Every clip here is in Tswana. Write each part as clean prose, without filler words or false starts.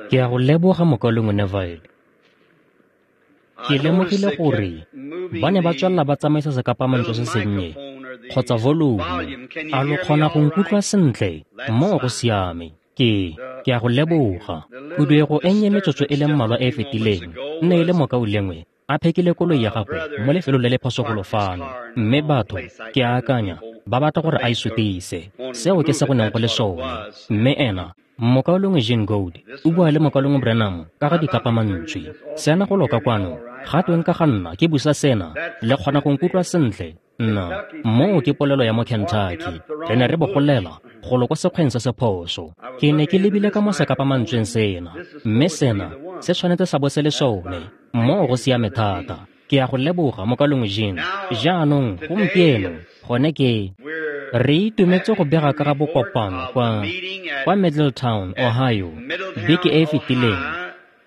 Ke a go leboga mokaulengwe Neville. Ke lemogile gore ba ne ba tswelela ba tsamaisa sekapamantswe se sennye kgotsa volumo. A lo kgona go nkutlwa sentle? Moo go siame. Ke a go leboga. Khuduego e nnye metsotso e le mmalwa e e fetileng nne e le mokaulengwe a phekile koloi ya gagwe mo lefelong le le phoso golo fano, mme batho, ke a akanya, ba batla gore a e sutise. Seo ke se go neng go le sone. Mme ena, mokaulengwe Jean Goad, o bua le mokaulengwe Branham ka ga dikapamantswe. Sena go loka kwano, ga tweng ka ga nna ke busa sena, le kgona go nkutlwa sentle? Nna, moo ke polelo ya mo Kentucky. Re ne re bogolela golo ko sekgweng se se phoso. Ke ne ke lebile ka mo sekapamantsweng sena, mme sena se tshwanetse sa bo se le sone. Moo go siame thata. Ke a go leboga mokaulengwe Jean. Jaanong gompieno gone ke re itumetse go bega ka ga bokopano kwa Middletown, Ohio, beke e e fetileng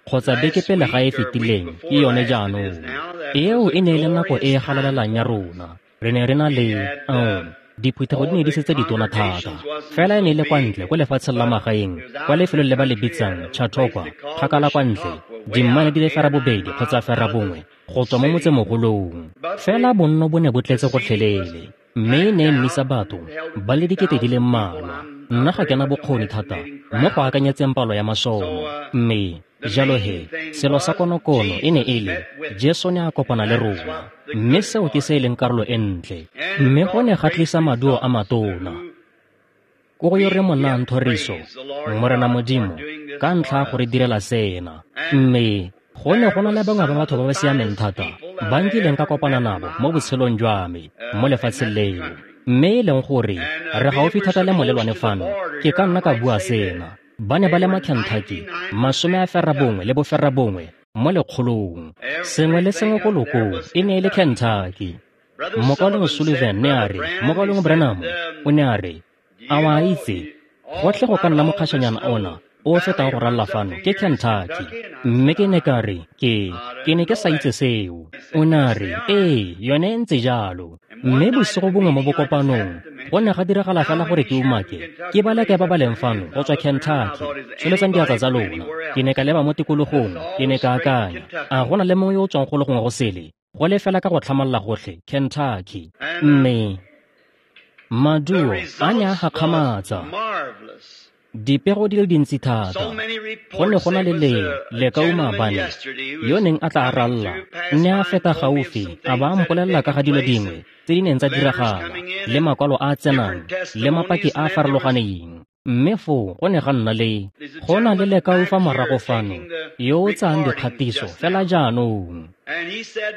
kgotsa beke pele ga e fetileng ke yone jaanong. Eo e ne e le nako e e galalelang ya rona. Re ne re na le diphuthego di ne di setse ditona thata, fela e ne e le kwa ntle ko lefatsheng la magaeng, kwa lefelong le ba le bitsang Chautauqua, kgakala kwa ntle, dimmaele di le 80 kgotsa 90 go tswa mo motsemogolong. Fela bonno bo ne bo tletse gotlhelele, mme e ne e nnisa batho ba le 20 000. Nna ga ke na bokgoni thata mo go akanyetseng palo ya masome, mme jalo he selo sa konokono e ne e le Jesu ne a kopana le rona, mme seo ke se e leng karolo e ntle. Mme go ne ga tlisa maduo a matona. Ko go yo re mo nayang thoriso, Morena Modimo, ka ntlha ya go re direla sena. Mme go ne go na le bangwe ba batho ba ba siameng thata ba nkileng ka kopana nabo mo botshelong jwa me mo lefatsheng leo. Mme e leng gore re gaufi thata le molelwane fano, ke ka nna ka bua sena. Ba ne ba le ma Kentucky 99 mo lekgolong. Sengwe le sengwe ko lokong e ne e le Kentucky. Mokaulengwe Sullivan ne a re, mokaulengwe Branham o ne a re, a wa itse, gotlhe go ka nna mokgašanyana ona o fetang go ralla fano ke Kentucky. Mme ke ne ka re, ke ne ke sa itse seo. O ne a re, ee, yone e ntse jalo. Mme bosigo bongwe mo bokopanong go ne ga diragala fela gore ke umake ke ba leke ba ba leng fano go tswa Kentucky. Tsholetsang diatla tsa lona. Ke ne ka leba mo tikologong, ke ne ka akanya, a go na le mongwe yo o tswang go le gongwe go sele, go le fela ka go tlhamalla gotlhe Kentucky. Mme maduo a ne a gakgamatsa. Dipego di le dintsi thata. Go ne go na le lekau maabane yo neng a tla a ralla, ne a feta gaufi a ba a mpolelela ka ga dilo dingwe tse di neng tsa diragala, le makwalo a a tsenang, le mapaki a a farologaneng. Mme foo go ne ga nna le go na le lekau fa morago fano yo o tsayang dikgatiso fela jaanong.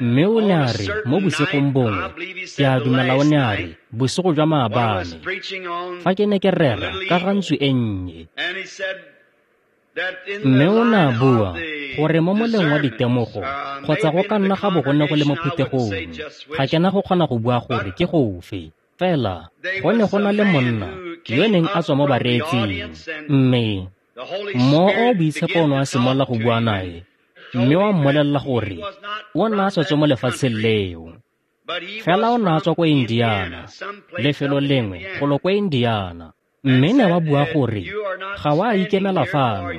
Mme o ne a re mo bosigong bongwe, ke a dumela o ne a re bosigo jwa maabane, fa ke ne ke rera ka ga ntsu e nnye. Mme o ne a bua gore mo moleng wa ditemogo kgotsa go ka nna ga bo go ne go le mo phuthegong, ga ke na go kgona go bua gore ke gofe. Fela go ne go na le monna yo neng a tswa mo bareetsing, mme Mowa o o Boitshepo o ne wa simolola go bua nae, mme wa mmolelela gore o ne a sa tswe mo lefatsheng leo. Fela o ne a tswa ko Indiana, lefelo lengwe golo ko Indiana. Mme ne wa bua gore ga wa ikemela fano,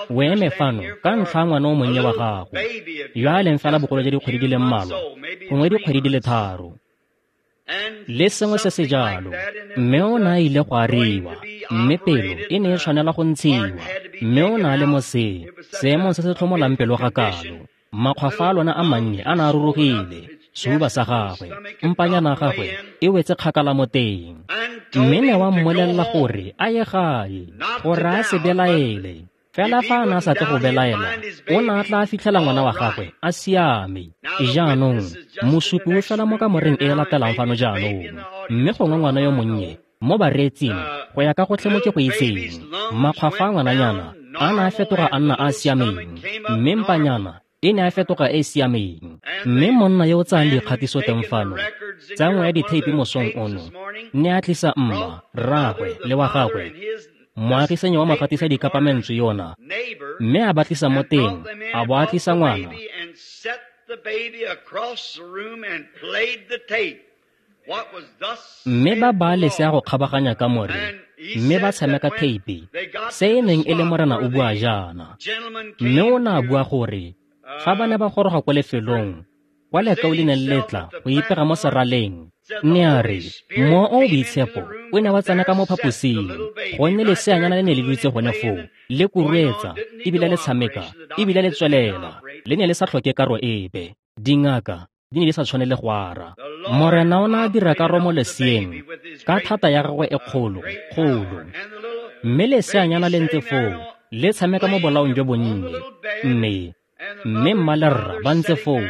o eme fano ka ntlha ya ngwana o monnye wa gago, yo a leng fela bogolo jwa dikgwedi di le mmalwa, gongwe dikgwedi di le 3. Le sengwe se se jalo. Mme o ne a ile go ariwa, mme pelo e ne e tshwanela go ntshiwa. Mme o ne a le mo seemong se se tlhomolang pelo ga kalo. Makgwafo a lona a mannye a ne a rurugile, sehuba sa gagwe, mpanyana ya gagwe e wetse kgakala mo teng. Mme ne wa mmolelela gore a ye gae, gore a se belaele. Fela fa a ne a sa tle go belaela, o ne a tla fitlhela ngwana wa gagwe a siame. Jaanong, mosupi o fela mo kamoreng e e latelang fano jaanong, mme gongwe ngwana yo monnye mo bareetsing go ya ka gotlhe mo ke go itseng, makgwafo a ngwananyana a ne a fetoga a nna a a siameng, mme mpanyana e ne a fetoga e e siameng. Mme monna yo o tsayang dikgatiso teng fano tsa nngwe ya ditheipi mosong ono ne a tlisa mma, rraagwe le wa gagwe, moagisanyi wa mogatisa dikapamentswe yona, mme a ba tlisa mo teng, a bo a tlisa ngwana. Mme ba baa lesea go kgabaganya kamore, mme ba tshameka theipi, se e neng e le Morena o bua jaana. Mme o ne a bua gore fa ba ne ba goroga kwa lefelong kwa lekau le neng le tla go ipega mo seraleng, ne a re Mowa o o Boitshepo o ne wa tsena ka mo phaposing, gonne leseanyana le ne le dutse gone foo le kuruetsa ebile le tshameka ebile le tswelela, le ne le sa tlhoke karo epe. Dingaka di ne di sa tshwane le go ara. Morena o ne a dira karo mo leseeng ka thata ya gagwe e kgolo kgolo, mme leseanyana le ntse foo le tshameka mo bolaong jo bonnye, mme mma le rra ba ntse foo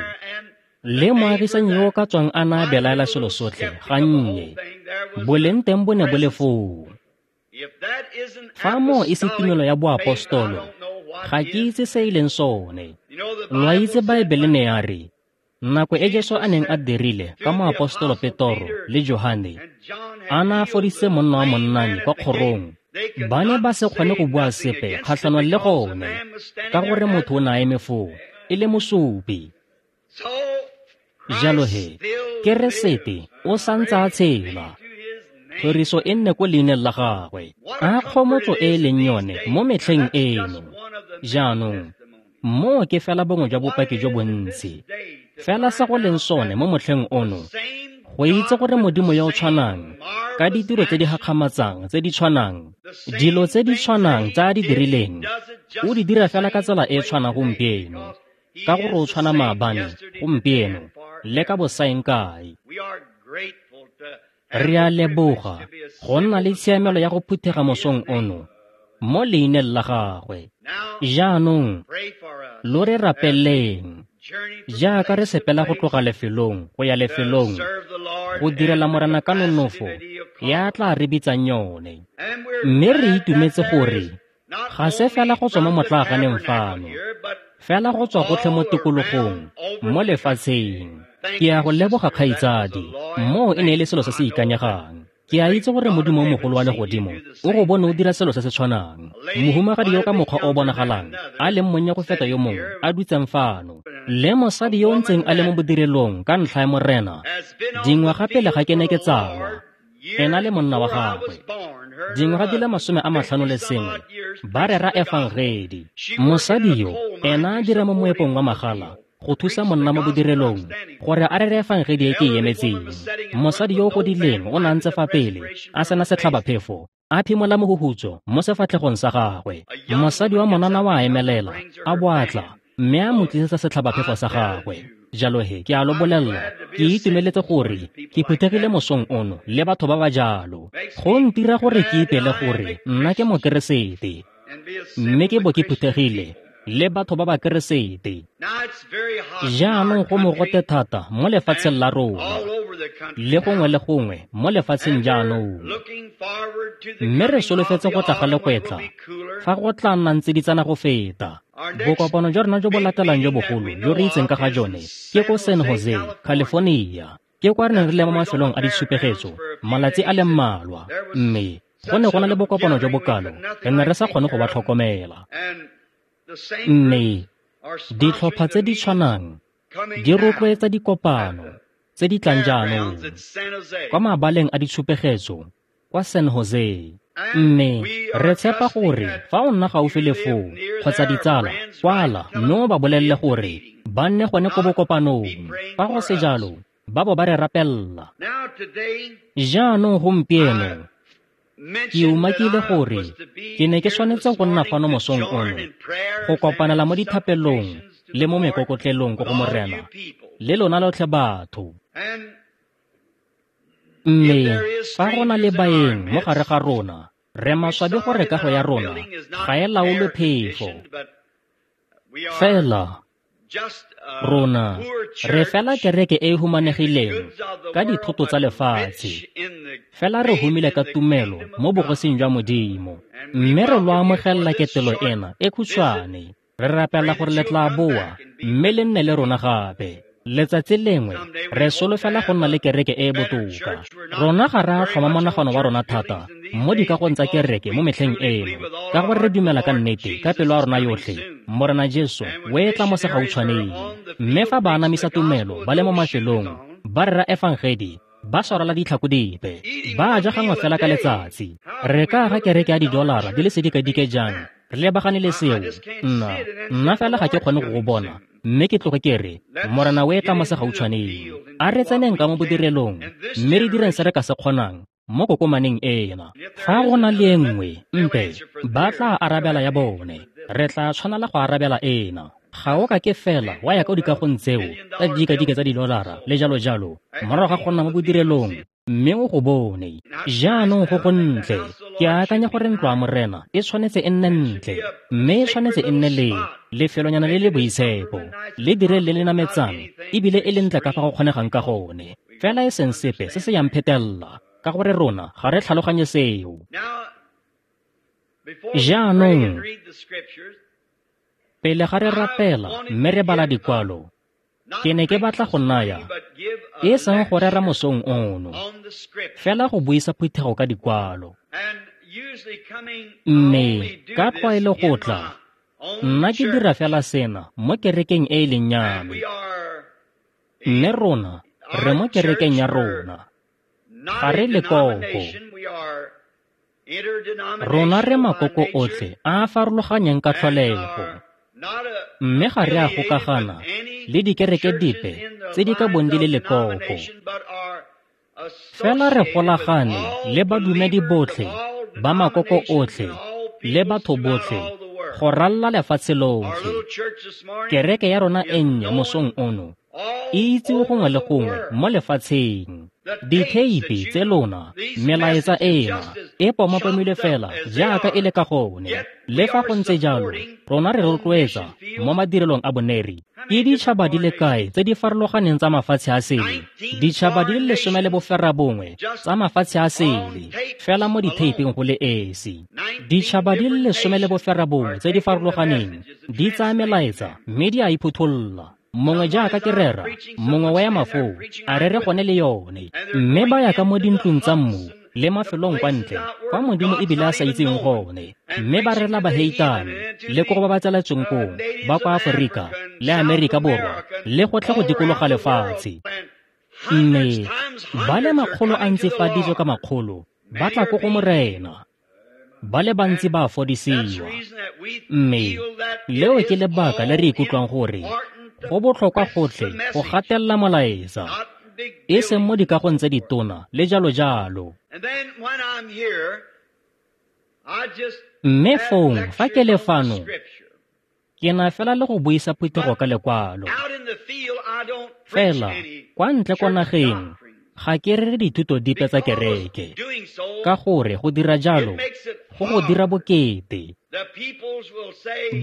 le moagisanyi yo o ka tswang a na a belaela selo sotlhe gannye, boleng teng bo ne bo le foo. Fa moo e se tumelo ya boapostolo, ga ke itse se e leng sone. Lo a itse Baebele ne ya re nako e Jesu a neng a dirile ka moapostolo Petoro le Johane a na a fodisitse monna wa monnane kwa kgorong, ba ne ba se kgone go bua sepe kgatlhanong le gone ka gore motho o ne a eme foo e le mosupi. Jalo he, Keresete o santse a tshela, thoriso e nne ko leineng la gagwe, a kgomotso e e leng yone mo metlheng eno. Jaanong, moo ke fela bongwe jwa bopaki jo bontsi. Fela se go leng sone mo motlheng ono, go itse gore Modimo yo o tshwanang, ka ditiro tse di gakgamatsang tse di tshwanang, dilo tse di tshwanang tse a di dirileng, o di dira fela ka tsela e e tshwanang gompieno, ka gore o tshwana maabane, gompieno, le ka bosaeng kae. Re a leboga go nna le tshiamelo ya go phuthega mosong ono mo leineng la gagwe. Jaanong lo re rapeleng jaaka re sepela go tloga lefelong go ya lefelong go direla Morena ka nonofo ya tla re bitsang yone. Mme re itumetse gore ga se fela go tswa mo motlaaganeng fano, fela go tswa gotlhe mo tikologong mo lefatsheng. Ke a go leboga kgaitsadi, moo e ne e le selo se se ikanyegang. Ke a itse gore Modimo o mogolo wa legodimo o go bone o dira selo se se tshwanang. Mohumagadi yo ka mokgwa o bonagalang a leng monnye go feta yo mongwe a dutseng fano, le mosadi yo o ntseng a le mo bodirelong ka ntlha ya Morena dingwaga pele ga ke ne ke tsalwa, ena le monna wa gagwe, dingwaga di le 51 ba rera efangedi. Mosadi yo ena a dira mo moepong wa magala go thusa monna mo bodirelong gore a rere efangedi e ke e emetseng. Mosadi yo o godileng o ne a ntse fa pele a sena setlhabaphefo, a phimola mohuhutso mo sefatlhegong sa gagwe. Mosadi wa monana wa emelela a bo a tla mme a mo tlisetsa setlhabaphefo sa gagwe. Jalo he, ke a lo bolelela, ke itumeletse gore ke phuthegile mosong ono le batho ba ba jalo. Go ntira gore ke ipele gore nna ke Mokeresete, mme ke bo ke phuthegile le batho ba ba Keresete. Jaanong go mogote thata mo lefatsheng la rona, le gongwe le gongwe mo lefatsheng jaanong. Mme re solofetse go tla ga legwetla fa go tla nnang tsiditsana go feta. Bokopano jwa rona jo bo latelang jo bogolo jo re itseng ka ga jone ke ko San Jose, California. Ke kwa re neng re le mo mafelong a ditshupegetso malatsi a le mmalwa, mme go ne go na le bokopano jo bokalo re ne re sa kgone go ba tlhokomela. Mme ditlhopha tse di tshwanang di rotloetsa dikopano tse di tlang jaanong kwa mabaleng a ditshupegetso kwa San Jose. Mme re tshepa gore fa o nna gaufi le foo kgotsa ditsala, kwala mme o ba bolelele gore ba nne gone ko bokopanong. Fa go se jalo, ba bo ba re rapella. Jaanong gompieno ke umakile gore ke ne ke tshwanetse go nna fano mosong ono go kopanela mo dithapelong le mo mekokotlelong ko go Morena le lona lotlhe batho. Mme fa go na le baeng mo gare ga rona, re maswabi gore kago ya rona ga e laolwe phefo. Fela rona re fela kereke e e humanegileng ka dithoto tsa lefatshe, fela re humile ka tumelo mo bogosing jwa Modimo. Mme re lo amogelela ketelo ena e khutshwane, re rapela gore le tla boa mme le nne le rona gape. Letsatsi lengwe re solofela go nna le kereke e e botoka. Rona ga re a tlhoma monagano wa rona thata mo dikagong tsa kereke mo metlheng eno, ka gore re dumela ka nnete ka pelo ya rona yotlhe Morena Jesu o e tla mo segautshwaneng. Mme fa ba anamisa tumelo ba le mo mafelong ba rera efangedi ba swarela ditlhako dipe, ba ja gangwe fela ka letsatsi. Re ka aga kereke ya didolara di le sedikadike jang re lebagane le seo? Nna fela ga ke kgone go go bona, mme ke tloge ke re Morena o e tla mo segautshwaneng. A re tseneng ka mo bodirelong mme re direng se re ka se kgonang mo kokomaneng ena. Fa go na le e nngwe mpe, ba tla arabela ya bone, re tla tshwanela go arabela ena. Ga o ka ke fela wa ya ka dikagong tseo tsa didikadike tsa didolara le jalo jalo morago ga go nna mo bodirelong mme o go bone. Jaanong go go ntle. Ke akanya gore ntlo ya Morena e tshwanetse e nne ntle, mme e tshwanetse e nne le lefelonyana le le boitshepo, le dire le le nametsang ebile e le ntle ka fa go kgonegang ka gone, fela e seng sepe se se yang phetelela, ka gore rona ga re tlhaloganye seo. Jaanong pele ga re rapela mme re bala dikwalo, ke ne ke batla go naya, e seng go rera mosong ono, fela go buisa phuthego ka dikwalo. Mme ka tlwaelo go tla, nna ke dira fela sena mo kerekeng e e leng ya me, mme rona re mo kerekeng ya rona, ga re lekoko. Rona re makoko otlhe a a farologanyeng ka tlholego, mme ga re a gokagana le dikereke dipe tse di ka bong di le lekoko. Fela re golagane le badumedi botlhe ba makoko otlhe le batho botlhe go ralala lefatshe lotlhe. Kereke ya rona e nnye mosong ono e itsiwe gongwe le gongwe mo lefatsheng. Ditheipi tse lona, melaetsa ena e pomapomilwe fela jaaka e le ka gone. Le fa go ntse jalo, rona re rotloetsa mo madirelong a boneri. Ke ditšhaba di le kae tse di farologaneng tsa mafatshe a sele? Ditšhaba di le 19 tsa mafatshe a sele fela mo ditheiping go le esi. Ditšhaba di le 19 tse di farologaneng di tsaya melaetsa mme di a iphutholla. Mongwe jaaka ke rera, mongwe wa ya mafoo, a rere gone le yone, mme ba ya ka mo dintlong tsa mmu le mafelong kwa ntle kwa Modimo ebile a sa itseng gone, mme ba rela baheitane le ko go ba ba tsaletsweng koo ba kwa Aforika le Amerika Borwa le gotlhe go dikologa lefatshe. Mme ba le makgolo a ntsifaditswe ka makgolo ba tla ko go Morena, ba le bantsi ba fodisiwa. Mme leo ke lebaka le re ikutlwang gore go botlhokwa gotlhe go gatelela molaetsa, e seng mo dikagong tse ditona le jalo jalo. Mme fong fa ke le fano, ke na fela le go buisa phuthego ka lekwalo. Fela kwa ntle kwa nageng ga ke rere dithuto dipe tsa kereke, ka gore go dira jalo go go dira bokete.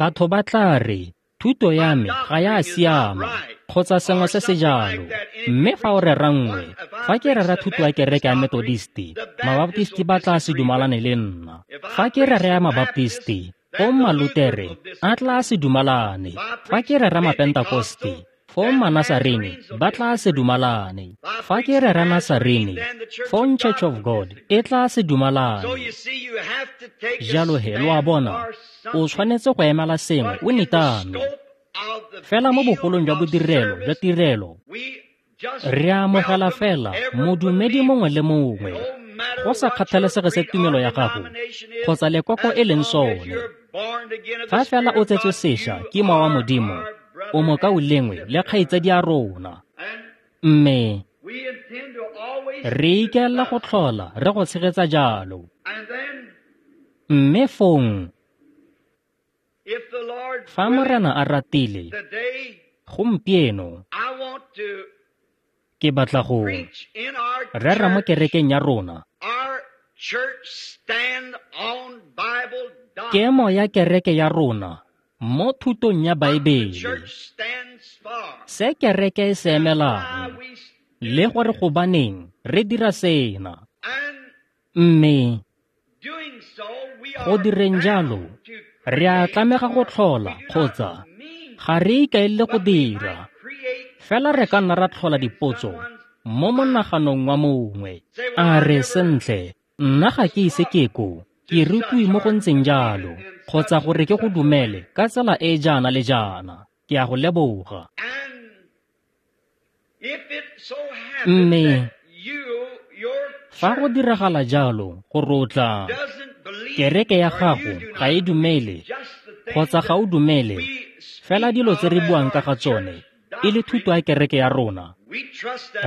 Batho ba tla re thuto ya me ga ya siama kgotsa sengwe se se jalo. Mme fa o rera nngwe, fa ke rera thuto ya kereke ya Methodisti, Mabaptisti ba tla se dumalane le nna. Fa ke rera ya Mabaptisti, fong Malutere a tla se dumalane. Fa ke rera Mapentakoste, fong Manasarene ba tla se dumalane. Fa ke rera Nasarene, fong Church of God e tla se dumalane. Jalo he, lo a bona, o tshwanetse go emela sengwe o nitame. Fela mo bogolong jwa bodirelo jwa tirelo, re amogela fela modumedi mongwe le mongwe, go sa kgathalesege se tumelo ya gago kgotsa lekoko e leng sone. Fa fela o tsetswe sešwa ke Mowa wa Modimo, o mokaulengwe le kgaitsadi ya rona. Mme re ikaelela go tlhola re go tshegetsa jalo. Mme fong fa Morena a ratile, gompieno ke batla go rera mo kerekeng ya rona kemo ya kereke ya rona mo thutong ya Baebele, se kereke e se emelang le gore gobaneng re dira sena. Mme go direng jalo, re a tlamega go tlhola kgotsa ga re ikaelele go dira, fela re ka nna ra tlhola dipotso mo monaganong wa mongwe. A re sentle, nna ga ke ise ke ko ke rutiwe mo go ntseng jalo, kgotsa gore ke go dumele ka tsela e jaana le jaana. Ke a go leboga. Mme Fa go diragala jalo, gore o tla kereke ya gago ga e dumele kgotsa ga o dumele fela dilo tse re buang ka ga tsone e le thuto ya kereke ya rona,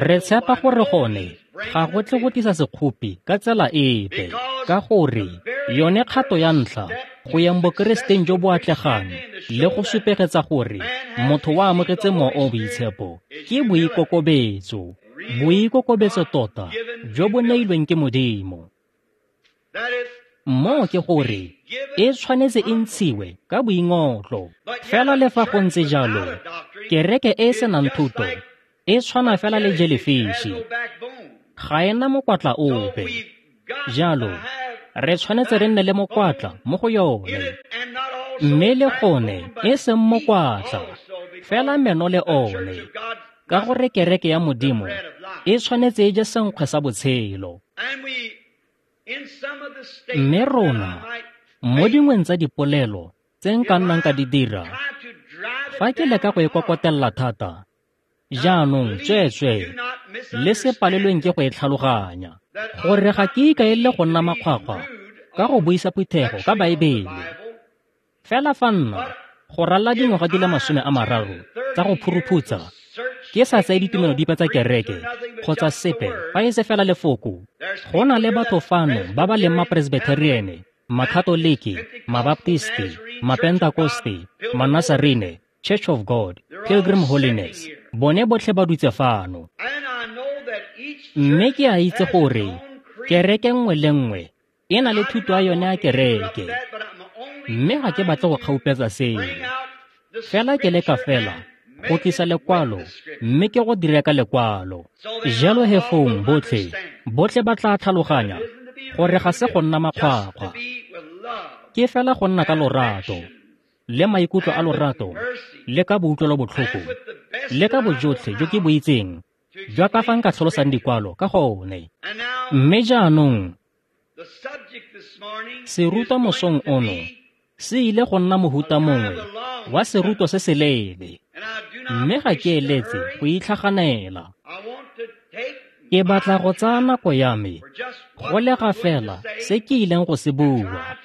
re tshepa gore gone ga go tle go tlisa sekgopi ka tsela epe, ka gore yone kgato ya ntlha go yang bokeresiteng jo bo atlegang le go supegetsa gore motho wa amogetse Mowa o Boitshepo ke boikokobetso, boikokobetso tota jo bo neilweng ke Modimo. Moo ke gore e tshwanetse e ntshiwe ka boingotlo. Fela le fa go ntse jalo, kereke e e senang thuto e tshwana fela le jellyfish, ga e na mokwatla ope. Jalo re tshwanetse re nne le mokwatla mo go yone, mme le gone e seng mokwatla, fela meno le one, ka gore kereke ya Modimo e tshwanetse e je senkgwe sa botshelo. Mme rona mo dingweng tsa dipolelo tse nka nnang ka di dira, fa ke leka go e kokotella thata, jaanong tsweetswee le se palelweng ke go e tlhaloganya, gore ga ke ikaelele go nna makgwakgwa ka go buisa phuthego ka Baebele. Fela fa nna go ralala dingwaga di le 30 tsa go phuruphutsa ke sa tseye ditumelo dipe tsa kereke kgotsa sepe fa e se fela lefoko, go na le batho fano ba ba leng mapresbitheriene, makatoliki, mabaptisti, mapentakoste, manasarene, Church of God, Pilgrim Holiness, bone botlhe ba dutse fano. Mme ke a itse gore kereke nngwe le nngwe e na le thuto ya yone ya kereke, mme ga ke batle go kgaupetsa seo. Fela ke leka fela go tlisa lekwalo, mme ke go dire ka lekwalo. Jalo he fong botlhe ba tla tlhaloganya gore ga se go nna makgwakgwa, ke fela go nna ka lorato le maikutlo a lorato le ka boutlwelobotlhoko le ka bojotlhe jo ke bo itseng jwa ka fa nka tlhalosang dikwalo ka gone. Mme jaanong serutwa mosong ono se ile go nna mohuta mongwe wa serutwa se se leele, mme ga ke eletse go itlhaganela. Ke batla go tsaya nako ya me go lega fela se ke ileng go se bua,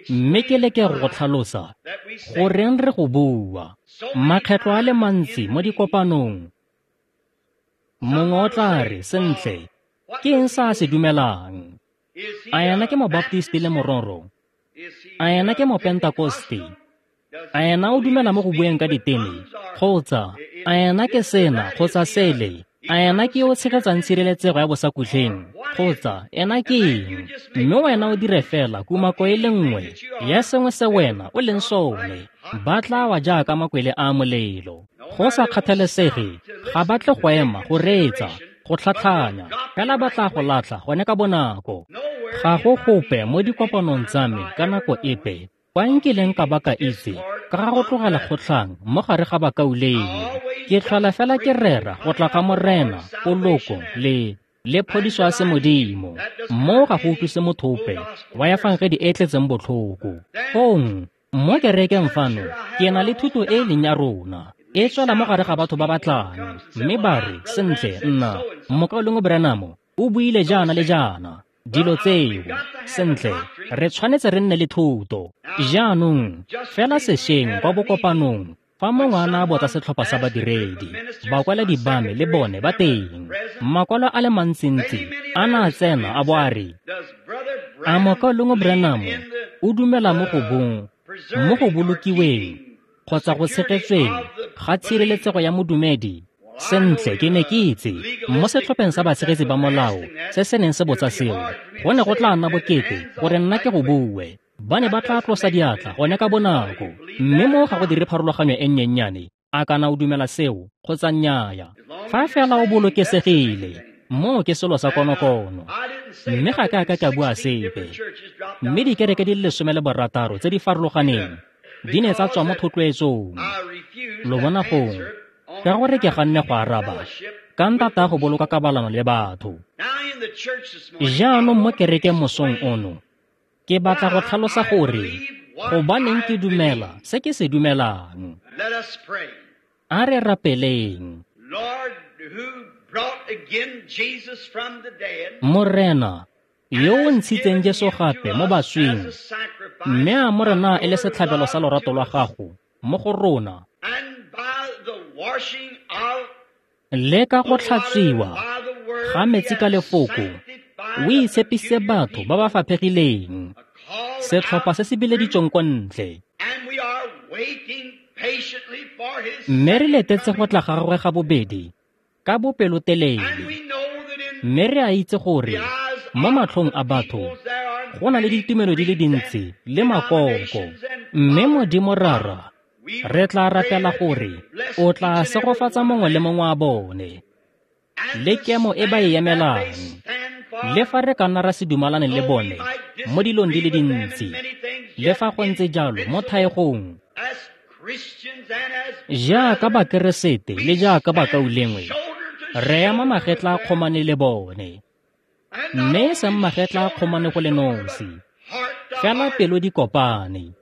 mme ke leke go tlhalosa goreng re go bua. Makgetlo a le mantsi mo dikopanong, mongwe o tla re, sentle, ke eng se a se dumelang? A ena ke mobaptisti le mororo? A ena ke mopentakoste? A ena o dumela mo go bueng ka diteme? Kgotsa a ena ke sena kgotsa sele? A ena ke yo o tshegetsang tshireletsego ya bosakutleng? Kgotsa ena ke eng? Mme wena o dire fela kumako e le nngwe ya sengwe se wena o leng sone, ba tla wa jaaka makwele a molelo. Go sa kgathalesege, ga ba tle go ema go reetsa, go tlhatlhanya, fela ba tla go latlha gone ka bonako. Ga go gope mo dikopanong tsa me ka nako epe kwa nkileng ka ba ka itse ka ga go tlogela kgotlhang mo gare ga bakaulengwe. Ke tlhola fela ke rera go tla ga Morena, poloko le phodiso ya semodimo. Moo ga go utlwise motho ope wa efangedi e tletseng botlhoko. Fong mo kerekeng fano ke na le thuto e e leng ya rona, e tswela mo gare ga batho ba ba tlang, mme ba re, sentle, nna mokaulengwe Branham o buile jaana le jaana, dilo tseo. Sentle, re tshwanetse re nne le thuto. Jaanong fela sešweng kwa bokopanong, fa mongwe a na a botsa setlhopha sa badiredi, bakwaledi ba me le bone ba teng, makwalo a le mantsintsi a na a tsena a bo a re, a mokaulengwe Branham o dumela mo go bong, mo go bolokiweng kgotsa go tshegetsweng ga tshireletsego ya modumedi? Sentle, ke ne ke itse mo setlhopheng sa batshegetsi ba molao se se neng se botsa seo, go ne go tla nna bokete gore nna ke go bue. Ba ne ba tla tlosa diatla gone ka bonako, mme mo ga go dire pharologanyo e nnyennyane a kana o dumela seo kgotsa nnyaya. Fa fela o bolokesegile, moo ke selo sa konokono. Mme ga ke a ka ka bua sepe. Mme dikereke di le 16 tse di farologaneng di ne tsa tswa mo thotloetsong. Lo bona gong, ka gore ke ganne go araba ka ntata go boloka kabalano le batho. Jaanong mo kerekeng mosong ono, ke batla go tlhalosa gore gobaneng ke dumela se ke se dumelang. A re rapeleng. Morena, yo o ntshitseng Jesu gape mo baswing, mme a mo rena e le setlhabelo sa lorato lwa gago mo go rona, le ka go tlhatswiwa ga metsi ka lefoko, o itshepise batho ba ba faphegileng, setlhopha se se bileditsweng kwa ntle. Mme re letetse go tla ga gagwe ga bobedi ka bopelotelele, mme re a itse gore mo matlhong a batho go na le ditumelo di le dintsi le makoko, mme Modimo Rara, re tla rapela gore o tla segofatsa mongwe le mongwe wa bone le kemo e ba e emelang, le fa re ka nna ra se dumalane le bone mo dilong di le dintsi, le fa go ntse jalo mo thaegong, jaaka Bakeresete le jaaka bakaulengwe, re ema magetla a kgomane le bone, mme e seng magetla a kgomane go le nosi, fela pelo di kopane.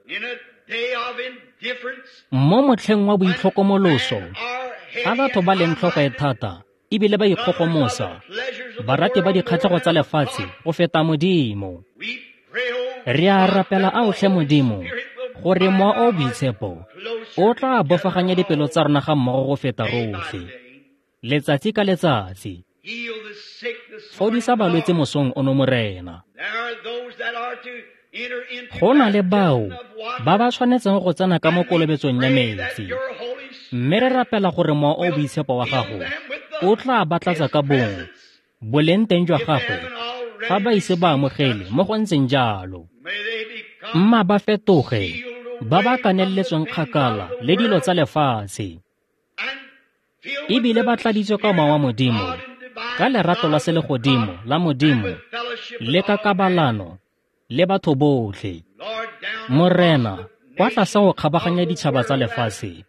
Mo motlheng wa boitlhokomoloso, fa batho ba leng tlhogo e thata ebile ba ikgogomosa, barati ba dikgatlhego tsa lefatshe go feta Modimo, re a rapela aotlhe Modimo gore Mowa o o Boitshepo o tla bofaganya dipelo tsa rona ga mmogo go feta rotlhe, letsatsi ka letsatsi. Fodisa balwetse mosong ono, Morena. Go na le bao ba ba tshwanetseng go tsena ka mo kolobetsong ya metsi, mme re rapela gore Mowa o o Boitshepo wa gago o tla ba tlatsa ka bongwe boleng teng jwa gagwe fa ba ise ba amogele mo go ntseng jalo. Mma ba fetoge ba ba kaneletsweng kgakala le dilo tsa lefatshe, ebile ba tladitswe ka Mowa wa Modimo, ka lerato la selegodimo la Modimo le ka kabalano le batho botlhe. Morena, kwa tlase go kgabaganya ditšhaba tsa lefatshe,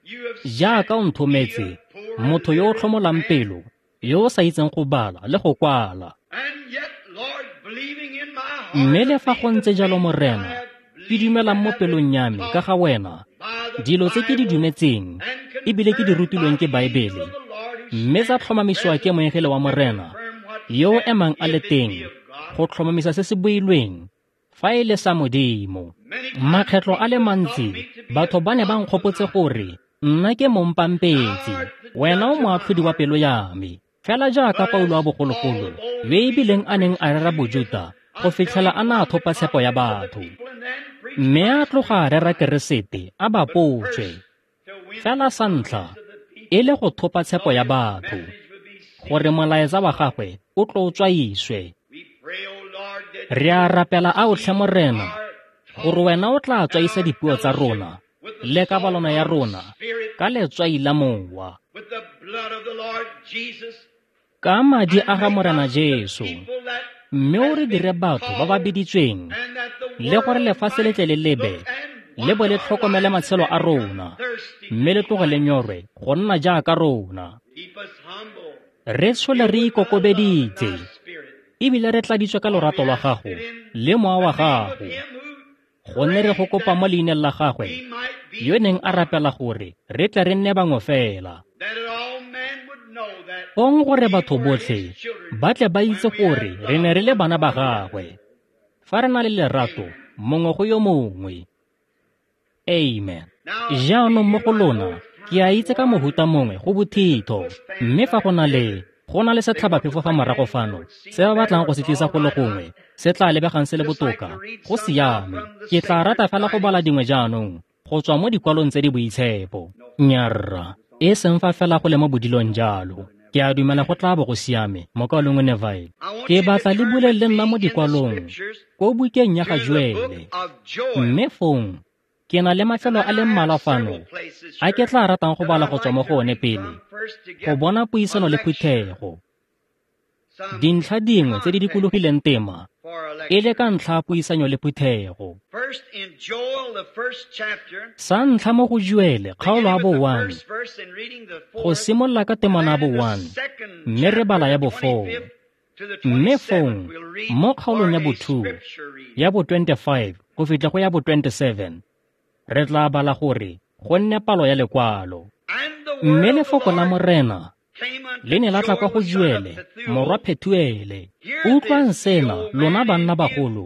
jaaka o nthometse, motho yo o tlhomolang pelo, yo o sa itseng go bala le go kwala. Mme le fa go ntse jalo, Morena, ke dumelang mo pelong ya me ka ga wena, dilo tse ke di dumetseng ebile ke di rutilweng ke Baebele, mme tsa tlhomamisiwa ke moengele wa Morena, yo o emang a le teng go tlhomamisa se se builweng fa e le sa Modimo. Makgetlo a le mantsi batho ba ne ba nkgopotse gore nna ke mompampetsi, wena o moatlhodi wa pelo ya me, fela jaaka Paulo wa bogologolo yo ebileng a neng a rera Bojuta go fitlhela a na a thopa tshepo ya batho, mme a tloga a rera Keresete a ba potswe, fela sa ntlha e le go thopa tshepo ya batho, gore molaetsa wa gagwe o tlo tswaiswe. Re a rapela aotlhe Morena, gore wena o tla tswaisa dipuo tsa rona le kabalano ya rona ka letswai la Mowa, ka madi a ga Morena Jesu, mme o re dire batho ba ba biditsweng, le gore lefatshe le tle le lebe le bo le tlhokomele matshelo a rona, mme le tloge le nyorwe go nna jaaka rona. Re tshole re ikokobeditse ebile re tladitswe ka lorato lwa gago le Mowa wa gago, gonne re go kopa mo leineng la gagwe yo neng a rapela gore re tle re nne bangwe fela, fong gore batho botlhe ba tle ba itse gore re ne re le bana ba gagwe, fa re na le lerato mongwe go yo mongwe. Amen. Jaanong mo go lona ke a itse ka mohuta mongwe go bothitho, mme fa go na le setlhabaphefo fa morago fano se ba batlang go se tlisa go le gongwe se tla lebegang se le botoka, go siame. Ke tla rata fela go bala dingwe jaanong go tswa mo dikwalong tse di boitshepo. Nyarra, e seng fa fela go le mo bodilong jalo. Ke a dumela go tla bo go siame, mokaulengwe Neville. Ke batla le bule le nna mo dikwalong ko bukeng ya ga Joele, mme fong ke na le mafelo a le mmalwa fano a ke tla ratang go bala go tswa mo go one pele, go bona puisano le phuthego. Dintlha dingwe tse di dikologileng tema e le ka ntlha ya puisanyo le phuthego. Sa ntlha mo go Joele kgaolo ya bo 1, go simolola ka temana ya bo 1, mme re bala ya bo 4. Mme fong mo kgaolong ya bo 2, ya bo 25 go fitlha go ya bo 27, re tla bala gore go nne palo ya lekwalo. Mme lefoko la Morena Le ne la tla kwa go Joele, morwa Phethuele. Utlwang sena, lona banna bagolo,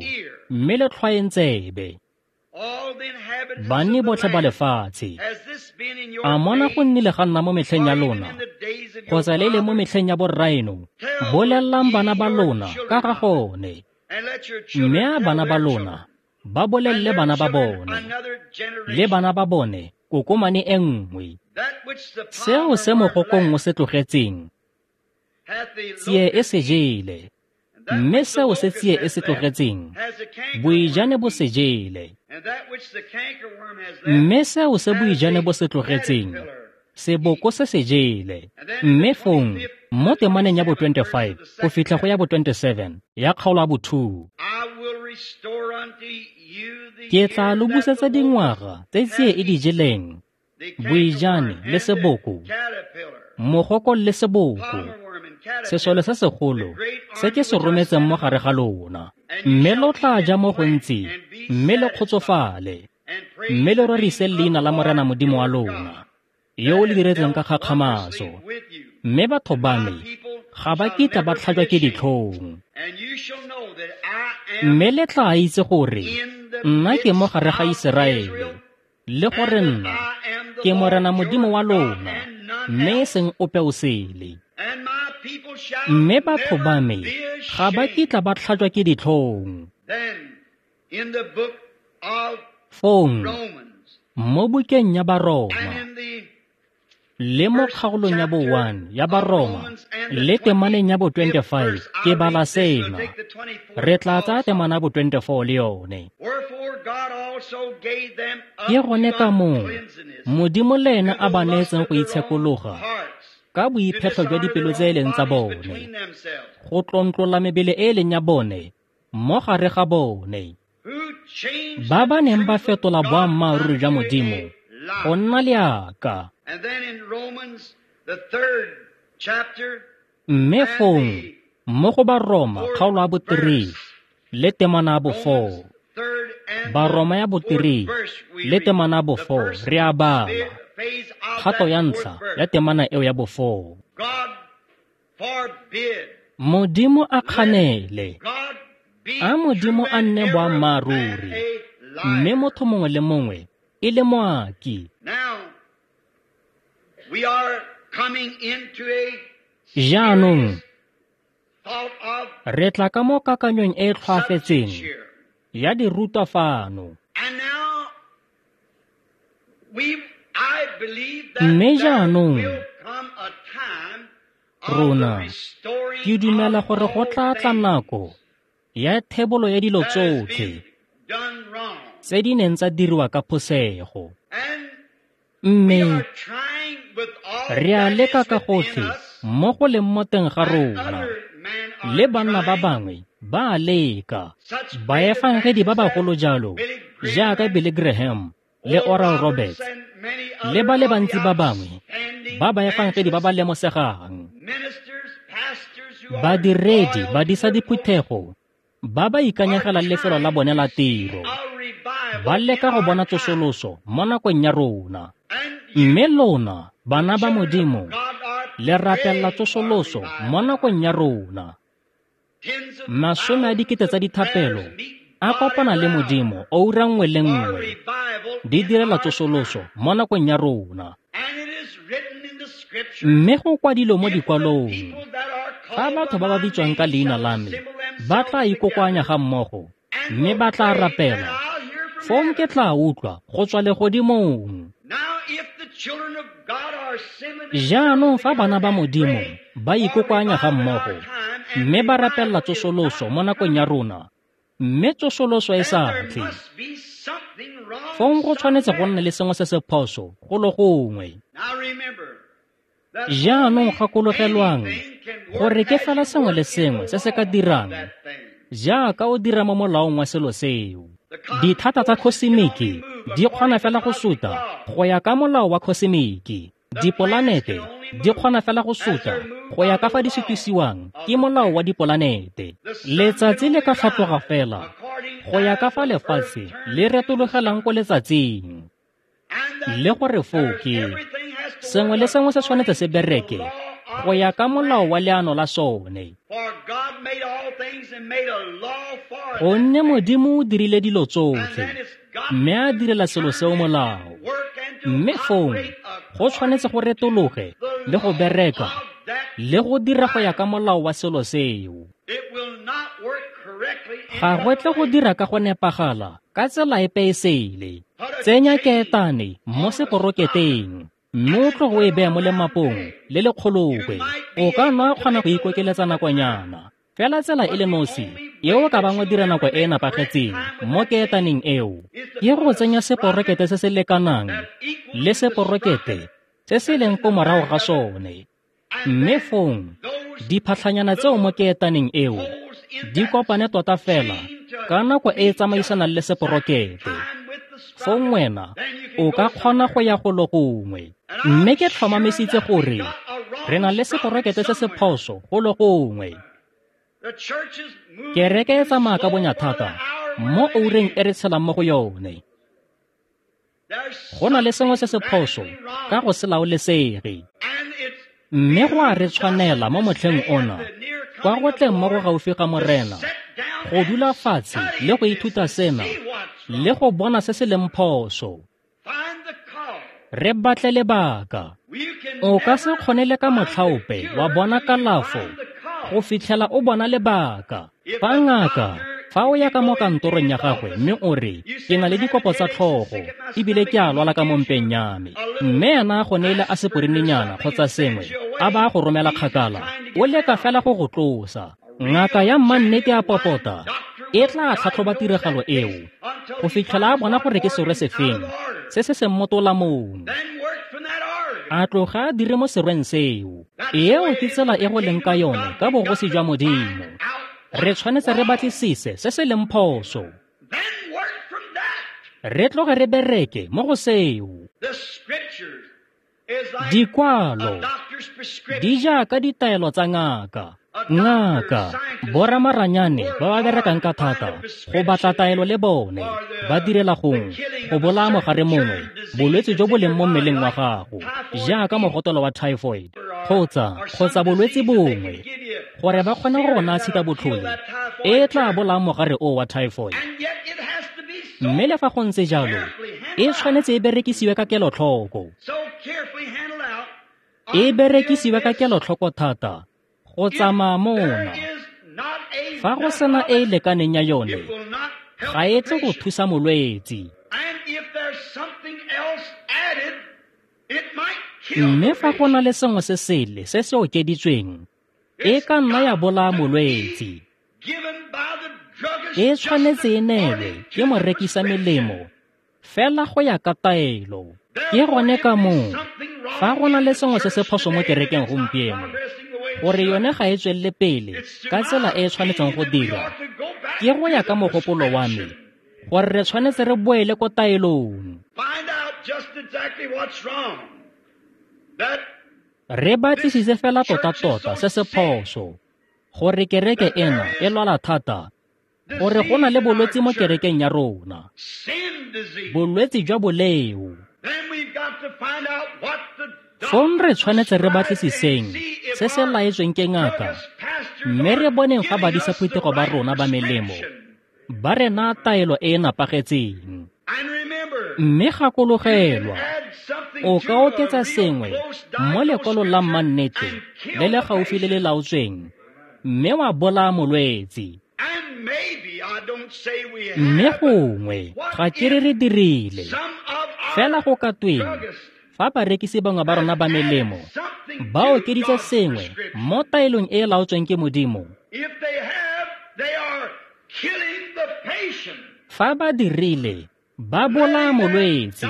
mme le tlhwaeng tsebe. Banni botlhe ba lefatshe, a mona go nnile ga nna mo metlheng ya lona, kgotsa le le mo metlheng ya borraeno? Bolelelang bana ba lona ka ga gone, mme a bana ba lona ba bolelele bana ba bone, le bana ba bone kokomane e nngwe. Seo se mogokong o se tlogetseng, tsie e se jele, mme seo se tsie e se tlogetseng, boijane bo se jele. Mme seo se boijane bo se tlogetseng, seboko se se jele. Mme fong, mo temaneng ya bo 25 go fitlha go ya bo 27 ya kgaolo ya bo 2, ke tla lo busetsa dingwaga tse tsie e di jeleng, boijane le seboko, mogoko le seboko, sesole se segolo se ke se rometseng mo gare ga lona. Mme lo tla ja mo gontsi, mme le kgotsofale, mme le rorise leina la Morena Modimo wa lona, yo o le diretseng ka kgakgamatso. Mme batho ba me ga ba kitla ba tlhajwa ke ditlhong. Mme le tla itse gore nna ke mo gare ga Iseraele, le gore nna ke Morena Modimo wa lona, mme e seng ope o sele. Mme batho ba me ga ba kitla ba tlhajwa ke ditlhong. Fong, mo bukeng ya Baroma, le mo kgaolong ya bo 1 ya Baroma, le temaneng ya bo 25, ke bala sena. Re tla tsaya temana bo 24 le yone. Ke gone ka moo Modimo le ena a ba neetseng go itshekologa ka boiphetlho jwa dipelo tse e leng tsa bone, go tlontlola mebele e e leng ya bone mo gare ga bone, ba ba neng ba fetola boammaaruri jwa Modimo go nna leaka. Mme fong, mo go Baroma kgaolo ya bo 3 le temana ya bo 4, Baroma ya bo 3 le temana ya bo 4, re a bala kgato ya ntlha ya temana eo ya bo 4. Modimo a kganele, a Modimo a nne boammaaruri, mme motho mongwe le mongwe e le moaki. Jaanong re tla ka mo kakanyong e e tlhoafetseng ya dirutwa fano. Mme jaanong rona ke dumela gore go tla tla nako ya thebolo ya dilo tsotlhe tse di neng tsa diriwa ka phosego. Mme re a leka ka gotlhe mo go leng mo teng ga rona, le banna ba bangwe ba a leka, baefangedi ba bagolo jalo jaaka Billy Graham le Oral Roberts le ba le bantsi ba bangwe ba baefangedi ba ba lemosegang, badiredi, badisa diphuthego ba ba ikanyegelang lefelo la bone la tiro, ba leka go bona tsosoloso mo nakong ya rona. Mme lona, bana ba Modimo, le rapella tsosoloso mo nakong ya rona. Masome a dikete tsa dithapelo a kopana le Modimo oura nngwe le nngwe, di direla tsosoloso mo nakong ya rona. Mme go kwadilwe mo dikwalong, fa batho ba ba bitswang ka leina la me ba tla ikokoanya ga mmogo mme ba tla rapela, fong ke tla utlwa go tswa legodimong. Jaanong fa bana ba Modimo ba ikokoanya ga mmogo mme ba rapella tsosoloso mo nakong ya rona, mme tsosoloso e sa tle, fong go tshwanetse go nne le sengwe se se phoso go le gongwe. Jaanong gakologelwang gore ke fela sengwe le sengwe se se ka dirang jaaka o dira mo molaong wa selo seo. Dithata tsa khosimiki di kgona fela go suta go ya ka molao wa khosimiki. Dipolanete di kgona fela go suta go ya ka fa di sutisiwang ke molao wa dipolanete. Letsatsi le ka tlhatloga fela go ya ka fa lefatshe le retologelang ko letsatsing. Le gore foo ke sengwe le sengwe se tshwanetse se bereke go ya ka molao wa leano la sone. Gonne Modimo o dirile dilo tsotlhe, mme a direla selo seo molao. Mme fong go tshwanetse go retologe le go bereka le go dira go ya ka molao wa selo seo. Ga go tle go dira ka go nepagala ka tsela epe e sele. Tsenya keetane mo seporoketeng, mme o tloge o e beye mo lemapong le le kgolokwe. O ka nna kgona go ikokeletsa nakonyana, fela tsela e le nosi eo ka bang o dira nako e e nepagetseng mo keetaneng eo ke go tsenya seporokete se se lekanang le seporokete se se leng ko morago ga sone. Mme fong diphatlhanyana tseo mo keetaneng eo di kopane tota fela ka nako e e tsamaisanang le seporokete. Fong wena o ka kgona go ya golo gongwe. Mme ke tlhomamisitse gore re na le seporokete se se phoso golo gongwe. Kereke e tsamaya ka bonya thata mo oureng e re tshelang mo go yone. Go na le sengwe se se phoso ka go se laolesege. Mme go a re tshwanela mo motlheng ona, kwa go tleng mo go gaufi ga Morena, go dula fatshe le go ithuta sena le go bona se se leng phoso. Re batle lebaka. O ka se kgone le ka motlhaope wa bona kalafo go fitlhela o bona lebaka. Fa ngaka, fa o ya ka mo kantorong ya gagwe mme o re, ke na le dikopo tsa tlhogo ebile ke a lwala ka mo mpeng ya me, mme ena a go neile aseporinnyana kgotsa sengwe a ba a go romela kgakala, o leka fela go go tlosa. Ngaka ya mmannete a popota e tla tlhatlhoba tiragalo eo go fitlhela a bona gore ke serwe sefeng se se seng mo tolamong, a tloga a dire mo serweng seo. Eo ke tsela e go leng ka yone ka bogosi jwa Modimo. Re tshwanetse re batlisise se se leng phoso, re tloge re bereke mo go seo. Dikwalo di jaaka ditaelo tsa ngaka. Ngaka, boramaranyane ba ba berekang ka thata go batla taelo le bone ba direla gongwe go bolaya mogare mongwe bolwetse jo bo leng mo mmeleng wa gago, jaaka mogotelo wa typhoid kgotsa bolwetse bongwe, gore ba kgone go naya tshikabotlhole e tla bolayang mogare o wa typhoid. Mme le fa go ntse jalo, e tshwanetse e berekisiwe ka kelotlhoko. E berekisiwe ka kelotlhoko thata go tsamaya mona. Fa go sena e e lekaneng ya yone, ga e tle go thusa molwetse. Mme fa go na le sengwe se sele se se okeditsweng, e ka nna ya bolaya molwetse. E tshwanetse e neelwe ke morekisa melemo fela go ya ka taelo. Ke gone ka moo fa go na le sengwe se se phoso mo kerekeng gompieno, gore yone ga e tswelele pele ka tsela e e tshwanetseng go dira, ke go ya ka mogopolo wa me gore re tshwanetse re boele ko taelong. Re batlisise fela tota-tota se se phoso, gore kereke ena e lwala thata, gore go na le bolwetse mo kerekeng ya rona, bolwetse jwa boleo. Fong re tshwanetse re batlisiseng se se laetsweng ke ngaka, mme re boneng fa badisa phuthego ba rona ba melemo ba re naya taelo e e nepagetseng. Mme gakologelwa, o ka oketsa sengwe mo lekwalong la mmannete le le gaufi le le laotsweng, mme wa bolaya molwetse. Mme gongwe ga ke re re dirile, fela go ka tweng fa barekisi bangwe ba rona ba melemo ba okeditse sengwe mo taelong e e laotsweng ke Modimo? Fa ba dirile, ba bolaya molwetse,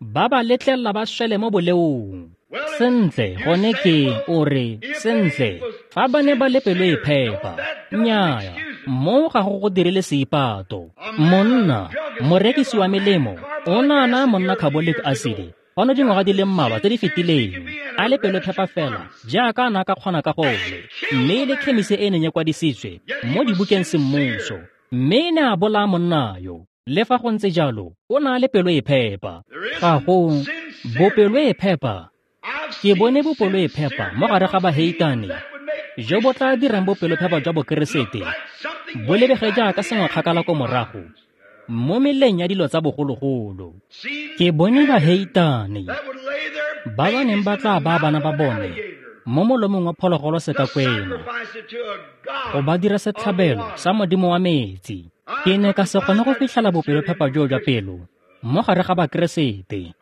ba ba letlelela ba swele mo boleong. Sentle, gone ke o re, sentle, fa ba ne ba le pelo e phepa. Nnyaya, mo ga go go dirile seipato. Monna, morekisi wa melemo, o ne a naya monna carbolic acid fano dingwaga di le mmalwa tse di fetileng, a le pelo phepa fela jaaka a ne a ka kgona ka gone, mme e le khemisi e neng e kwadisitswe mo dibukeng semmuso, mme e ne a bolaya monna yo. Le fa go ntse jalo, o ne a le pelo e phepa. Ga go bopelo e phepa. Ke bone bopelo-e-phepa mo gare ga baheitane jo bo tla dirang bopelophepa jwa Bokeresete bo lebege jaaka sengwe kgakala ko morago mo meleng ya dilo tsa bogologolo. Ke bone baheitane ba ba neng ba tla baya bana ba bone mo molomong wa phologolo sekakwena go ba dira setlhabelo sa modimo wa metsi. Ke ne ka se kgone go fitlhela bopelophepa joo jwa pelo mo gare ga Bakeresete.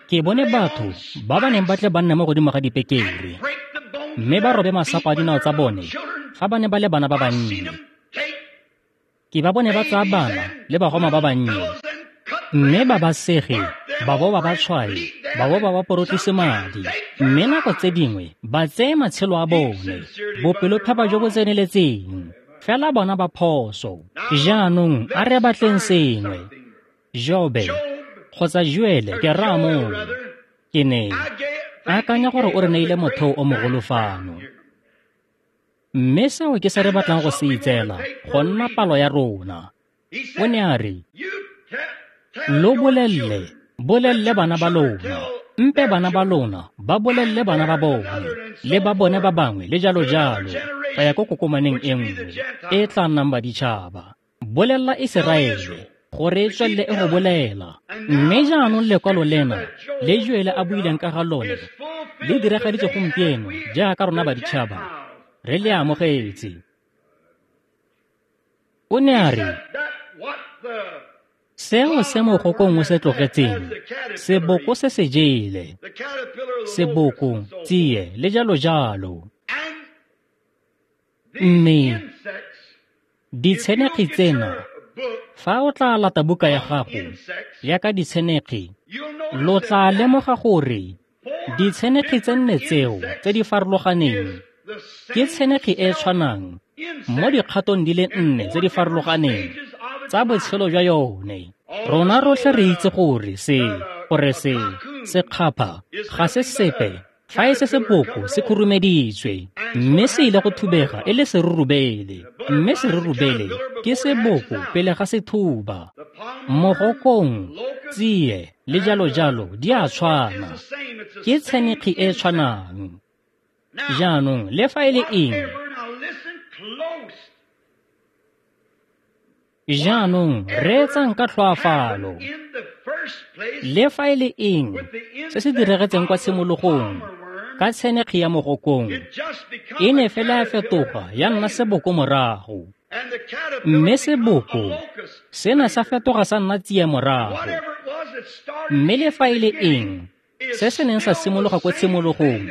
Ke bone batho ba ba neng ba tle ba nne mo godimo ga dipekere mme ba robe masapo a dinao tsa bone fa ba ne ba le bana ba bannye. Ke ba bone ba tsaya bana le bagoma ba bannye mme ba ba sege, ba bo ba ba tshwae, ba bo ba ba porotlise madi, mme nako tse dingwe ba tseye matshelo a bone. Bopelophepa jo bo tseneletseng, fela bona ba phoso. Jaanong a re batleng sengwe. Jobe kgotsa Joele ke raya moo. Ke ne akanya gore o re neile motheo o mogolo fano. Mme seo ke se re batlang go se itseela go nna palo ya rona. O ne a re, lo bolelle, bolelle bana ba lona, mpe bana ba lona ba bolelle bana ba bone, le ba bone ba bangwe le jalo jalo, go ya ko kokomaneng e nngwe e tla nnang baditšhaba. Bolella Iseraele gore e tswelele e go bolela. Mme jaanong lekwalo lena le Joele a buileng ka ga lone le diragaditswe gompieno jaaka rona baditšhaba re le amogetse. O ne a re, seo se mogokong o se tlogetseng, seboko se se jele, seboko, tsie le jalo jalo. Mme ditshenekgi tsena, fa o tla lata buka ya gago ya ka ditshenekgi, lo tla lemoga gore ditshenekgi tse nne tseo tse di farologaneng ke tshenekgi e tshwanang mo dikgatong di le nne tse di farologaneng tsa botshelo jwa yone. Rona rotlhe re itse gore se sekgapha ga se sepe fa e se seboko se khurumeditswe, mme se ile go thubega e le serurubele, mme serurubele ke seboko pele ga se thuba. Mogokong, tsie le jalo jalo di a tshwana, ke tshenekgi e tshwanang. Jaanong le fa e le eng, jaanong reetsang ka tlhoafalo. Le fa e le eng se se diragetseng kwa tshimologong ka tshenekgi ya mogokong, e ne fela ya fetoga ya nna seboko morago, mme seboko sena sa fetoga sa nna tsie morago. Mme le fa e le eng se se neng sa simologa kwa tshimologong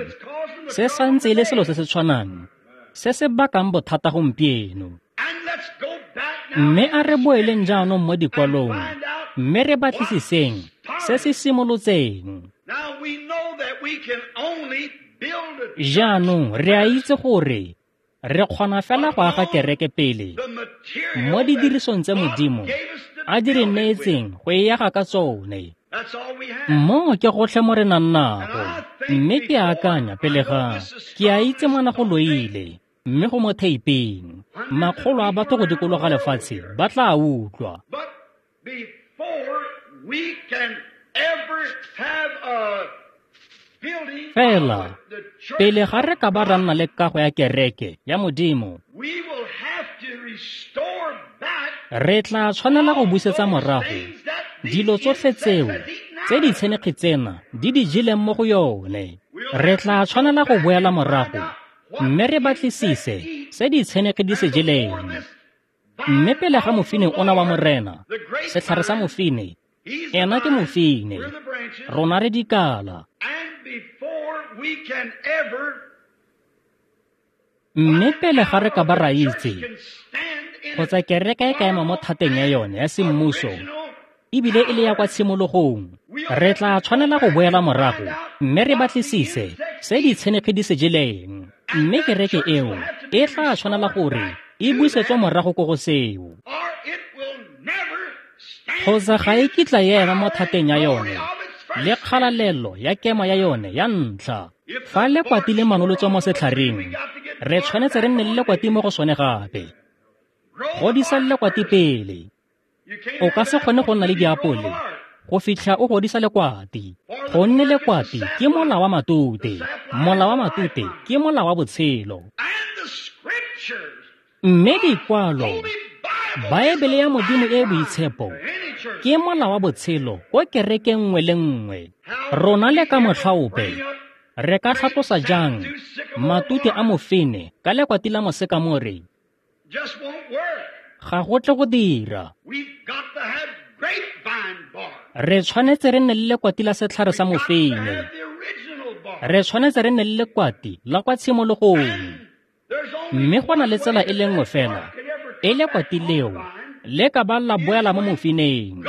se santse e le selo se se tshwanang se se bakang bothata gompieno. Mme a re boeleng jaanong mo dikwalong mme re batlisiseng se se simolotseng. Jaanong re a itse gore re kgona fela go aga kereke pele mo didirisong tse Modimo a di re neetseng go e aga ka tsone. Mo ke gotlhe mo re nang nago, mme ke akanya pele ga ke a itse ngwana go loile, mme go mo theipeng. Makgolo a batho go dikologa lefatshe ba tla utlwa. Fela pele ga re ka ba ra nna le kago ya kereke ya Modimo, re tla tshwanela go busetsa morago dilo tsotlhe tseo tse ditshenekgi tsena di di jeleng mo go yone. Re tla tshwanela go boela morago mme re batlisise se ditshenekgi di se jeleng. Mme pele ga mofine ona wa Morena, setlhare sa mofine, ena ke mofine, rona re dikala. Mme pele ga re ka ba ra itse kgotsa kereke e ka ema mo thateng ya yone ya semmuso ebile e le ya kwa tshimologong, re tla tshwanela go boela morago mme re batlisise se ditshenekgi di se jeleng. Mme kereke eo e tla tshwanela gore e busetswe morago ko go seo, kgotsa ga e kitla e ema mo thateng ya yone le kgalalelo ya kemo ya yone ya ntlha. Fa lekwati le manolotswa mo setlhareng, re tshwanetse re nne le lekwati mo go sone gape. Godisa lekwati pele. O ka se kgone go nna le diapole go fitlha o godisa lekwati. Gonne lekwati ke mola wa matute, mola wa matute ke mola wa botshelo. Mme dikwalo, Baebele ya Modimo e e boitshepo, ke mola wa botshelo ko kerekeng nngwe le nngwe. Rona le ka motlha ope re ka tlhatlosa jang matute a mofine ka lekwati la mosekamore? Ga go tle go dira. Re tshwanetse re nne le lekwati la setlhare sa mofine. Re tshwanetse re nne le lekwati la kwa tshimologong. Mme go na le tsela e le nngwe fela e lekwati leo le ka ba la boela mo mofineng,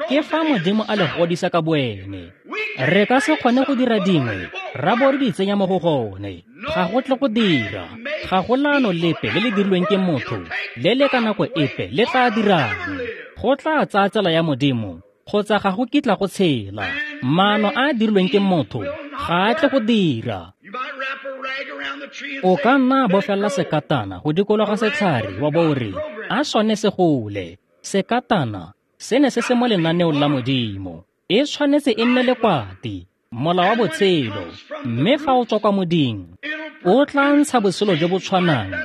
ke fa Modimo a le godisa ka boene. Re ka se kgone go dira dingwe ra bo re di tsenya mo go gone. Ga go tle go dira. Ga go laano lepe le le dirilweng ke motho le le ka nako epe le tla dirang. Go tla tsaya tsela ya Modimo kgotsa ga go kitla go tshela. Maano a a dirilweng ke motho ga a tle go dira. O ka nna bofella sekatana go dikologa setlhare wa bo re a sone se gole. Sekatana se ne se se mo lenaneong la Modimo. E tshwanetse e nne lekwati, mola wa botshelo. Mme fa o tswa kwa moding, o tla ntsha botshelo jo bo tshwanang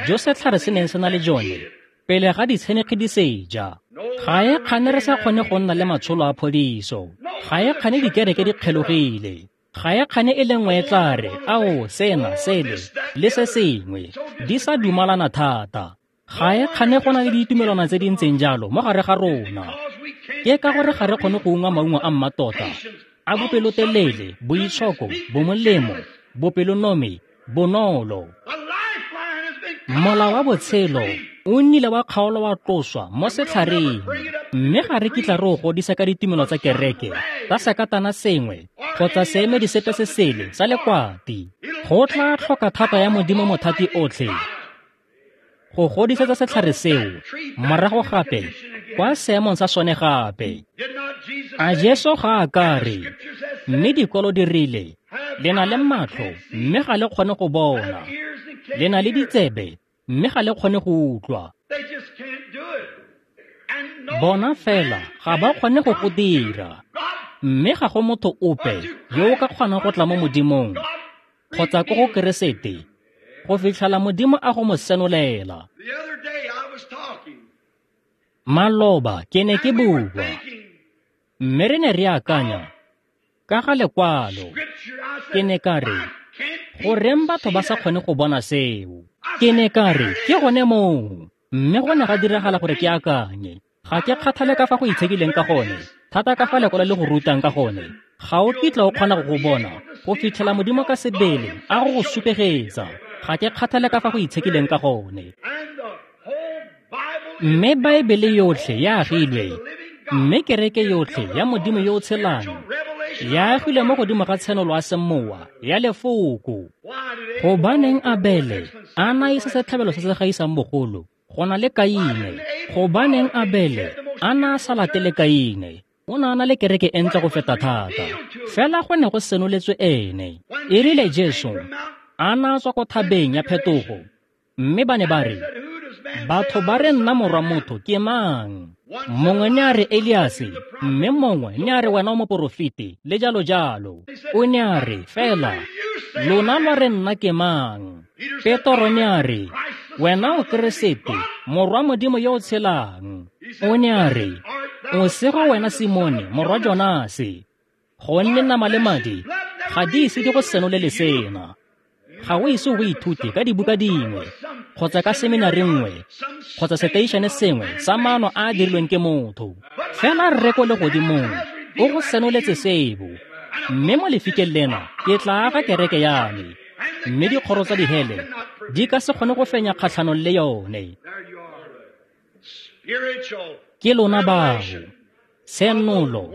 jo setlhare se neng se na le jone pele ga ditshenekgi di seja. Ga e kgane re sa kgone go nna le matsholo a phodiso. Ga e kgane dikereke di kgelogile. Ga e kgane e le nngwe e tla re ao sena sele le se sengwe di sa dumalana thata. Ga e kgane go na le ditumelwana tse di ntseng jalo mo gare ga rona. Ke ka gore ga re kgone go ungwa maungo a mmatota a bopelotelele, boitshoko, bomolemo, bopelonomi, bonolo. Mola wa botshelo o nnile wa kgaolo wa tloswa mo setlhareng, mme ga re kitla re o godisa ka ditumelo tsa kereke tsa sekatana sengwe kgotsa seemedi sepe se sele sa lekwati. Go tla tlhoka thata ya Modimo mothati otlhe go godisetsa setlhare seo morago gape kwa seemong sa sone gape. A Jesu ga a ka re, mme dikwalo di rile, le na le matlho mme ga le kgone go bona, le na le ditsebe mme ga le kgone go utlwa. Bona fela ga ba kgone go go dira, mme ga go motho ope yo o ka kgonang go tla mo Modimong kgotsa ko go Keresete go fitlhela Modimo a go mo senolela. Maloba ke ne ke bua, mme re ne re akanya ka ga lekwalo. Ke ne ka re, goreng batho ba sa kgone go bona seo? Ke ne ka re, ke gone moo. Mme go ne ga diragala gore ke akanye. Ga ke kgathale ka fa go itshekileng ka gone, thata ka fa lekwalo le go rutang ka gone. Ga o kitla o kgona go go bona go fitlhela Modimo ka sebele a go go supegetsa. Ga ke kgathale ka fa go itshekileng ka gone. Mme Baebele yotlhe ya agilwe, mme kereke yotlhe ya Modimo yo o tshelang ya agilwe mo godimo ga tshenolo ya semowa ya lefoko. Gobaneng Abele a na isa setlhabelo se se gaisang bogolo go na le Kaine? Gobaneng Abele a na sa latele Kaine? O ne a na le kereke e ntle go feta thata, fela go ne go senoletswe ene. E rile Jesu a na tswa ko thabeng ya phetogo, mme ba ne ba re, batho ba re nna morwa motho ke mang? Mongwe ne a re Eliase, mme mongwe ne a re wena o moporofeti, le jalo jalo. O ne a re, fela lona lwa re nna ke mang? Petoro ne a re, wena o Keresete, morwa Modimo yo o tshelang. O ne a re, o sego wena Simone, morwa Jonase, gonne nama le madi ga di ise di go senolele sena. Ga o ise o ithute ka dibuka dingwe kgotsa ka seminari nngwe kgotsa seteišene sengwe sa maano a a dirilweng ke motho. Fela Rre ko legodimong o go senoletse seo, mme mo lefikeng lena ke tla aga kereke ya me, mme dikgoro tsa dihele di ka se kgone go fenya kgatlhanong le yone. Ke lona bao, tshenolo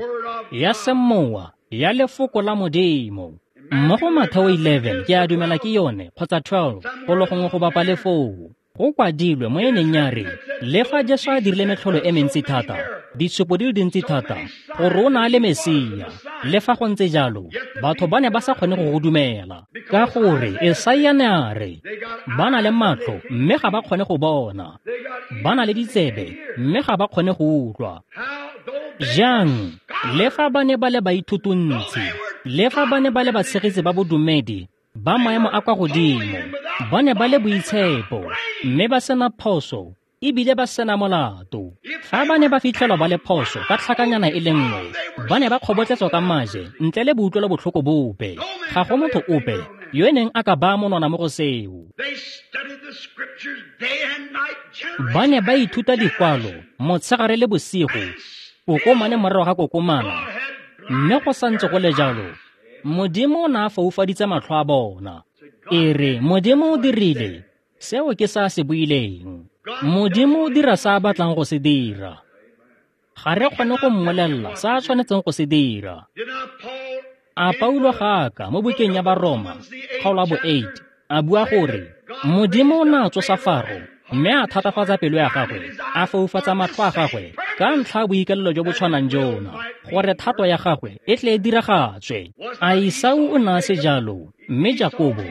ya semowa ya lefoko la Modimo. Mo go Matheo 11, ke a dumela ke yone, kgotsa 12, go le gongwe go bapa le foo, go kwadilwe mo e neng ya re, le fa Jesu a dirile metlholo e mentsi thata, ditshupo di le dintsi thata, gore o ne a le Mesia, le fa go ntse jalo, batho ba ne ba sa kgone go go dumela. Ka gore Esaia ne a re, ba na le matlho mme ga ba kgone go bona, ba na le ditsebe mme ga ba kgone go utlwa. Jang, Le fa ba ne ba le baithutuntsi, le fa ba ne ba le batshegetsi ba bodumedi ba maemo a kwa godimo, ba ne ba le boitshepo mme ba sena phoso ebile ba sena molato. Fa ba ne ba fitlhelwa ba le phoso ka tlhakanyana e le nngwe, ba ne ba kgobotletswa ka maje ntle le boutlwelo botlhoko bope. Ga go motho ope yo e neng a ka baya monwana mo go seo. Ba ne ba ithuta dikwalo motshegare le bosigo, kokomane morago ga kokomana, mme go santse go le jalo, Modimo o ne a foufaditse matlho a bona. E re Modimo o dirile seo ke sa se buileng. Modimo o dira sa a batlang go se dira. Ga re kgone go mmolelela sa a tshwanetseng go se dira. A Paulo ga a ka mo bukeng ya Baroma, kgaolo ya bo 8, a bua gore Modimo o ne a tsosa Faro mme a thatafatsa pelo ya gagwe, a foufatsa matlho a gagwe ka ntlha ya boikalelo jo bo tshwanang jona, gore thato ya gagwe e tle e diragatswe. A Esau o ne a se jalo, mme Jakobo,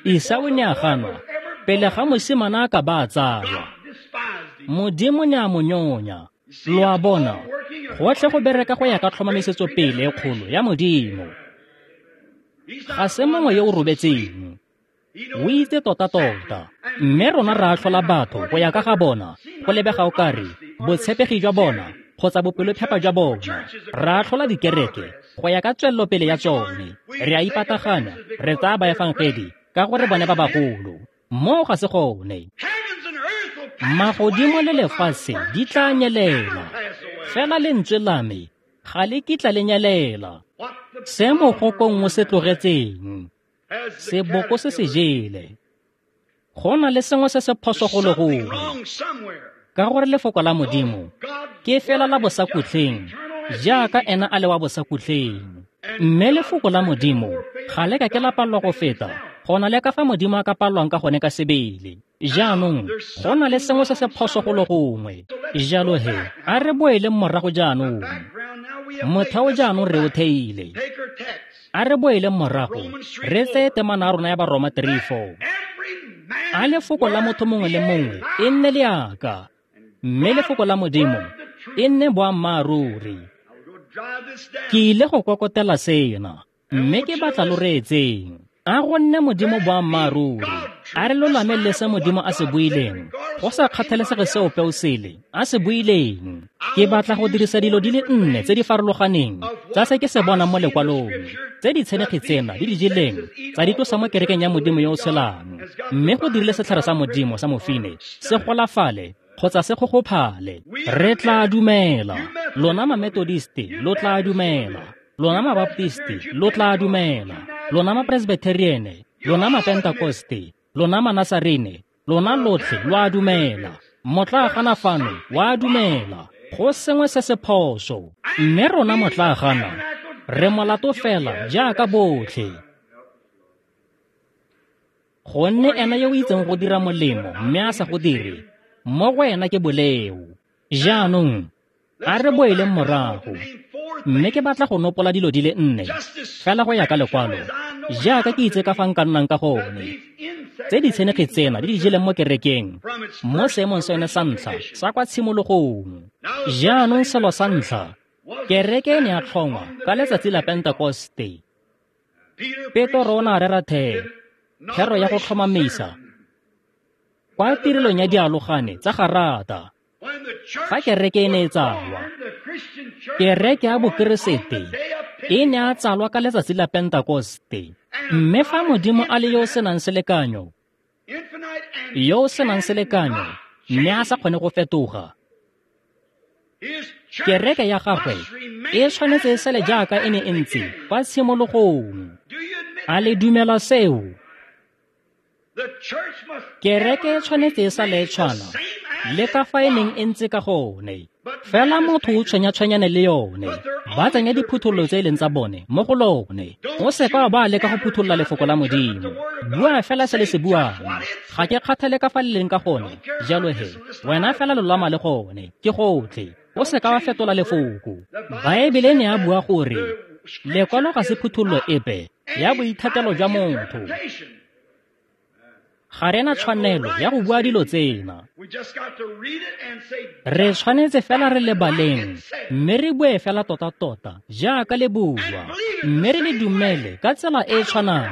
Esau ne a ganwa pele ga mosimane a ka ba a tsalwa. Modimo ne a mo nyonya. Lo a bona, gotlhe go bereka go ya ka tlhomamisetso pele e kgolo ya Modimo. Ga se mongwe yo o robetseng, o itse tota-tota, mme rona re atlhola batho go ya ka ga bona, go lebega o kare botshepegi jwa bona kgotsa bopelophepa jwa bona. Re atlhola dikereke go ya ka tswelelopele ya tsone. Re a ipataganya, re tsaya baefangedi ka gore bone ba bagolo. Moo ga se gone. Magodimo le lefatshe di tla nyelela, fela lentswe la me ga le kitla le nyelela. Se mogokong o se tlogetseng, seboko se se jele. Go na le sengwe se se phoso go le gongwe, ka gore lefoko la Modimo ke fela la bosakhutleng, jaaka ena a le wa bosakhutleng. Mme lefoko la Modimo ga le ka ke la palelwa go feta go na le ka fa Modimo a ka palelwang ka gone ka sebele. Jaanong go na le sengwe se se phoso go le gongwe. Jalo he, a re boeleng morago jaanong. Motheo jaanong re o theile. A re boeleng morago, re tseye temana ya rona ya Baroma 3:4. A lefoko la motho mongwe le mongwe e nne leaka, mme lefoko la Modimo e nne boammaaruri. Ke ile go kokotela sena, mme ke batla lo reetseng. A go nne Modimo boammaaruri, a re lolame le se Modimo a se buileng, go sa kgathalesege se ope o sele a se buileng. Ke batla go dirisa dilo di le nne tse di farologaneng tsa se ke se bonang mo lekwalong, tse ditshenekgi tsena di di jeleng tsa di tlosa mo kerekeng ya Modimo yo o tshelang, mme go dirile setlhare sa Modimo sa mofine se golafale kgotsa se gogophale. Re tla dumela. Lona Mamethodiste lo tla dumela. Lona Mabaptisti lo tla dumela. Lona Mapresbitheriene, lona Mapentakoste, lona Manasarene, lona lotlhe lo a dumela. Motlaagana fano wa dumela. Go sengwe se se phoso. Mme rona motlaagana re molato fela jaaka botlhe. Gonne ena yo o itseng go dira molemo mme a sa go dire, mo go ena ke boleo. Jaanong a re boeleng morago, mme ke batla go nopola dilo di le nne fela go ya ka lekwalo, jaaka ke itse ka fa nka nnang ka gone, tse ditshenekgi tsena di di jeleng mo kerekeng mo seemong sa yone sa ntlha sa kwa tshimologong. Jaanong selo sa ntlha, kereke e ne ya tlhongwa ka letsatsi la Pentekoste. Petro o ne a rera thero ya go tlhomamisa kwa tirelong ya dialogane tsa Garata. Fa kereke e ne e tsalwa, kereke ya Bokeresete e ne a tsalwa ka letsatsi la Pentekoste. Mme fa Modimo a le yo o senang selekanyo, yo o senang selekanyo, mme a sa kgone go fetoga, kereke ya gagwe e tshwanetse e sele jaaka e ne e ntse kwa tshimologong. A le dumela seo? Kereke e tshwanetse e sale e tshwana le ka fa e neng e ntse ka gone. Fela motho o tshwenya-tshwenyane le yone, ba tsenya diphuthololo tse e leng tsa bone mo go lone. O seka wa ba leka go phutholola lefoko la Modimo. Bua fela se le se buang. Ga ke kgathale ka fa le leng ka gone. Jalo he, wena fela lolama le gone, ke gotlhe. O seka wa fetola lefoko. Baebele ne a bua gore lekwalo ga se phuthololo epe ya boithatelo jwa motho. Ga re na tshwanelo ya go bua dilo tsena. Re tshwanetse fela re le baleng, mme re bue fela tota-tota jaaka le bua, mme re le dumele ka tsela e e tshwanang.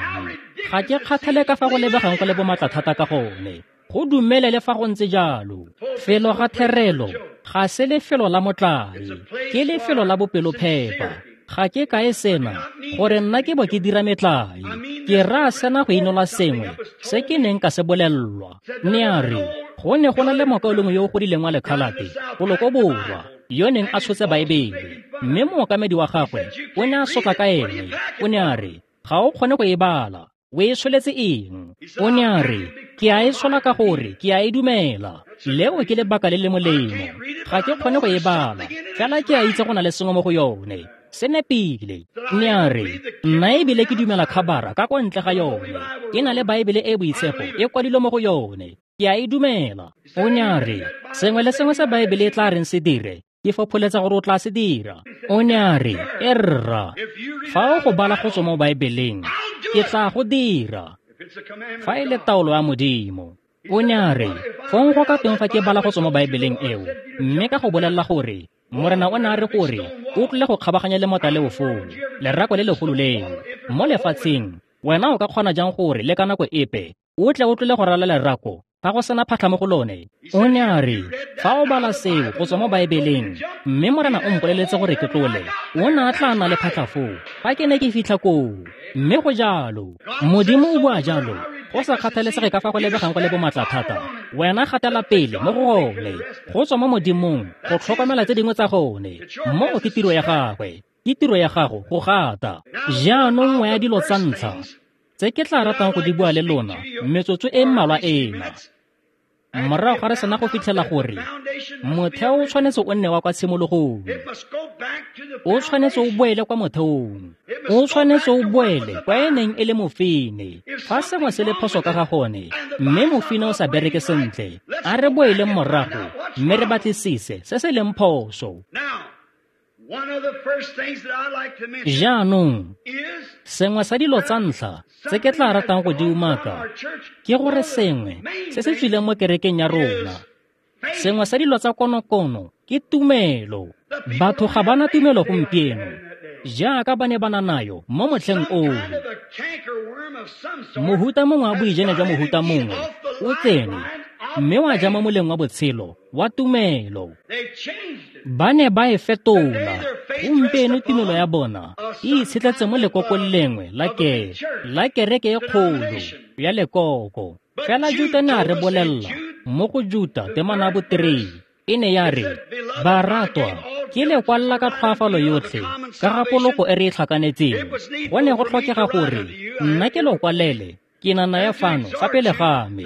Ga ke kgathale ka fa go lebegang go le bomatla thata ka gone. Go dumele le fa go ntse jalo. Felo ga therelo ga se lefelo la motlae, ke lefelo la bopelophepa. Ga ke kae sena gore nna ke bo ke dira metlae. Ke raya sena go inola sengwe se ke neng ka se bolellwa. Ne a re go ne go na le mokaulengwe yo o godileng wa lekhalate golo ko borwa yo neng a tshotse Baebele, mme mookamedi wa gagwe o ne a sotla ka ene. O ne a re, ga o kgone go e bala, o e tsholetse eng? O ne a re, ke a e tshola ka gore ke a e dumela. Leo ke lebaka le le molemo. Ga ke kgone go e bala, fela ke a itse go na le sengwe mo go yone. Se nepile. Ne a re, nna ebile ke dumela khabara ka kwa ntle ga yone. Ke na le Baebele e boitshepo e kwadilwe mo go yone. Ke a e dumela. O ne a re, sengwe le sengwe se Baebele e tla reng se dire, ke fopholetsa gore o tla se dira. O ne a re, e rra, fa o go bala go tswa mo Baebeleng, ke tla go dira. Fa e le taolo ya Modimo. O ne a re, fong go ka teng fa ke bala go tswa mo Baebeleng eo, mme ka go bolelela gore Morena o ne a re gore o tlile go kgabaganya lemota leo foo, lerako le legolo leo, mo lefatsheng, wena o ka kgona jang gore le ka nako epe o tle o tlile go rala lerako fa go sena phatlha mo go lone? O ne a re, fa o bala seo go tswa mo Baebeleng, mme Morena o mpoleletse gore ke tlole, o ne a tla nna le phatlha foo fa ke ne ke fitlha koo. Mme go jalo. Modimo o bua jalo. Go sa kgathalesege ka fa go lebegang go le bomatla thata, wena gatela pele mo go gone, go tswa mo Modimong go tlhokomela tse dingwe tsa gone. Moo ke tiro ya gagwe, ke tiro ya gago go gata. Jaanong nngwe ya dilo tsa ntlha tse ke tla ratang go di bua le lona metsotso e mmalwa ena, morago ga re sena go fitlhela gore motheo o tshwanetse o nne wa kwa tshimologong, o tshwanetse o boele kwa motheong, o tshwanetse o boele kwa e neng e le mofine. Fa sengwe se le phoso ka ga gone, mme mofine o sa bereke sentle, a re boeleng morago mme re batlisise se se leng phoso. Jaanong, sengwe sa dilo tsa ntlha tse ke tla ratang go di umaka ke gore sengwe se se tswileng mo kerekeng ya rona, sengwe sa dilo tsa konokono ke tumelo. Batho ga ba na tumelo gompieno jaaka ba ne ba na nayo mo motlheng oo. Mohuta mongwe wa boijene jwa mohuta mongwe o tsene mme wa ja mo moleng wa botshelo wa tumelo. Ba ne ba e fetola. Gompieno tumelo ya bona e itshetletse mo lekokong lengwe la kereke e kgolo ya lekoko. Fela Juta ne a re bolella mo go Juta temana ya bo 3, e ne ya re, baratwa, ke le kwalla ka tlhoafalo yotlhe ka ga poloko e re e tlhakanetseng. Go ne go tlhokega gore nna ke lo kwalele ke na naya fano fa pele ga me,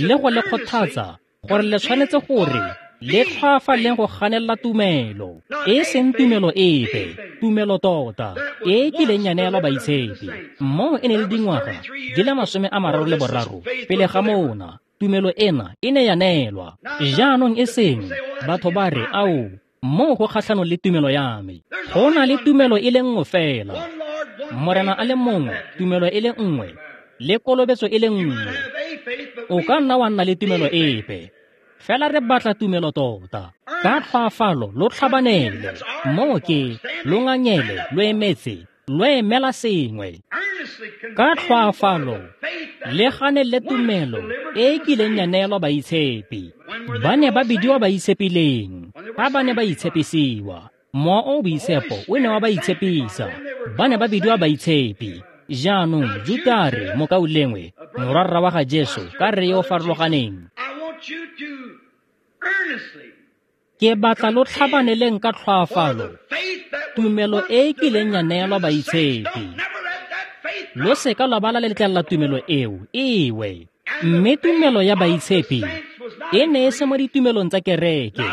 le go le kgothatsa gore le tshwanetse gore le tlhoafaleng go ganelela tumelo, e seng tumelo epe, tumelo tota e kileng ya neelwa baitshepi. Moo e ne le dingwaga di le 33 pele ga mona tumelo ena e ne ya neelwa. Jaanong e seng batho ba re, ao, moo go kgatlhanong le tumelo ya me. Go na le tumelo e le nngwe fela, Morena a le mongwe, tumelo e le nngwe, le kolobetso e le nngwe. O ka nna wa nna le tumelo epe, fela re batla tumelo tota. Ka tlhoafalo lo tlhabanele, moo ke lo ngangele, lo emetse, lo emela sengwe. Ka tlhoafalo le ganele tumelo e e kileng ya neelwa baitshepi. Ba ne ba bidiwa baitshepileng fa ba ne ba itshepisiwa. Mowa o o boitshepo o ne wa ba itshepisa. Ba ne ba bidiwa baitshepi. Jaanong Juta a re, mokaulengwe, morwarra wa ga Jesu, ka rre yo o farologaneng, ke batla lo tlhabaneleng ka tlhoafalo tumelo e e kileng ya neelwa baitshepi. Lo seka lwa ba la letlelela tumelo eo ewe. Mme tumelo ya baitshepi e ne e se mo ditumelong tsa kereke,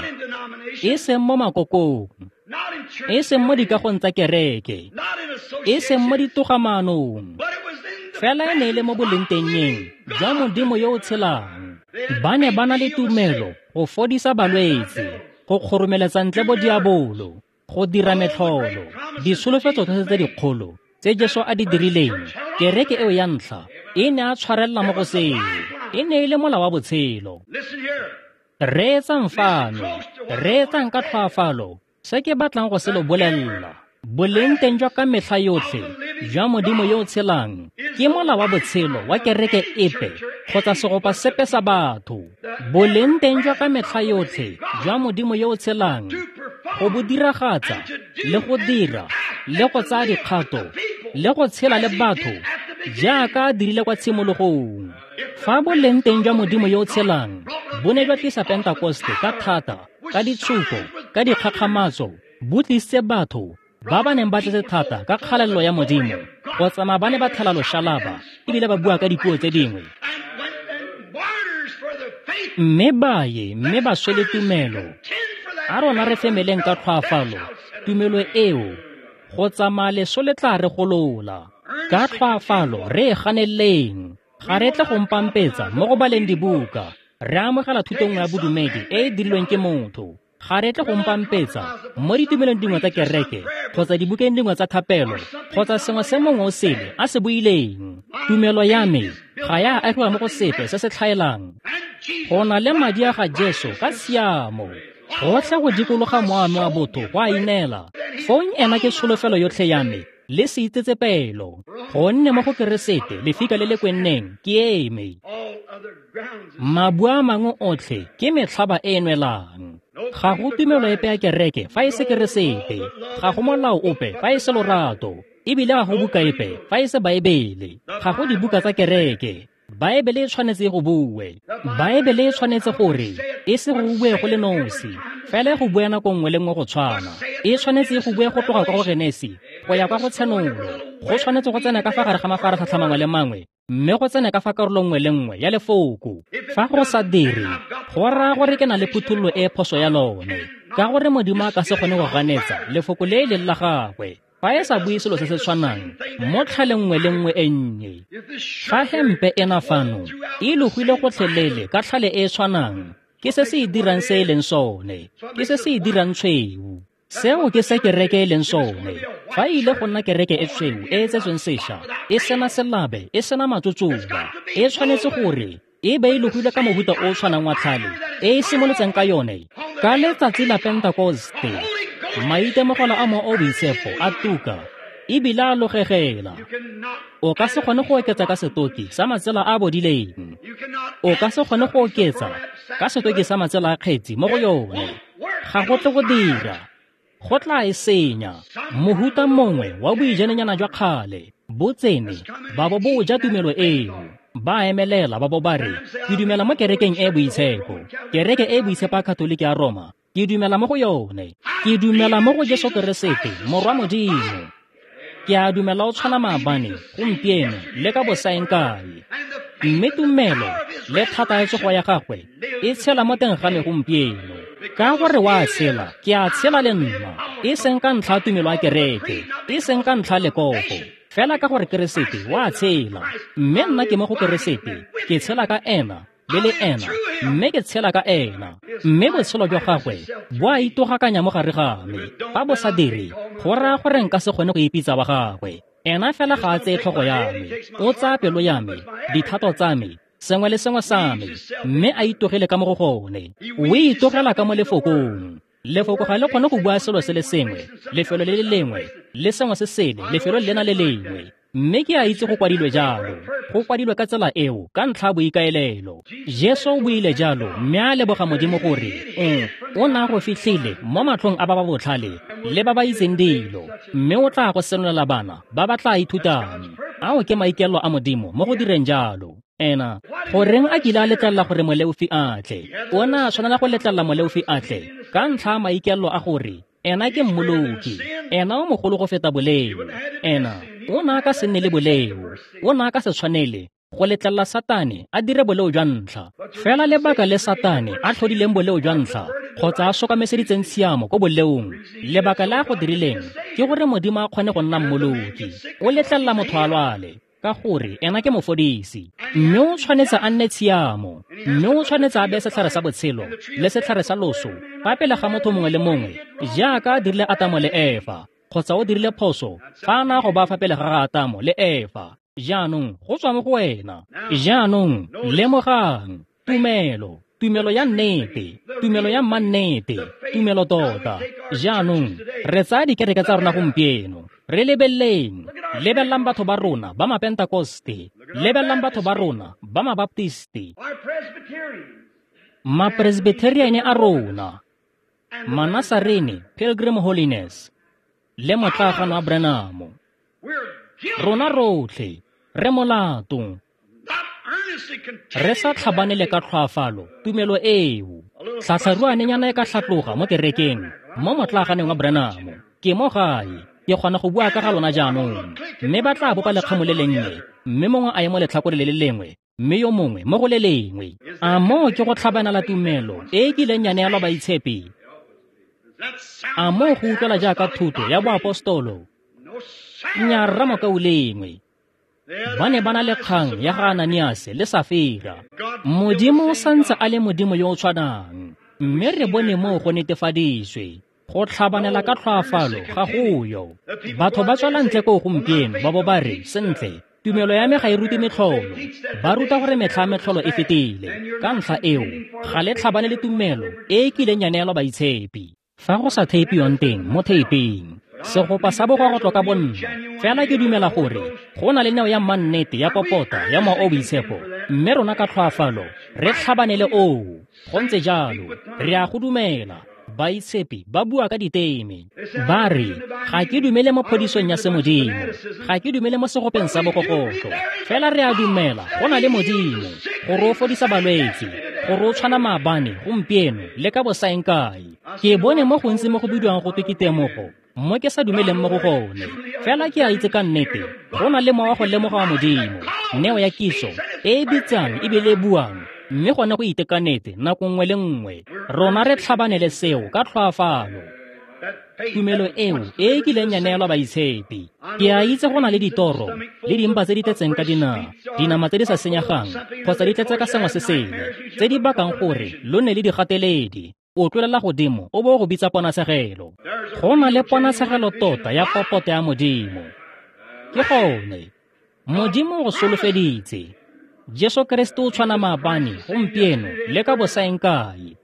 e seng mo makokong, e seng mo dikagong tsa kereke, e seng mo ditogamaanong, fela e ne e le mo bolengtengeng jwa Modimo yo o tshelang. Ba ne ba na le tumelo go fodisa balwetse, go kgoromeletsa ntle bo diabolo, go dira metlholo, ditsholofetso tsotlhe tse dikgolo tse Jesu a di dirileng. Kereke eo ya ntlha e ne a tshwarelela mo go seo. E ne e le mola wa botshelo. Reetsang fano, reetsang ka tlhoafalo se ke batlang go se lo bolelela. Boleng teng jwa ka metlha yotlhe jwa Modimo yo o tshelang ke mola wa botshelo wa kereke epe kgotsa segopa sepe sa batho. Boleng teng jwa ka metlha yotlhe jwa Modimo yo o tshelang go bo diragatsa le go dira le go tsaya dikgato le go tshela le batho jaaka a dirile kwa tshimologong. Fa boleng teng jwa Modimo yo o tshelang bo ne jwa tlisa Pentekoste ka thata, ka ditshupo, ka dikgakgamatso, bo tlisitse batho ba ba neng ba tletse thata ka kgalelelo ya Modimo go tsamaya ba ne ba tlhala loshalaba ebile ba bua ka dipuo tse dingwe, mme ba ye mme ba swele tumelo. A rona re femeleng ka tlhoafalo tumelo eo go tsamaya leso le tla re golola. Ka tlhoafalo re e ganeleng. Ga re tle go mpampetsa mo go baleng dibuka, re amogela thuto nngwe ya bodumedi e e dirilweng ke motho. Ga re tle go mpampetsa mo ditumelong dingwe tsa kereke kgotsa dibukeng dingwe tsa thapelo kgotsa sengwe se mongwe o sele a se buileng. Tumelo ya me ga ya agiwa mo go sepe se se tlhaelang. Go na le madi a ga Jesu ka tshiamo. Gotlhe go dikologa moame wa botho go a ineela. Fong ena ke tsholofelo yotlhe ya me le seitsetsepelo, gonne mo go Keresete lefika le le kwenneng ke eme. Mabu a mangwe otlhe ke metlhaba e e nwelang. Ga go tumelo epe ya kereke fa e se Keresete, ga go molao ope fa e se lorato, ebile ga go buka epe fa e se Baebele. Ga go dibuka tsa kereke. Baebele e tshwanetse go bue. Baebele e tshwanetse gore e se go bue go le nosi, fela go bue nako nngwe le nngwe go tshwana. E tshwanetse go bue go tloga kwa go Genesi go ya kwa go Tshenolo. Go tshwanetse go tsena ka fa gare ga mafaratlhatlha mangwe le mangwe, mme go tsene ka fa karolo nngwe le nngwe ya lefoko. Fa go sa dire, go raya gore ke na le phuthololo e phoso ya lone, ka gore Modimo a ka se kgone go ganetsa lefoko le e leng la gagwe fa e sa bue selo se se tshwanang mo tlhaleng nngwe le nngwe e nnye. Fa hempe ena fano e logile gotlhelele ka tlhale e e tshwanang, ke se se e dirang se e leng sone, ke se se e dirang tshweu. Seo ke se kereke e leng sone. Fa e ile go nna kereke e tshweu e e tsetsweng sešwa, e sena selabe, e sena matsotsoba, e tshwanetse gore e be e logile ka mohuta o o tshwanang wa tlhale e e simolotseng ka yone ka letsatsi la Pentekoste. Maitemogelo a Mowa o Boitshepo a tuka ebile a logegela. O ka se kgone go oketsa ka setoki sa matsela a bodileng. O ka se kgone go oketsa ka setoki sa matsela a kgetsi mo go yone. Ga go tle go dira. Go tla e senya. Mohuta mongwe wa boijanenyana jwa kgale bo tsene ba bo bo ja tumelo eo. Ba emelela ba bo ba re, ke dumela mo kerekeng e boitshepo, kereke e boitshepo ya Katoliki ya Roma. Ke dumela mo go yone. Ke dumela mo go Jesu Keresete, Morwa Modimo. Ke a dumela o tshwana maabane, gompieno, le ka bosaeng kae. Mme tumelo le thata ya tsogo ya gagwe e tshela mo teng ga me gompieno. Ka gore wa tshela, ke a tshela le nna, e seng ka ntlha ya tumelo ya kereke, e seng ka ntlha ya lekoko, fela ka gore Keresete wa tshela. Mme nna ke mo go Keresete, ke tshela ka ena le le ena, mme ke tshela ka ena. Mme botshelo jwa gagwe bo a itogakanya mo gare ga me. Fa bo sa dire, go raya gore nka se kgone go ipitsa wa gagwe. Ena fela ga a tseye tlhogo ya me, o tsaya pelo ya me, dithato tsa me, sengwe le sengwe sa me, mme a itogele ka mo go gone. O itogela ka mo lefokong. Lefoko ga le kgone go bua selo se le sengwe, lefelo le le lengwe, le sengwe se sele, lefelo lena le lengwe. Mme ke a itse go kwadilwe jalo, go kwadilwe ka tsela eo ka ntlha ya boikaelelo. Jesu o buile jalo mme a leboga Modimo gore o na go fitlhile mo matlhong a ba ba botlhale le ba ba itseng dilo, mme o tla go senolela bana ba ba tla ithutang. Ao ke maikaelelo a Modimo mo go direng jalo. Ena goreng a kile a letlelela gore moleofi a tle? O ne a tshwanela go letlelela moleofi a tle ka ntlha ya maikaelelo a gore ena ke mmoloki, ena o mogolo go feta boleo. Ena o ne a ka se nne le boleo, o ne a ka se tshwanele go letlelela Satane a dire boleo jwa ntlha. Fela lebaka le Satane a tlhodileng boleo jwa ntlha kgotsa a sokameseditseng tshiamo ko boleong, lebaka le a go dirileng ke gore Modimo a kgone go nna mmoloki. O letlelela motho a lwale ka gore ena ke mofodisi, mme o tshwanetse a nne tshiamo, mme o tshwanetse a beye setlhare sa botshelo le setlhare sa loso fa pele ga motho mongwe le mongwe, jaaka a dirile Atamo le Efa, kgotsa o dirile phoso fa a na go ba fa pele ga ga Atamo le Efa. Jaanong go tswa mo go wena. Jaanong lemogang tumelo, tumelo ya nnete, tumelo ya mannete, tumelo tota. Jaanong re tsaya dikereke tsa rona gompieno, re lebeleleng, lebelelang batho ba rona ba Mapentakoste, lebelelang batho ba rona ba Mabaptisti, Mapresbyteriane a rona, Manasarene, Pilgrim Holiness, le motlagano wa Branham. Rona rotlhe re molato, re sa tlhabanele ka tlhoafalo tumelo eo. Tlhatlharuanenyana e ka tlhatloga mo kerekeng mo motlaganeng wa Branham. Ke mo gae, ke kgona go bua ka ga lona jaanong. Mme ba tla bopa lekgamo le lennye, mme mongwe a ye mo letlhakore le le lengwe, mme yo mongwe mo go le lengwe. A moo ke go tlhabanela tumelo e e kileng ya neelwa baitshepi? A moo go utlwela jaaka thuto ya boapostolo? Nnyaa, rra mokaulengwe. Ba ne ba na le kgang ya ga Ananiase le Safira. Modimo o santse a le Modimo yo o tshwanang, mme re bone moo go netefaditswe. Go tlhabanela ka tlhoafalo ga go yo. Batho ba tswela ntle koo gompieno ba bo ba re, sentle, tumelo ya me ga e rute metlholo. Ba ruta gore metlha ya metlholo e fetile. Ka ntlha eo, ga le tlhabane le tumelo e e kileng ya neelwa baitshepi. Fa go sa theipiwang teng mo theiping, segopa sa bogogotlo ka bonna. Fela ke dumela gore go na le neo ya mannete ya popota ya Mowa o Boitshepo, mme rona ka tlhoafalo re tlhabanele oo. Go ntse jalo, re a go dumela. Baitshepi ba bua ka diteme. Ba re, ga ke dumele mo phodisong ya semodimo, ga ke dumele mo segopeng sa bogogotlo. Fela re a dumela go na le Modimo, gore o fodisa balwetse, gore o tshwana maabane, gompieno, le ka bosaengkae. Ke bone mo gontsi mo go bidiwang go twe ke temogo, mo ke sa dumeleng mo go gone. Fela ke a itse ka nnete, go na le mowa go lemoga wa Modimo, neo ya kitso e e bitsang ebile e buang, mme gone go itekanetse nako nngwe le nngwe. Rona re tlhabanele seo ka tlhoafalo. Tumelo eo e e kileng ya neelwa baitshepi. Ke a itse go na le ditoro le dimpa tse di tletseng ka dinama tse di sa senyegang kgotsa di tletse ka sengwe se sengwe, tse di bakang gore lo nne le digateledi. O tlolela godimo o bo o go bitsa ponatshegelo. Go na le ponatshegelo tota ya popota ya Modimo. Ke gone, Modimo o go solofeditse. Jesu Kriste o tshwana maabane, gompieno, le ka bosaengkae.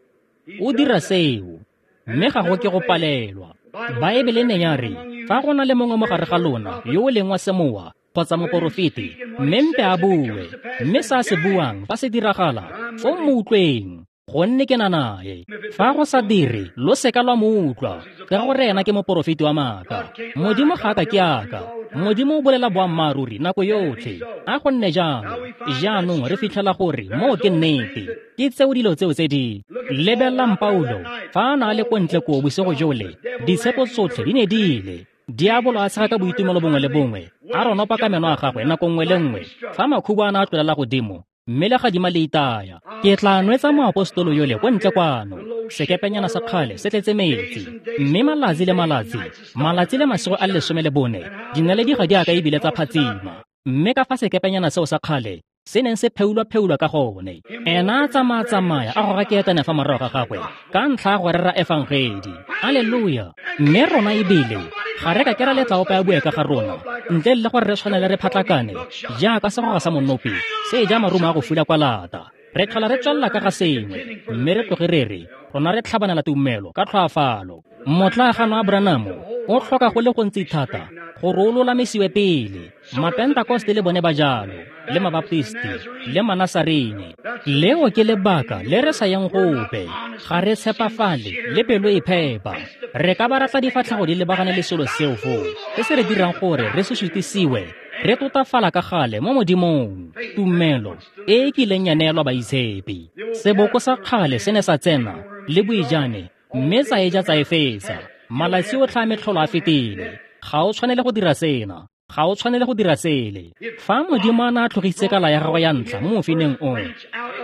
O dira seo, mme ga go ke go palelwa. Baebele ne ya re, fa go na le mongwe mo gare ga lona yo o leng wa semowa kgotsa moporofeti, mme mpe a bue, mme sa se buang fa se diragala, foo mo utlweng, gonne ke na nae. Fa go sa dire, lo seka lwa mo utlwa, ka gore ena ke moporofeti wa maaka. Modimo ga a ka ke aka. Modimo o bolela boammaaruri nako yotlhe. A go nne jalo. Jaanong re fitlhela gore moo ke nnete. Ke tseo dilo tseo tse di lebelelang Paulo fa a na le ko ntle koo bosigo jole, ditshepo tsotlhe di ne di ile. Diabolo a tshega ka boitumelo bongwe le bongwe, a ronopa ka meno a gagwe nako nngwe le nngwe fa makhubu a na a tlolela godimo, mme le gadima le itaya. Ke tla nwetsa moapostolo yole ko ntle kwano, sekepenyana sa kgale se tletse metsi, mme malatsi le malatsi, malatsi le masigo a le 14, dinaledi ga di a ka ebile tsa phatsima. Mme ka fa sekepenyana seo sa kgale se neng se pheulwa-pheulwa ka gone, ena a tsamaya-tsamaya a goga keetane fa morago ga gagwe ka ntlha ya go rera efangedi. Alleluia! Mme rona ebile ga re ka ke ra letla ope a bue ka ga rona ntle le gore re tshwanele re phatlakane jaaka segoga sa monopi se e ja marumo a go fula kwa lata. Re tlhola re tswelela ka ga sengwe, mme re tloge re re rona re tlhabanela tumelo ka tlhoafalo. Motlagano wa Branham o tlhoka go le gontsi thata gore o lolamisiwe pele. Mapentakoste le bone ba jalo, le Mabaptisti, le Manasarene. Leo ke lebaka le re sa yang gope. Ga re tshepafale le pelo e phepa. Re ka ba ratla difatlhego di lebagane le selo seo foo, se se re dirang gore re se sutisiwe, re totafala ka gale mo Modimong. Tumelo e e kileng ya neelwa baitshepi. Seboko sa kgale se ne sa tsena le boijane, mme tsa e ja tsa e fetsa. Malatsi otlhe a metlholo a fetile. Ga o tshwanele go dira sena, ga o tshwanele go dira sele. Fa Modimo a ne a tlhogisitse kala ya gagwe ya ntlha mo mofineng oo,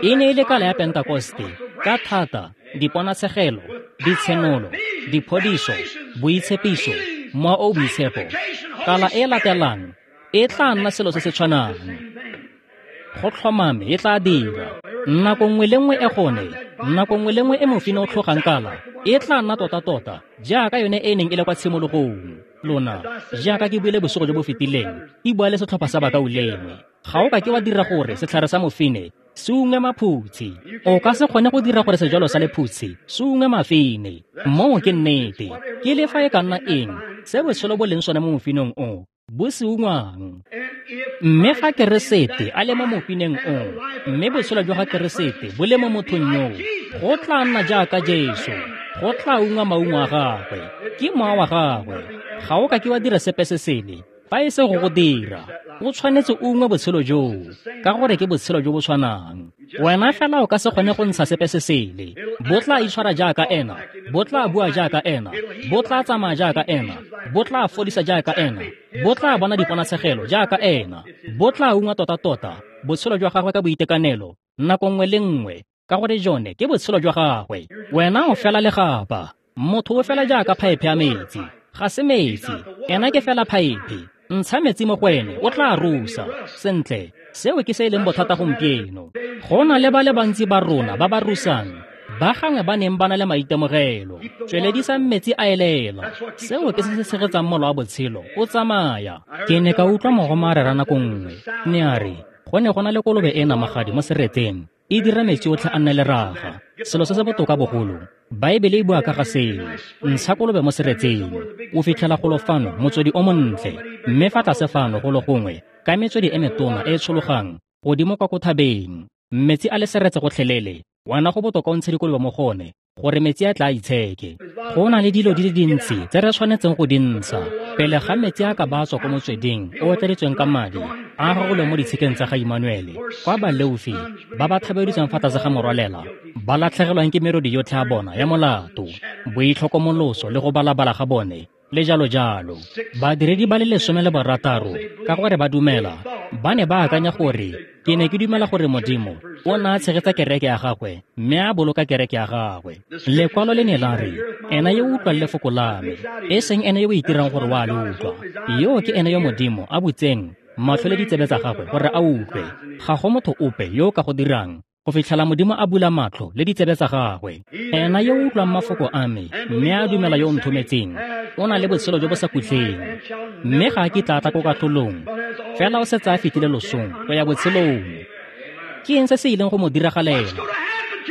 e ne e le kala ya Pentakoste, ka thata, diponatshegelo, ditshenolo, diphodiso, boitshepiso, Mowa o Boitshepo. Kala e latelang e tla nna selo se se tshwanang. Go tlhomame e tla dira. Nako nngwe le nngwe e gone, nako nngwe le nngwe e mofine o tlhogang kala, e tla nna tota-tota jaaka yone e neng e le kwa tshimologong. Lona, jaaka ke buile bosigo jo bo fetileng, ke bua le setlhopha sa bakaulengwe. Ga o ka ke wa dira gore setlhare sa mofine se ungwe maphutshi. O ka se kgone go dira gore sejalo sa lephutshi se ungwe mafine. Moo ke nnete. Ke le fa e ka nna eng se botshelo bo leng sone mo mofinong o, bo se ungwang. Mme fa Keresete a le mo mofineng o, mme botshelo jwa ga Keresete bo le mo mothong yoo, go tla nna jaaka Jesu, go tla ungwa maungo a gagwe, ke mowa wa gagwe. Ga o ka ke wa dira sepe se sele fa e se go go dira. O tshwanetse o ungwe botshelo joo, ka gore ke botshelo jo bo tshwanang. Wena fela o ka se kgone go ntsha sepe se sele. Bo tla itshwara jaaka ena, bo tla bua jaaka ena, bo tla tsamaya jaaka ena, bo tla fodisa jaaka ena, bo tla bona diponatshegelo jaaka ena, bo tla ungwa tota-tota botshelo jwa gagwe ka boitekanelo nako nngwe le nngwe, ka gore jone ke botshelo jwa gagwe. Wena o fela legapa, motho o fela jaaka phaephe ya metsi. Ga se metsi, ena ke fela phaephe. Ntsha metsi mo go ene, o tla rusa. Sentle, seo ke se e leng bothata gompieno. Go na le ba le bantsi ba rona ba ba rusang, ba gangwe ba neng ba na le maitemogelo. Tsweledisang metsi a elela. Seo ke se se tshegetsang mola wa botshelo o tsamaya. Ke ne ka utlwa mogoma a rera nako nngwe. Ne a re, go ne go na le kolobe e namagadi mo seretseng, e dira metsi otlhe a nne leraga. Selo se se botoka bogolo, Baebele e bua ka ga seo. Ntsha kolobe mo seretseng, o fitlhela golo fano motswedi o montle, mme fa tlase fano golo gongwe ka metswedi e metona e e tshologang godimo kwa ko thabeng. Metsi a le seretse gotlhelele, wena go botoka o ntshe dikolobe mo gone gore metsi a tla itsheke. Go na le dilo di le dintsi tse re tshwanetseng go di ntsha pele ga metsi a ka ba tswa ko motsweding o tladitsweng ka madi a gagolwe mo ditshikeng tsa ga Immanuele, kwa baleofi ba ba thabeditsweng fa tlase ga morwalela ba latlhegelwang ke merodi yotlhe ya bona ya molato, boitlhokomoloso le go balabala ga bone le jalo jalo. Badiredi ba le 16 ka gore ba dumela, ba ne ba akanya gore ke ne ke dumela gore Modimo o ne a tshegetsa kereke ya gagwe mme a boloka kereke ya gagwe. Lekwalo le ne la re, ena yo o utlwang lefoko la me, e seng ene yo o itirang gore wa le utlwa, yo ke ene yo Modimo a butseng matlho le ditsebe tsa gagwe gore a utlwe. Ga go motho ope yo o ka go dirang go fitlhela Modimo a bula matlho le ditsebe tsa gagwe. Ena yo o utlwang mafoko a me mme a dumela yo o nthometseng, o na le botshelo jo bo sa khutleng, mme ga a kitla tla ko katlholong, fela o setse a fetile losong go ya botshelong. Ke eng se se ileng go mo diragalela?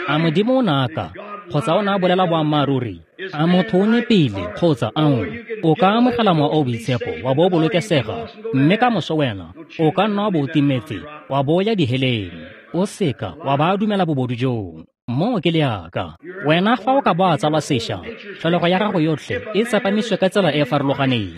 A Modimo o ne a ka, kgotsa o ne a bolela boammaaruri? A motho o nepile kgotsa ao? O ka amogela mowa o boitshepo wa bo o bolokesega, mme ka moso wena o ka nna wa bo o timetse wa bo o ya diheleng. O seka wa ba dumela bobodu joo. Moo ke leaka. Wena fa o ka bo a tsalwa sešwa, tlholego ya gago yotlhe e tsepamiswe ka tsela e e farologaneng.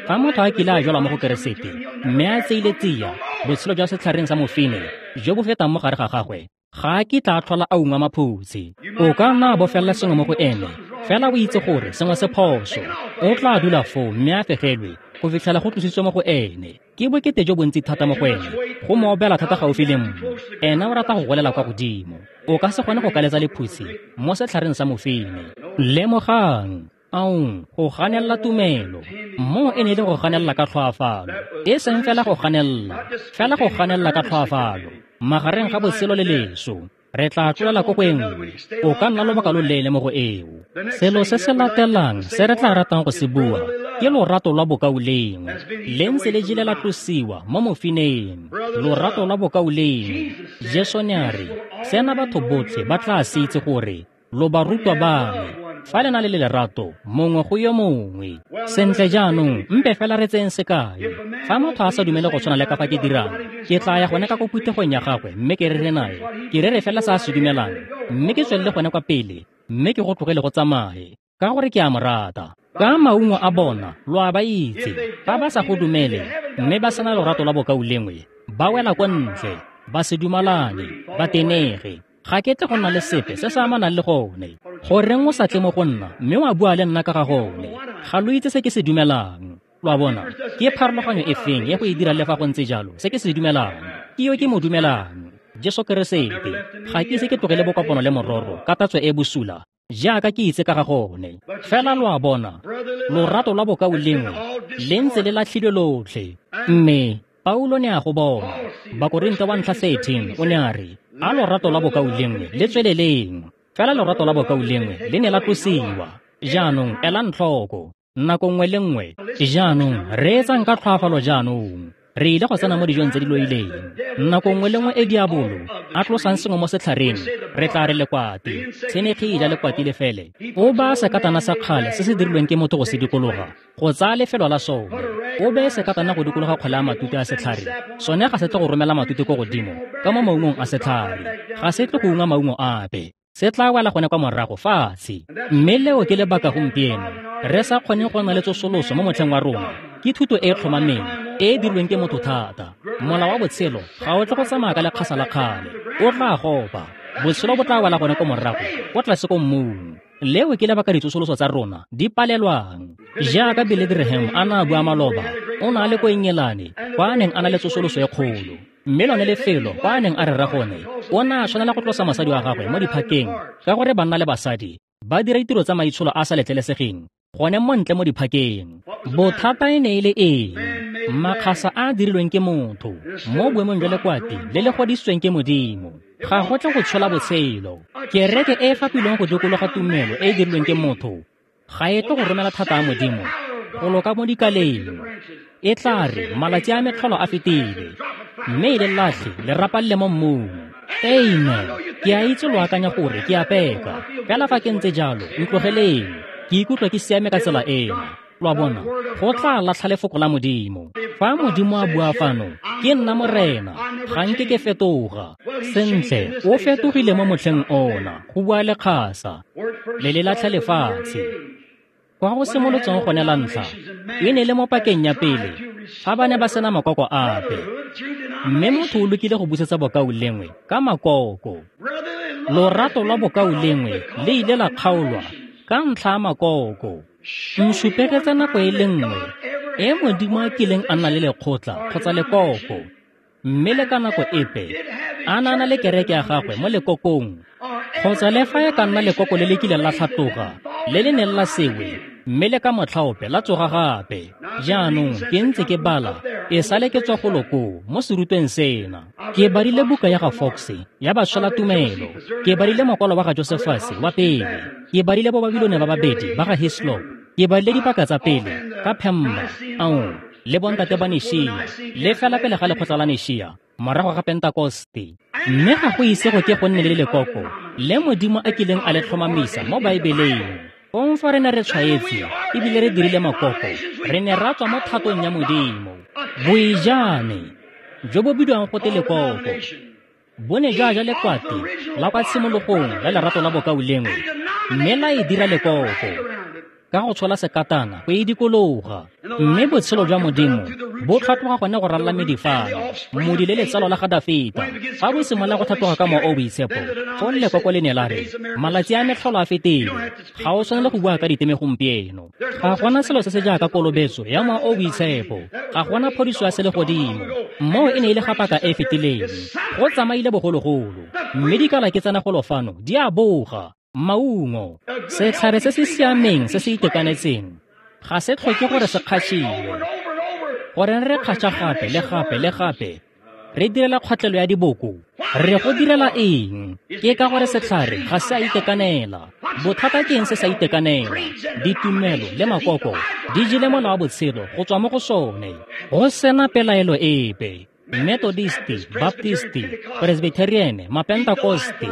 Fa motho a kile a jalwa mo go Keresete mme a tseile tsia botshelo jwa setlhareng sa mofine jo bo fetang mo gare ga gagwe, ga a kitla a tlhola a ungwa maphutshi. O ka nna a bofelela sengwe mo go ene, fela o itse gore sengwe se phoso. O tla dula foo mme a fegelwe go fitlhela go tlositswe mo go ene. Ke bokete jo bontsi thata mo go ene, go mo obela thata gaufi le mmu. Ena o rata go golela kwa godimo. O ka se kgone go kaletsa lephutshi mo setlhareng sa mofine. Lemogang, aong, go ganelela tumelo. Moo e ne e le go ganelela ka tlhoafalo, e seng fela go ganelela, fela go ganelela ka tlhoafalo magareng ga botshelo le leso. Re tla tlolela ko go e nngwe. O ka nna lobaka lo leele mo go eo. Selo se se latelang se re tla ratang go se bua ke lorato lwa bokaulengwe. Le ntse le jile la tlosiwa mo mofineng. Lorato lwa bokaulengwe. Jesu ne a re, sena batho botlhe ba tla se itse gore lo barutwa ba me fa le na le lerato mongwe go yo mongwe. Sentle jaanong, mpe fela re tseng sekai. Fa motho a sa dumele go tshwana le ka fa ke dirang, ke tla ya gone ka ko phuthegong ya gagwe mme ke rere nae. Ke rere fela se a se dumelang, mme ke tswelele gone kwa pele, mme ke go tlogele go tsamaye, ka gore ke a mo rata. Ka maungo a bona lo a ba itse. Fa ba sa go dumele mme ba sena lorato lwa bokaulengwe, ba wela kwa ntle, ba se dumalane, ba tenege. Ga ke tle go nna le sepe se se amanang le gone. Goreng o sa tle mo go nna mme wa bua le nna ka ga gone? Ga lo itse se ke se dumelang. Lo a bona, ke pharologanyo e feng e go e dira le fa go ntse jalo se ke se dumelang? Ke yo ke mo dumelang, Jesu Keresete. Ga ke ise ke tlogele bokopano le mororo ka tatso e bosula jaaka ke itse ka ga gone. Fela lo a bona, lorato lwa bokaulengwe le ntse le latlhilwe lotlhe. Mme Paulo ne a go bona. Bakorinthe wa ntlha 13 o ne a re, a lorato la bokaulengwe le tsweleleng. Fela lorato la bokaulengwe le ne la tlosiwa. Jaanong elang tlhoko, nako nngwe le nngwe. Jaanong reetsang ka tlhoafalo jaanong. Re ile go tsena mo dijong tse di loileng. Nako nngwe le nngwe e diabolo a tlosang sengwe mo setlhareng, re tla re lekwati. Tshenekgi e ja lekwati le fele. O baya sekatana sa kgale se se dirilweng ke motho go se dikologa, go tsaya lefelo la sone. O beye sekatana go dikologa kgwele ya matute a setlhare. Sone ga se tle go romela matute ko godimo ka mo maungong a setlhare. Ga se tle go ungwa maungo ape. Se tla wela gone kwa morago fatshe. Mme leo ke lebaka gompieno re sa kgoneng go nna le tsosoloso mo motlheng wa rona. Ke thuto e e tlhomameng e e dirilweng ke motho thata. Mola wa botshelo ga o tle go tsamaya ka lekgasa la kgale. O tla gopa. Botshelo bo tla wela gone ko morago, ko tlase ko mmung. Leo ke lebaka ditsosoloso tsa rona di palelwang. Jaaka Billy Graham a na a bua maloba, o na le ko Engelane kwa a neng a na le tsosoloso e kgolo. Mme lone lefelo kwa a neng a rera gone, o ne a tshwanela go tlosa mosadi wa gagwe mo diphakeng ka gore banna le basadi ba dira ditiro tsa maitsholo a sa letlelesegeng gone mo ntle mo diphakeng. Bothata e ne e le eng? Makgasa a a dirilweng ke motho mo boemong jwa lekwati le le godisitsweng ke Modimo ga go tle go tshola botshelo. Kereke e e fapilweng go dikologa tumelo e e dirilweng ke motho ga e tle go romela thata a Modimo go loka mo dikaleng. E tla re malatsi a metlholo a fetile, mme e le latlhe le rapalle mo mmung. Amen. Ke a itse lo akanya gore ke a peka, fela fa ke ntse jalo, ntlogeleng. Ke ikutlwa ke siame ka tsela ena. Lo a bona, go tla latlha lefoko la Modimo. Fa Modimo a bua fano, ke nna Morena, ga nke ke fetoga. Sentle, o fetogile mo motlheng ona, go bua lekgasa, le le latlha lefatshe. Kwa go simolotseng gone la ntlha, e ne le mo pakeng ya pele, fa ba ne ba sena makoko ape. Mme motho o lokile go busetsa bokaulengwe ka makoko. Lorato lwa bokaulengwe le ile la kgaolwa ka ntlha ya makoko. Nsupegetse nako e le nngwe e Modimo a kileng a nna le lekgotla kgotsa lekoko, mme le ka nako epe a na na le kereke ya gagwe mo lekokong, kgotsa le fa e ka nna lekoko le le kileng la tlhatloga le le neng la sewe, mme le ka motlhaope la tsoga gape. Jaanong ke ntse ke bala e sale ke tswa golo koo mo serutweng sena. Ke badile buka ya ga Fox ya Bašwelatumelo, ke badile mokwalo wa ga Josephus wa pele, ke badile bo Babilone ba babedi ba ga Hislop, ke badile dipaka tsa pele ka Phemba, Aon le bontate ba Nishia, le fela pele ga lekgotla la Nishia morago ga Pentekoste. Mme ga go ise go ke go nne le lekoko le Modimo a kileng a le tlhomamisa mo Baebeleng. Fong fa re ne re tshwaetse ebile re dirile makoko, re ne ra tswa mo thatong ya Modimo. Boijane jo bo bidiwang gote lekoko bo ne jwa ja lekwati la kwa tshimologong la lerato la bokaulengwe, mme la e dira lekoko ka go tshola sekatana go e dikologa. Mme botshelo jwa Modimo bo tlhatloga gone go ralala medifano, modi le letsalo la ga Dafita. Fa bo simolola go tlhatloga ka mowa o boitshepo, fong lekoko le ne la re, malatsi a metlholo a fetile, ga o tshwanele go bua ka diteme gompieno. Ga gona selo se se jaaka kolobetso ya mowa o boitshepo, ga gona phodiso ya selegodimo. Moo e ne e le ga paka e e fetileng, go tsamaile bogologolo. Mme dikala ke tsena golo fano di a boga. Maungo, setlhare se se siameng se se itekanetseng ga se tlhoke gore se kgatšhiwe. Gore re kgatšha gape le gape le gape, re direla kgwatlelo ya diboko. Re go direla eng? Ke ka gore setlhare ga se a itekanela. Bothata ke eng se sa itekanela? Ditumelo le makoko di jele mola wa botshelo go tswa mo go sone, go sena pelaelo epe. Methodisti, Baptisti, Presbyterian, Mapentekoste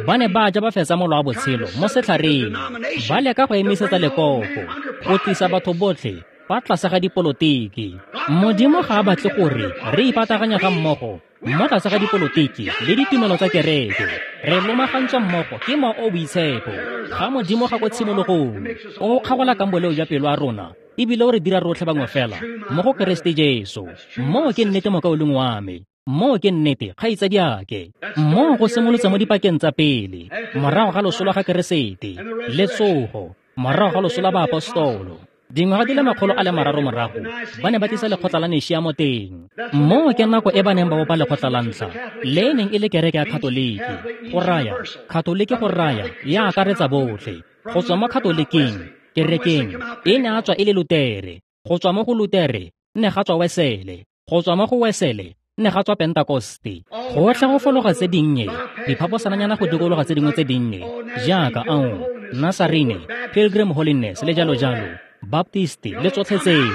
ba ne ba ja ba fetsa mola wa botshelo mo setlhareng, ba leka go emisetsa lekoko, go tlisa batho botlhe fa tlase ga dipolotiki. Modimo ga a batle gore re ipataganya ga mmogo mo tlase ga dipolotiki le ditumelo tsa kereke. Re lomagantswa mmogo ke mowa o boitshepo ga Modimo ga ko tshimologong, o kgagola kang boleo jwa pelo ya rona, ebile o re dira rotlhe bangwe fela mo go Keresete Jesu. Moo ke nnete mokaulengwe wa me, moo ke nnete kgaitsadiake. Moo go simolotse mo dipakeng tsa pele, morago ga loso lwa ga Keresete le tsogo, morago ga loso la baapostolo. Dingwaga di le 300 morago, ba ne ba tlisa lekgotla la Nishia mo teng. Moo ke nako e ba neng ba bopa lekgotla la ntlha, le e neng e le kereke ya Katoliki. Go raya, Katoliki go raya, ya akaretsa botlhe. Go tswa mo Katoliking, kerekeng, e ne a tswa e le Lutere. Go tswa mo go Lutere, ne ga tswa Wesele. Go tswa mo go Wesele ne ga tswa Pentekoste. Gotlhe go fologa tse dinnye, diphaposananyana go dikologa tse dingwe tse dinnye, jaaka ao, Nasarene, Pilgrim Holiness le jalo jalo, Baptist le tsotlhe tseo.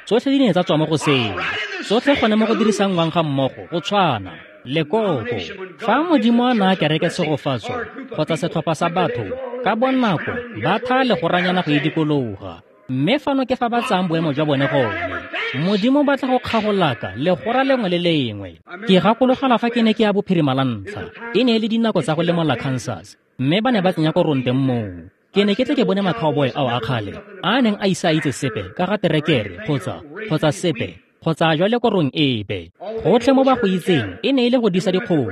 Tsotlhe di ne tsa tswa mo go seo. Tsotlhe gone mo go dirisanngwang ga mmogo go tshwana. Lekoko, fa Modimo a naya kereke tshegofatso kgotsa setlhopha sa batho, ka bonako ba thaya legoranyana go e dikologa. Mme fano ke fa ba tsayang boemo jwa bone gone. Modimo o batla go kgagolaka legora lengwe le lengwe. Ke gakologelwa fa ke ne ke ya bophirima la ntlha, e ne e le dinako tsa go lemola Kansas, mme ba ne ba tsenya korong teng moo. Ke ne ke tle ke bone ma-cowboy ao a kgale a neng a ise a itse sepe ka ga terekere kgotsa sepe kgotsa jwale korong epe. Gotlhe mo ba go itseng e ne e le go disa dikgomo,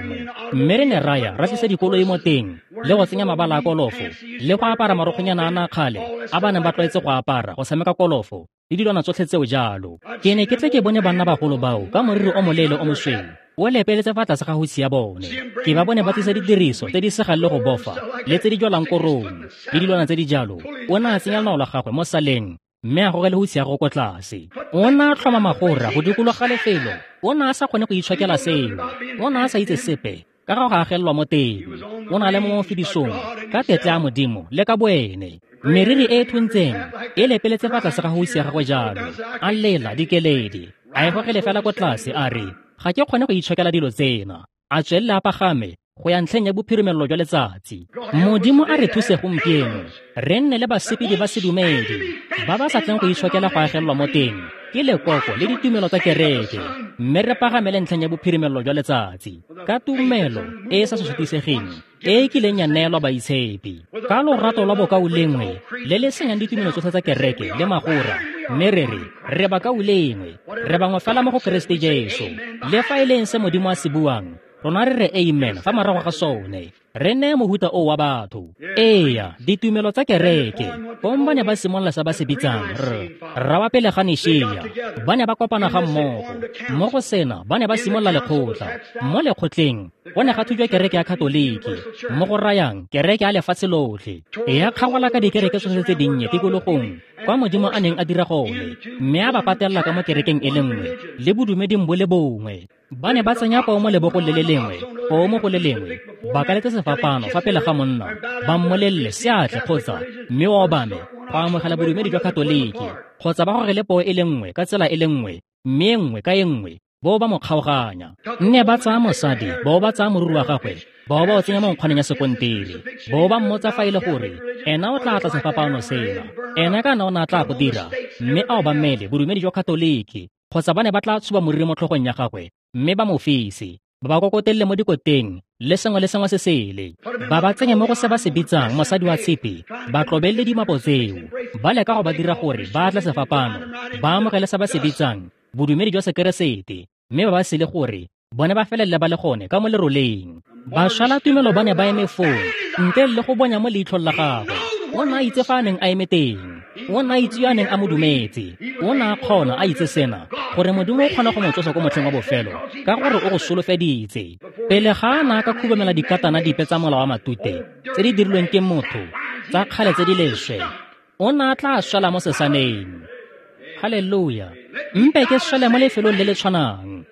mme re ne ra ya ra tlisa dikoloi mo teng le go tsenya mabala a kolofo le go apara marokgonyana a na kgale a ba neng ba tlwaetse go apara go tshameka kolofo le dilwana tsotlhe tseo jalo. Ke ne ke tle ke bone banna bagolo bao ka moriri o moleele o mosweu o lepeletse fa tlase ga hutshe ya bone. Ke ba bone ba tlisa didiriso tse di segang le go bofa le tse di jwalang korong le dilwana tse di jalo. O ne a tsenya lonao la gagwe mo saleng mme a gogele hutshe ya gagwe ko tlase. O ne a tlhoma magora go dikologa lefelo. O ne a sa kgone go itshokela seo. O ne a sa itse sepe ka ga go agelelwa mo teng. O ne a le mo mofidisong ka tetla ya Modimo le ka boene. Meriri e e thuntseng e lepeletse fa tlase ga hutshe ya gagwe jalo. A lela dikeledi, a e gogele fela ko tlase, a re, ga ke kgone go itshokela dilo tsena. A tswelele a pagame go ya ntlheng ya bophirimelelo jwa letsatsi. Modimo a re thuse gompieno re nne le basepedi ba sedumedi ba ba sa tleng go itshokela go agelelwa mo teng ke lekoko le ditumelo tsa kereke, mme re pagamele ntlheng ya bophirimelelo jwa letsatsi ka tumelo e e sa sosotisegeng e e kileng ya neelwa baitshepi ka lorato lwa bokaulengwe le le senyang ditumelo tsotlhe tsa kereke le magora, mme re re re bakaulengwe, re bangwe fela mo go Keresete Jesu. Le fa e leng se Modimo a se buang, rona re re amen fa morago ga sone. Re neye mohuta o wa batho. Eya, ditumelo tsa kereke. Fong ba ne ba simolola se ba se bitsang rra wa pele ga Nishia. Ba ne ba kopana ga mmogo. Mo go sena ba ne ba simolola lekgotla. Mo lekgotleng go ne ga thujwa kereke ya Katoliki, mo go rayang kereke ya lefatshe lotlhe. Ya kgagola ka dikereke tsotlhe tse dinnye tikologong kwa Modimo a neng a dira gone, mme a ba patelela ka mo kerekeng e le nngwe le bodumeding bo le bongwe. Ba ne ba tsenya poo mo lebogong le le lengwe, poo mo go le lengwe, ba kaletse sefapano fa pele ga monna, ba mmolelele seatle kgotsa mme o obame go amogela bodumedi jwa Katoliki, kgotsa ba gogele poo e le nngwe ka tsela e le nngwe, mme e nngwe ka e nngwe, bo ba mo kgaoganya. Nne ba tsaya mosadi, bo ba tsaya moriri wa gagwe, bo ba o tsenya mo nkgwaneng ya sekontiri, bo ba mmotsa fa e le gore ena o tla tla sefapano sena, ena kana o ne a tla go dira, mme a obamele bodumedi jwa Katoliki, kgotsa ba ne ba tla tshuba moriri mo tlhogong ya gagwe mme ba mo fise, ba ba kokotelele mo dikoteng le sengwe le sengwe se sele, ba ba tsenye mo go se ba se bitsang mosadi wa tshipi, ba tlobelele dimapo tseo, ba leka go ba dira gore ba tle sefapano, ba amogele se ba se bitsang bodumedi jwa Sekeresete, mme ba ba sele gore bone ba felelele ba le gone ka mo leroleng. Bašwela tumelo ba ne ba eme foo ntle le go bonya mo leitlhong la gagwe. O ne a itse fa a neng a eme teng. O ne a itse yo a neng a mo dumetse. O ne a kgona a itse sena, gore Modimo o kgona go mo tsosa ko motlheng wa bofelo ka gore o go solofeditse. Pele ga a na a ka khubamela dikatana dipe tsa mola wa matute tse di dirilweng ke motho tsa kgale tse di leswe, o ne a tla swela mo sesaneng. Haleluya! Mpe ke swele mo lefelong le le tshwanang.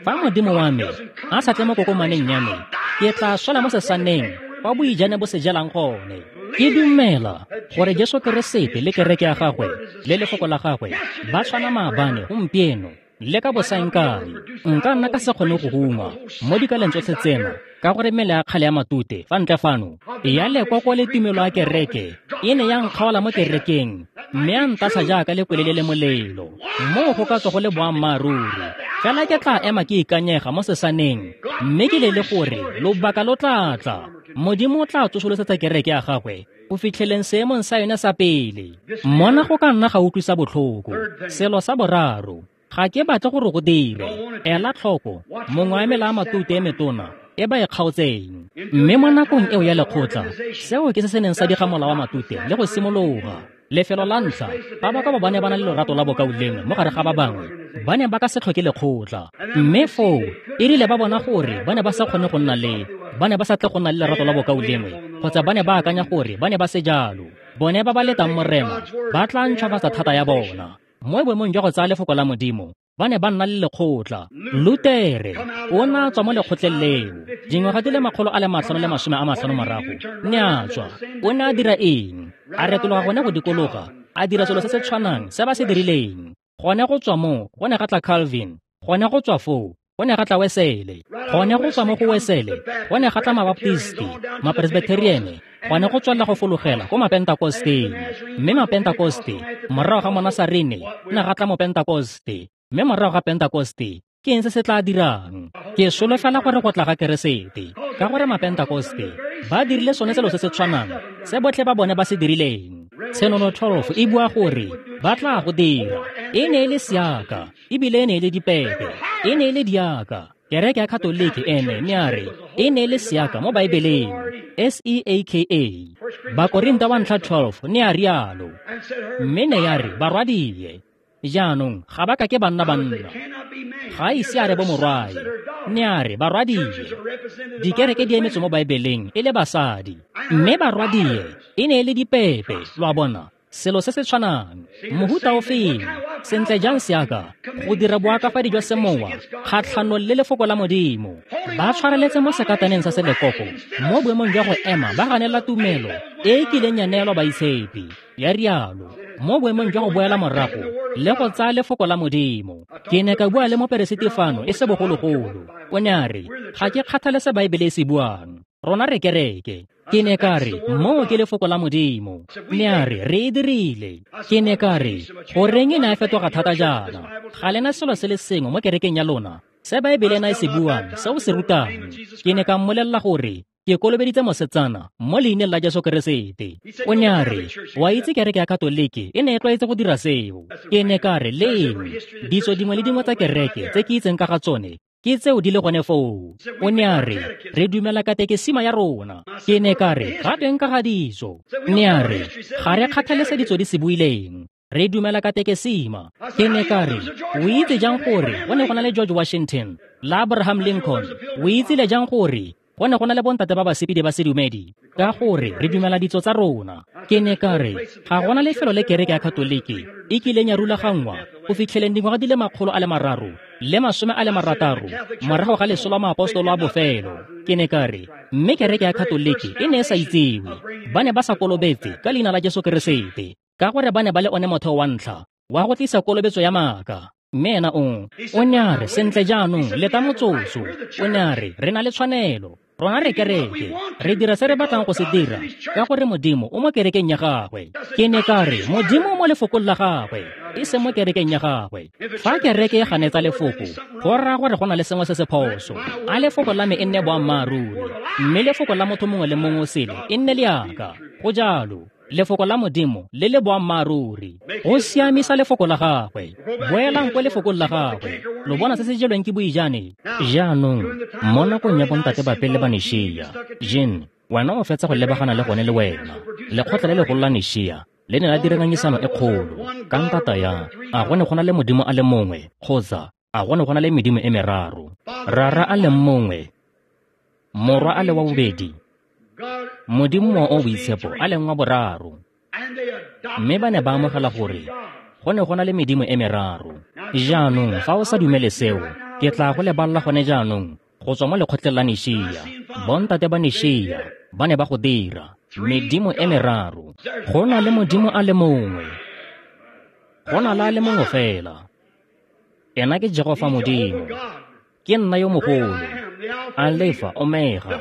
Fa Modimo wa me a sa tle mo kokomaneng ya me, ke tla swela mo sesaneng kwa boijane bo se jalang gone. Ke dumela gore Jesu Keresete le kereke ya gagwe le lefoko la gagwe ba tshwana maabane, gompieno le ka bosaengkae. Nka nna ka se kgone go huma mo dikaleng tsotlhe tsena ka gore mmele ya kgale ya matute fa ntle fano ya lekoko le tumelo ya kereke e ne ya nkgaola mo kerekeng mme a ntatlha jaaka lekwele le le molelo. Moo go ka tswa go le boammaaruri, fela ke tla ema ke ikanyega mo sesaneng mme ke lele gore lobaka lo tla tla. Modimo o tla tsosolosetsa kereke ya gagwe go fitlheleng seemong sa yone sa pele. Mona go ka nna ga utlwisa botlhoko. Selo sa boraro, ga ke batle gore go dire. Ela tlhoko mongwe wa mela a matute e metona e ba e kgaotseng. Mme mo nakong eo ya lekgotla, seo ke se se neng sa diga mola wa matute le go simologa. Lefelo la ntlha, ba ba ka ba ne ba na le lorato la bokaulengwe mo gare ga ba bangwe, ba ne ba ka se tlhoke lekgotla. Mme foo e rile ba bona gore ba ne ba sa kgone go nna le, ba ne ba sa tle go nna le lerato la bokaulengwe, kgotsa ba ne ba akanya gore ba ne ba se jalo. Bone ba ba letang Morena ba tla ntšhwafatsa thata ya bona. Mo boemong jwa go tsaya lefoko la Modimo Ba ne ba nna le lekgotla. Lutere o ne a tswa mo lekgotleng leo dingwaga di le 550 morago, ne a tswa. O ne a dira eng? A retologa gone go dikologa, a dira selo se se tshwanang se ba se dirileng. Gone go tswa mo go ne ga tla Calvin, gone go tswa foo go ne ga tla Wesele, gone go tswa mo go Wesele go ne ga tla Mabaptisti, Mapresbyteriane, gone go tswelela go fologela ko Mapentakosteng. Mme Mapentakoste morago ga Monasarene ne ga tla Mopentakoste, mme morago ga Pentakoste ke eng se se tla dirang? Ke solofela gore go tla ga Keresete, ka gore Mapentakoste ba dirile sone selo se se tshwanang se botlhe ba bone ba se dirileng. Tshenolo 12 e bua gore ba tla go dira. E ne e le seaka, ebile e ne e le dipepe, e ne e le diaka. Kereke ya Katoliki ene ne a re e ne e le seaka mo Baebeleng, S-E-A-K-A. Bakorinta wa ntlha 12 ne a rialo, mme ne ya re barwadie. Jaanong ga ba ka ke banna banna, ga ise a re bo morwae, ne a re barwadie. Dikereke di emetswe mo Baebeleng e le basadi, mme barwadie e ne e le dipepe, lo a bona, selo se se tshwanang. Mohuta o feng? Sentle jang seaka go dira boakafadi jwa semowa kgatlhanong le lefoko la Modimo. Ba tshwareletse mo sekataneng sa selekoko mo boemong jwa go ema ba ganela tumelo e e kileng ya neelwa baitshepi, ya rialo, mo boemong jwa go boela morago le go tsaya lefoko la Modimo. Ke ne ka bua le moperesiti fano e se bogologolo. O ne a re, ga ke kgathale se Baebele e se buang, rona re kereke. Ke ne ka re, moo ke lefoko la Modimo. Ne a re, re e dirile. Ke ne ka re, goreng e ne a fetoga thata jaana? Ga lena selo se le sengwe mo kerekeng ya lona se Baebele ena e se buang, se o se rutang. Ke ne ka mmolelela gore ke kolobeditse mosetsana mo leineng la Jesu Keresete. O ne a re, wa itse kereke ya Katoliki e ne e tlwaetse go dira seo. Ke ne ka re, leng ditso dingwe le dingwe tsa kereke tse ke itseng ka ga tsone ke tseo di le gone foo. O ne a re, re dumela katekesima ya rona. Ke ne ka re, ga tweng ka ga ditso? Ne a re, ga re kgathale se ditso di se buileng, re dumela katekesima. Ke ne ka re, o itse jang gore go ne go na le George Washington le Abraham Lincoln? O itsile jang gore go ne go na le bontate ba basepedi ba sedumedi? Ka gore re dumela ditso tsa rona. Ke ne ka re, ga gona lefelo le kereke ya Katoliki e kileng ya rulaganngwa go fitlheleng dingwaga di le 360 morago ga leso la maapostolo a bofelo. Ke ne ka re, mme kereke ya Katoliki e ne e sa itsewe. Ba ne ba sa kolobetse ka leina la Jesu Keresete, ka gore ba ne ba le one motheo wa ntlha wa go tlisa kolobetso ya maaka. Mme ena o ne a re, sentle jaanong leta motsotso. O ne a re, re na le tshwanelo, rona re kereke, re dira se re batlang go se dira, ka gore Modimo o mo kerekeng ya gagwe. Ke ne ka re, Modimo o mo lefokong la gagwe, e seng mo kerekeng ya gagwe. Fa kereke e ganetsa lefoko, go raya gore go na le sengwe se se phoso. A lefoko la me e nne boammaaruri, mme lefoko la motho mongwe le mongwe o sele e nne leaka. Go jalo. Lefoko la Modimo le le boammaaruri, go siamisa lefoko la gagwe. Boelang kwa lefokong la gagwe, lo bona se se jelweng ke boijane. Jaanong mo nakong ya bontate ba pele ba Nishia, Jean, wena o fetsa go lebagana le gone le wena. Lekgotla le legolo la Nishia le ne la dira ngangisano e kgolo ka ntata ya a go ne go na le Modimo a le mongwe kgotsa a go ne go na le medimo e meraro. Rara a le mongwe, Morwa a le wa bobedi, Modimo o boitshepo a leng wa boraro. Mme ba ne ba amogela gore go ne go na le medimo e meraro. Jaanong fa o sa dumele seo, ke tla go leballa gone jaanong go tswa mo lekgotleng la Nishia. Bontate ba Nishia ba ne ba go dira medimo e meraro. Go na le Modimo a le mongwe, go na le a le mongwe fela. Ena ke Jehofa Modimo. Ke nna yo mogolo, Alefa Omega,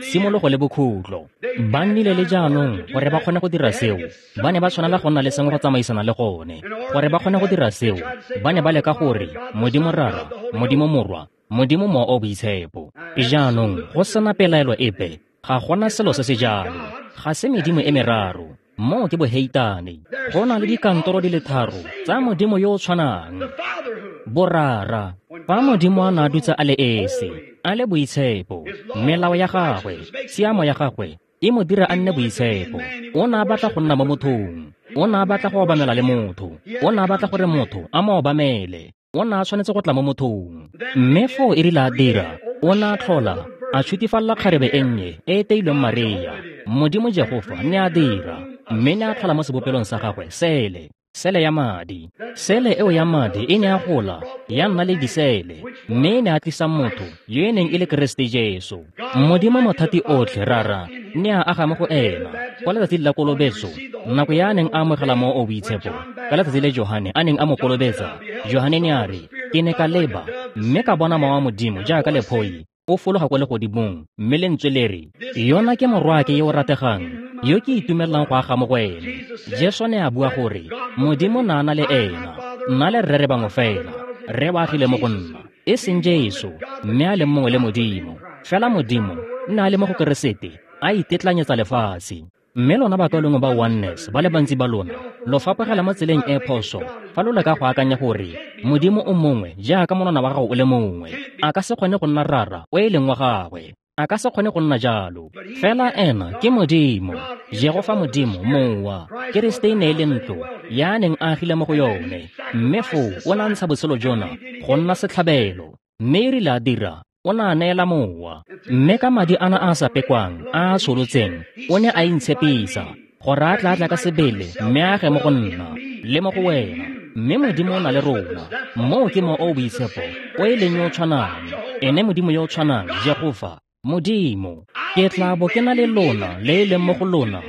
tshimologo le bokhutlo. Ba nnile le jaanong gore ba kgone go dira seo, ba ne ba tshwanela go nna le sengwe go tsamaisana le gone. Gore ba kgone go dira seo, ba ne ba leka gore Modimo Rara, Modimo Morwa, Modimo Mowa o Boitshepo. Jaanong go sena pelaelo epe, ga gona selo se se jalo. Ga se medimo e meraro, moo ke boheitane. Go na le dikantoro di le tharo tsa Modimo yo o tshwanang, borara. Fa Modimo a ne a dutse a le esi, a le boitshepo, melao ya gagwe, tshiamo ya gagwe e mo dira a nne boitshepo. O ne a batla go nna mo mothong, o ne a batla go obamela le motho, o ne a batla gore motho a mo obamele. O ne a tshwanetse go tla mo mothong. Mme foo e rile a dira, o ne a tlhola a tšhutifalla kgarebe e nnye e e teilweng Maria. Modimo Jehofa ne a dira, mme ne a tlhola mo sebopelong sa gagwe sele. sele ya madi. Sele eo ya madi e ne ya gola, ya nna le disele, mme e ne a tlisa motho yo e neng e le Keresete Jesu. Modimo mothati otlhe Rara ne a aga mo go ena kwa letsatsing la kolobetso, nako ya a neng a amogela Mowa o Boitshepo. Ka letsatsi le Johane a neng a mo kolobetsa, Johane ne a re, ke ne ka leba mme ka bona Mowa wa Modimo jaaka lephoi o fologa kwa legodimong, mme lentswe le re, yona ke morwaake yo o rategang, yo ke itumellang go aga mo go ene. Jesu ne a bua gore Modimo na na le ena, nna le Rre re bangwe fela. Rre o agile mo go nna, e seng Jesu, mme a leng mongwe le Modimo. Fela Modimo nne a le mo go Keresete, a itetlanyetsa lefatshe. Mme lona bakaulengwe ba Oneness ba le bantsi ba lona lo fapogela mo tseleng e phoso fa lo leka go akanya gore Modimo o mongwe jaaka monwana wa gago o le mongwe. A ka se kgone go nna Rara o e leng wa gagwe, a ka se kgone go nna jalo. Fela ena ke Modimo, Jehofa Modimo, Mowa. Keresete e ne e le ntlo ya a neng a agile mo go yone, mme foo o ne a ntsha botshelo jona go nna setlhabelo, mme e rile a dira, o ne a neela Mowa. Mme ka madi ana a sa pekwang a a tsholotseng, o ne a intshepisa gore a tla tla ka sebele mme a age mo go nna le mo go wena. Mme Modimo o na le rona. Moo ke Mowa o o Boitshepo o e leng yo o tshwanang, ene Modimo yo o tshwanang, Jehofa Modimo. Ke tla bo ke na le lona le e leng mo go lona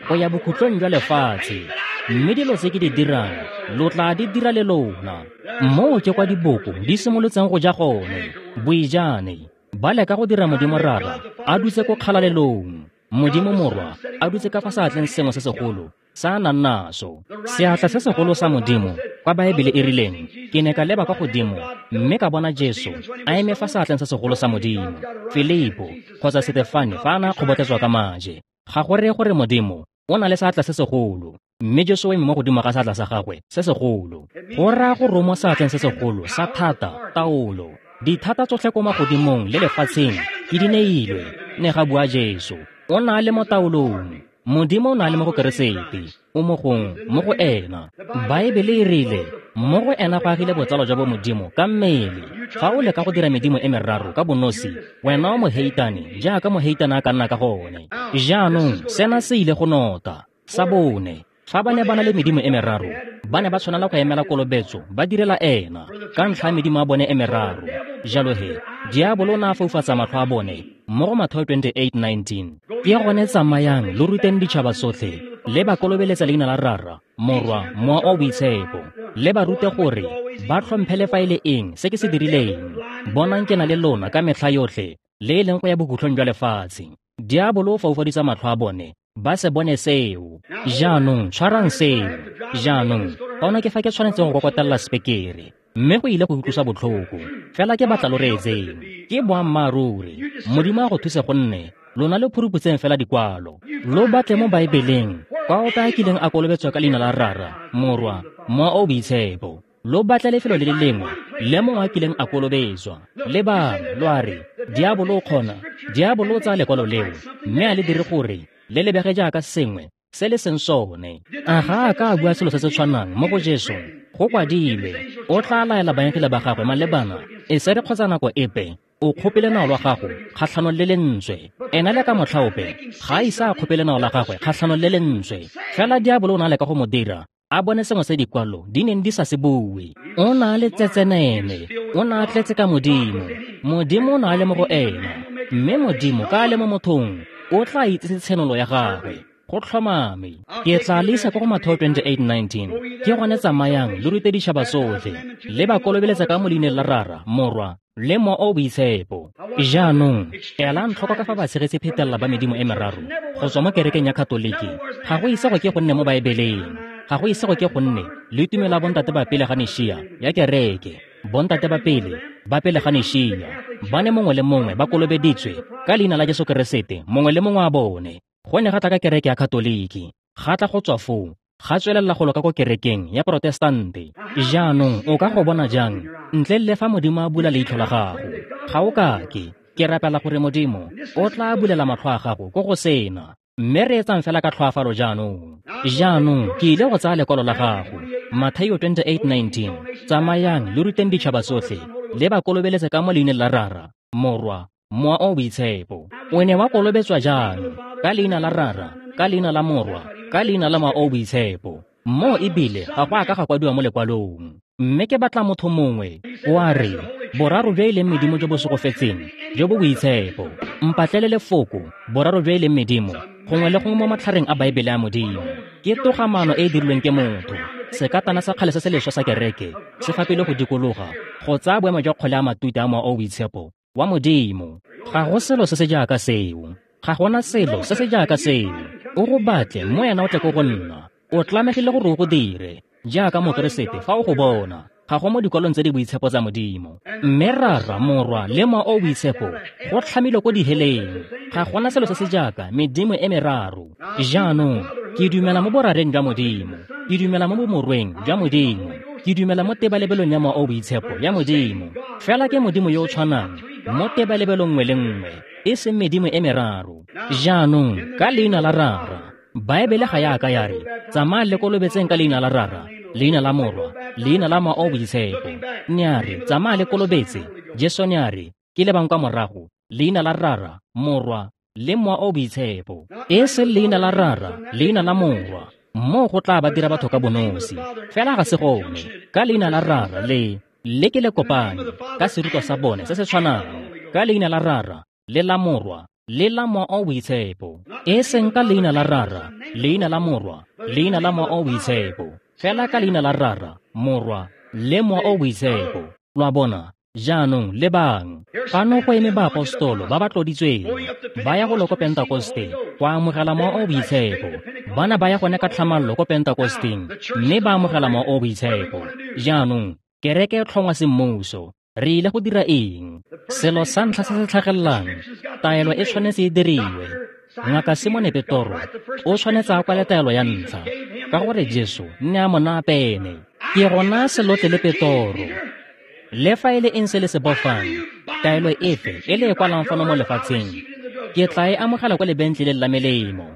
go ya bokhutlong jwa lefatshe, mme dilo tse ke di dirang lo tla di dira le lona. Moo ke kwa diboko di simolotseng go ja gone, boijane. Ba leka go dira Modimo Rara a dutse ko kgalalelong, Modimo Morwa a dutse ka fa seatleng sengwe se segolo sa a nang naso, seatla se segolo sa Modimo. Kwa Baebele e rileng, ke ne ka leba kwa godimo mme ka bona Jesu a eme fa seatleng se segolo sa Modimo. Filipo kgotsa Setefane fa a ne a kgobotletswa ka maje. Ga go reye gore Modimo o na le seatla se segolo, mme Jesu o eme mo godimo ga seatla sa gagwe se segolo. Go raya gore o mo seatleng se segolo sa thata, taolo. Dithata tsotlhe ko magodimong le lefatsheng ke di neilwe, ne ga bua Jesu. O na le mo taolong. Modimo o na le mo go Keresete, o mo gong, mo go ena. Baebele e rile, mo go ena go agile botsalo jwa bo Modimo ka mmele. Fa o leka go dira medimo e meraro ka bonosi, wena o moheitane jaaka moheitane a ka nna ka gone. Jaanong sena se ile go nota. Sa bone, fa ba ne ba na le medimo e meraro, ba ne ba tshwanela go emela kolobetso ba direla ena ka ntlha ya medimo ya bone e meraro. Jalo he, diabolo o ne a foufatsa matlho a bone mo go Mathaio 28:19. Ke gone tsamayang lo ruteng ditšhaba tsotlhe, le ba kolobeletsa leina la Rara, Morwa, Mowa o Boitshepo, le ba rute gore ba tlhomphe le fa e le eng se ke se dirileng. Bonang ke na le lona ka metlha yotlhe, le e leng go ya bokhutlong jwa lefatshe. Diabolo o foufaditsa matlho a bone, ba se bone seo. Jaanong tshwarang seo. Jaanong fano ke fa ke tshwanetseng go kokotella sepekere, mme go ile go utlwisa botlhoko, fela ke batla lo reetseng. Ke boammaaruri. Modimo a go thuse gonne lona le phuruputseng fela dikwalo. Lo batle mo Baebeleng kwa ope a kileng a kolobetswa ka leina la Rara, Morwa, Mowa o Boitshepo. Lo batle lefelo le le lengwe le mongwe a kileng a kolobetswa. Lebang, lo a re, diabolo o kgona, diabolo o tsaya lekwalo leo mme a le dire gore le lebege jaaka sengwe se le seng sone. A ga a ka a bua selo se se tshwanang mo go Jesu? Go kwadilwe, o tla laela baengele ba gagwe malebana e se re kgotsa nako epe o kgope lenao lwa gago kgatlhanong le lentswe. Ena le ka motlha ope ga a ise a kgope lenao la gagwe kgatlhanong le lentswe. Fela diabolo o ne a leka go mo dira a bone sengwe se dikwalo di neng di sa se bue. O ne a le tsetsenene, o ne a tletse ka Modimo. Modimo o ne a le mo go ena, mme Modimo ka a le mo mothong o tla itsise tshenolo ya gagwe. Go tlhomame. Ke tla le isa kwa go Mathaio 28:19. Ke gone tsamayang lo rute ditšhaba tsotlhe, le ba kolobeletsa ka mo leineng la Rara, Morwa, le Mowa o Boitshepo. Jaanong elang tlhoko ka fa ba tshegetse phetelela ba medimo e meraro go tswa mo kerekeng ya Katoliki. Ga go ise go ke go nne mo Baebeleng. Ga go ise go ke go nne le tumelo ya bontate ba pele ga Nishia ya kereke. Bontate ba pele ga Nishia ba ne mongwe le mongwe ba kolobeditswe ka leina la Jesu Keresete, mongwe le mongwe wa bone. Go ne ga tla ka kereke ya Katoliki, ga tla go tswa foo, ga tswelela go loka ko kerekeng ya Protestante. Jaanong o ka go bona jang ntle le fa Modimo a bula leitlho la gago? Ga o kake. Ke rapela gore Modimo o tla bulela matlho a gago ko go sena. Mme re etsang fela ka tlhoafalo jaanong. Jaanong ke ile go tsaya lekwalo la gago, Mathaio 28:19. Tsamayang lo ruteng ditšhaba tsotlhe, le ba kolobeletse ka mo leineng la Rara, Morwa, Mowa o Boitshepo. O ne wa kolobetswa jang? Ka leina la Rara, ka leina la Morwa, ka leina la Mowa o Boitshepo. Moo ebile ga go a ka ga kwadiwa mo lekwalong. Mme ke batla motho mongwe o a re, boraro jo e leng medimo jo bo segofetseng, jo bo boitshepo. Mpatlele lefoko, boraro jo e leng medimo, gongwe le gongwe mo matlhareng a Baebele a Modimo. Ke togamaano e e dirilweng ke motho. Sekatana sa kgale se se leswa sa kereke se fapile go dikologa go tsaya boemo jwa kgole a matute a Mowa o o Boitshepo wa Modimo. Ga go selo se se jaaka seo. Ga gona selo se se jaaka seo. O go batle mo ena o tle ko go nna. O tlamegile gore o go dire jaaka Mokeresete fa o go bona. Ga go mo dikwalong tse di boitshepo tsa Modimo. Mme Rara, Morwa le Mowa o o Boitshepo go tlhamilwe ko diheleng. Ga gona selo se se jaaka medimo e meraro. Jaanong, ke dumela mo borareng jwa Modimo. Ke dumela mo bomorweng jwa Modimo. Ke dumela mo tebalebelong ya Mowa o o Boitshepo ya Modimo. Fela ke Modimo yo o tshwanang mo tebalebelong nngwe le nngwe, e seng medimo e meraro. Jaanong, ka leina la Rara, Baebele ga ya ka ya re, tsamaya le kolobetseng ka leina la Rara, leina la Morwa, leina la Mowa o o Boitshepo. Ne a re, tsamaya le kolobetse. Jesu ne a re, ke lebang kwa morago, leina la Rara, Morwa, le Mowa o o Boitshepo. E seng leina la Rara, leina la Morwa. Moo go tla ba dira batho ka bonosi. Fela ga se gone. Ka leina la Rara le le ke le kopane ka serutwa sa bone se se tshwanang. Ka leina la Rara, le la Morwa, le la Mowa o o Boitshepo. E seng ka leina la Rara, leina la Morwa, leina la Mowa o o Boitshepo. Fela ka leina la Rara, Morwa, le Mowa o o Boitshepo. Lo a bona? Jaanong lebang. Fano go eme baapostolo ba ba tloditsweng ba ya go lo ko Pentakosteng go amogela Mowa o o Boitshepo. Bana ba ya gone ka tlhamallo ko Pentakosteng mme ba amogela Mowa o o Boitshepo. Jaanong kereke e tlhongwa semmuso. Re ile go dira eng? Selo sa ntlha se se tlhagelelang, taelo e tshwanetse e diriwe. Ngaka Simone Petoro o tshwanetse a kwale taelo ya ntlha, ka gore Jesu ne a mo naya pene. Ke gona selotle le Petoro. Le fa e le eng se le se bofang, taelo efe e le e kwalang fano mo lefatsheng, ke tla e amogela kwa lebentleleng la melemo.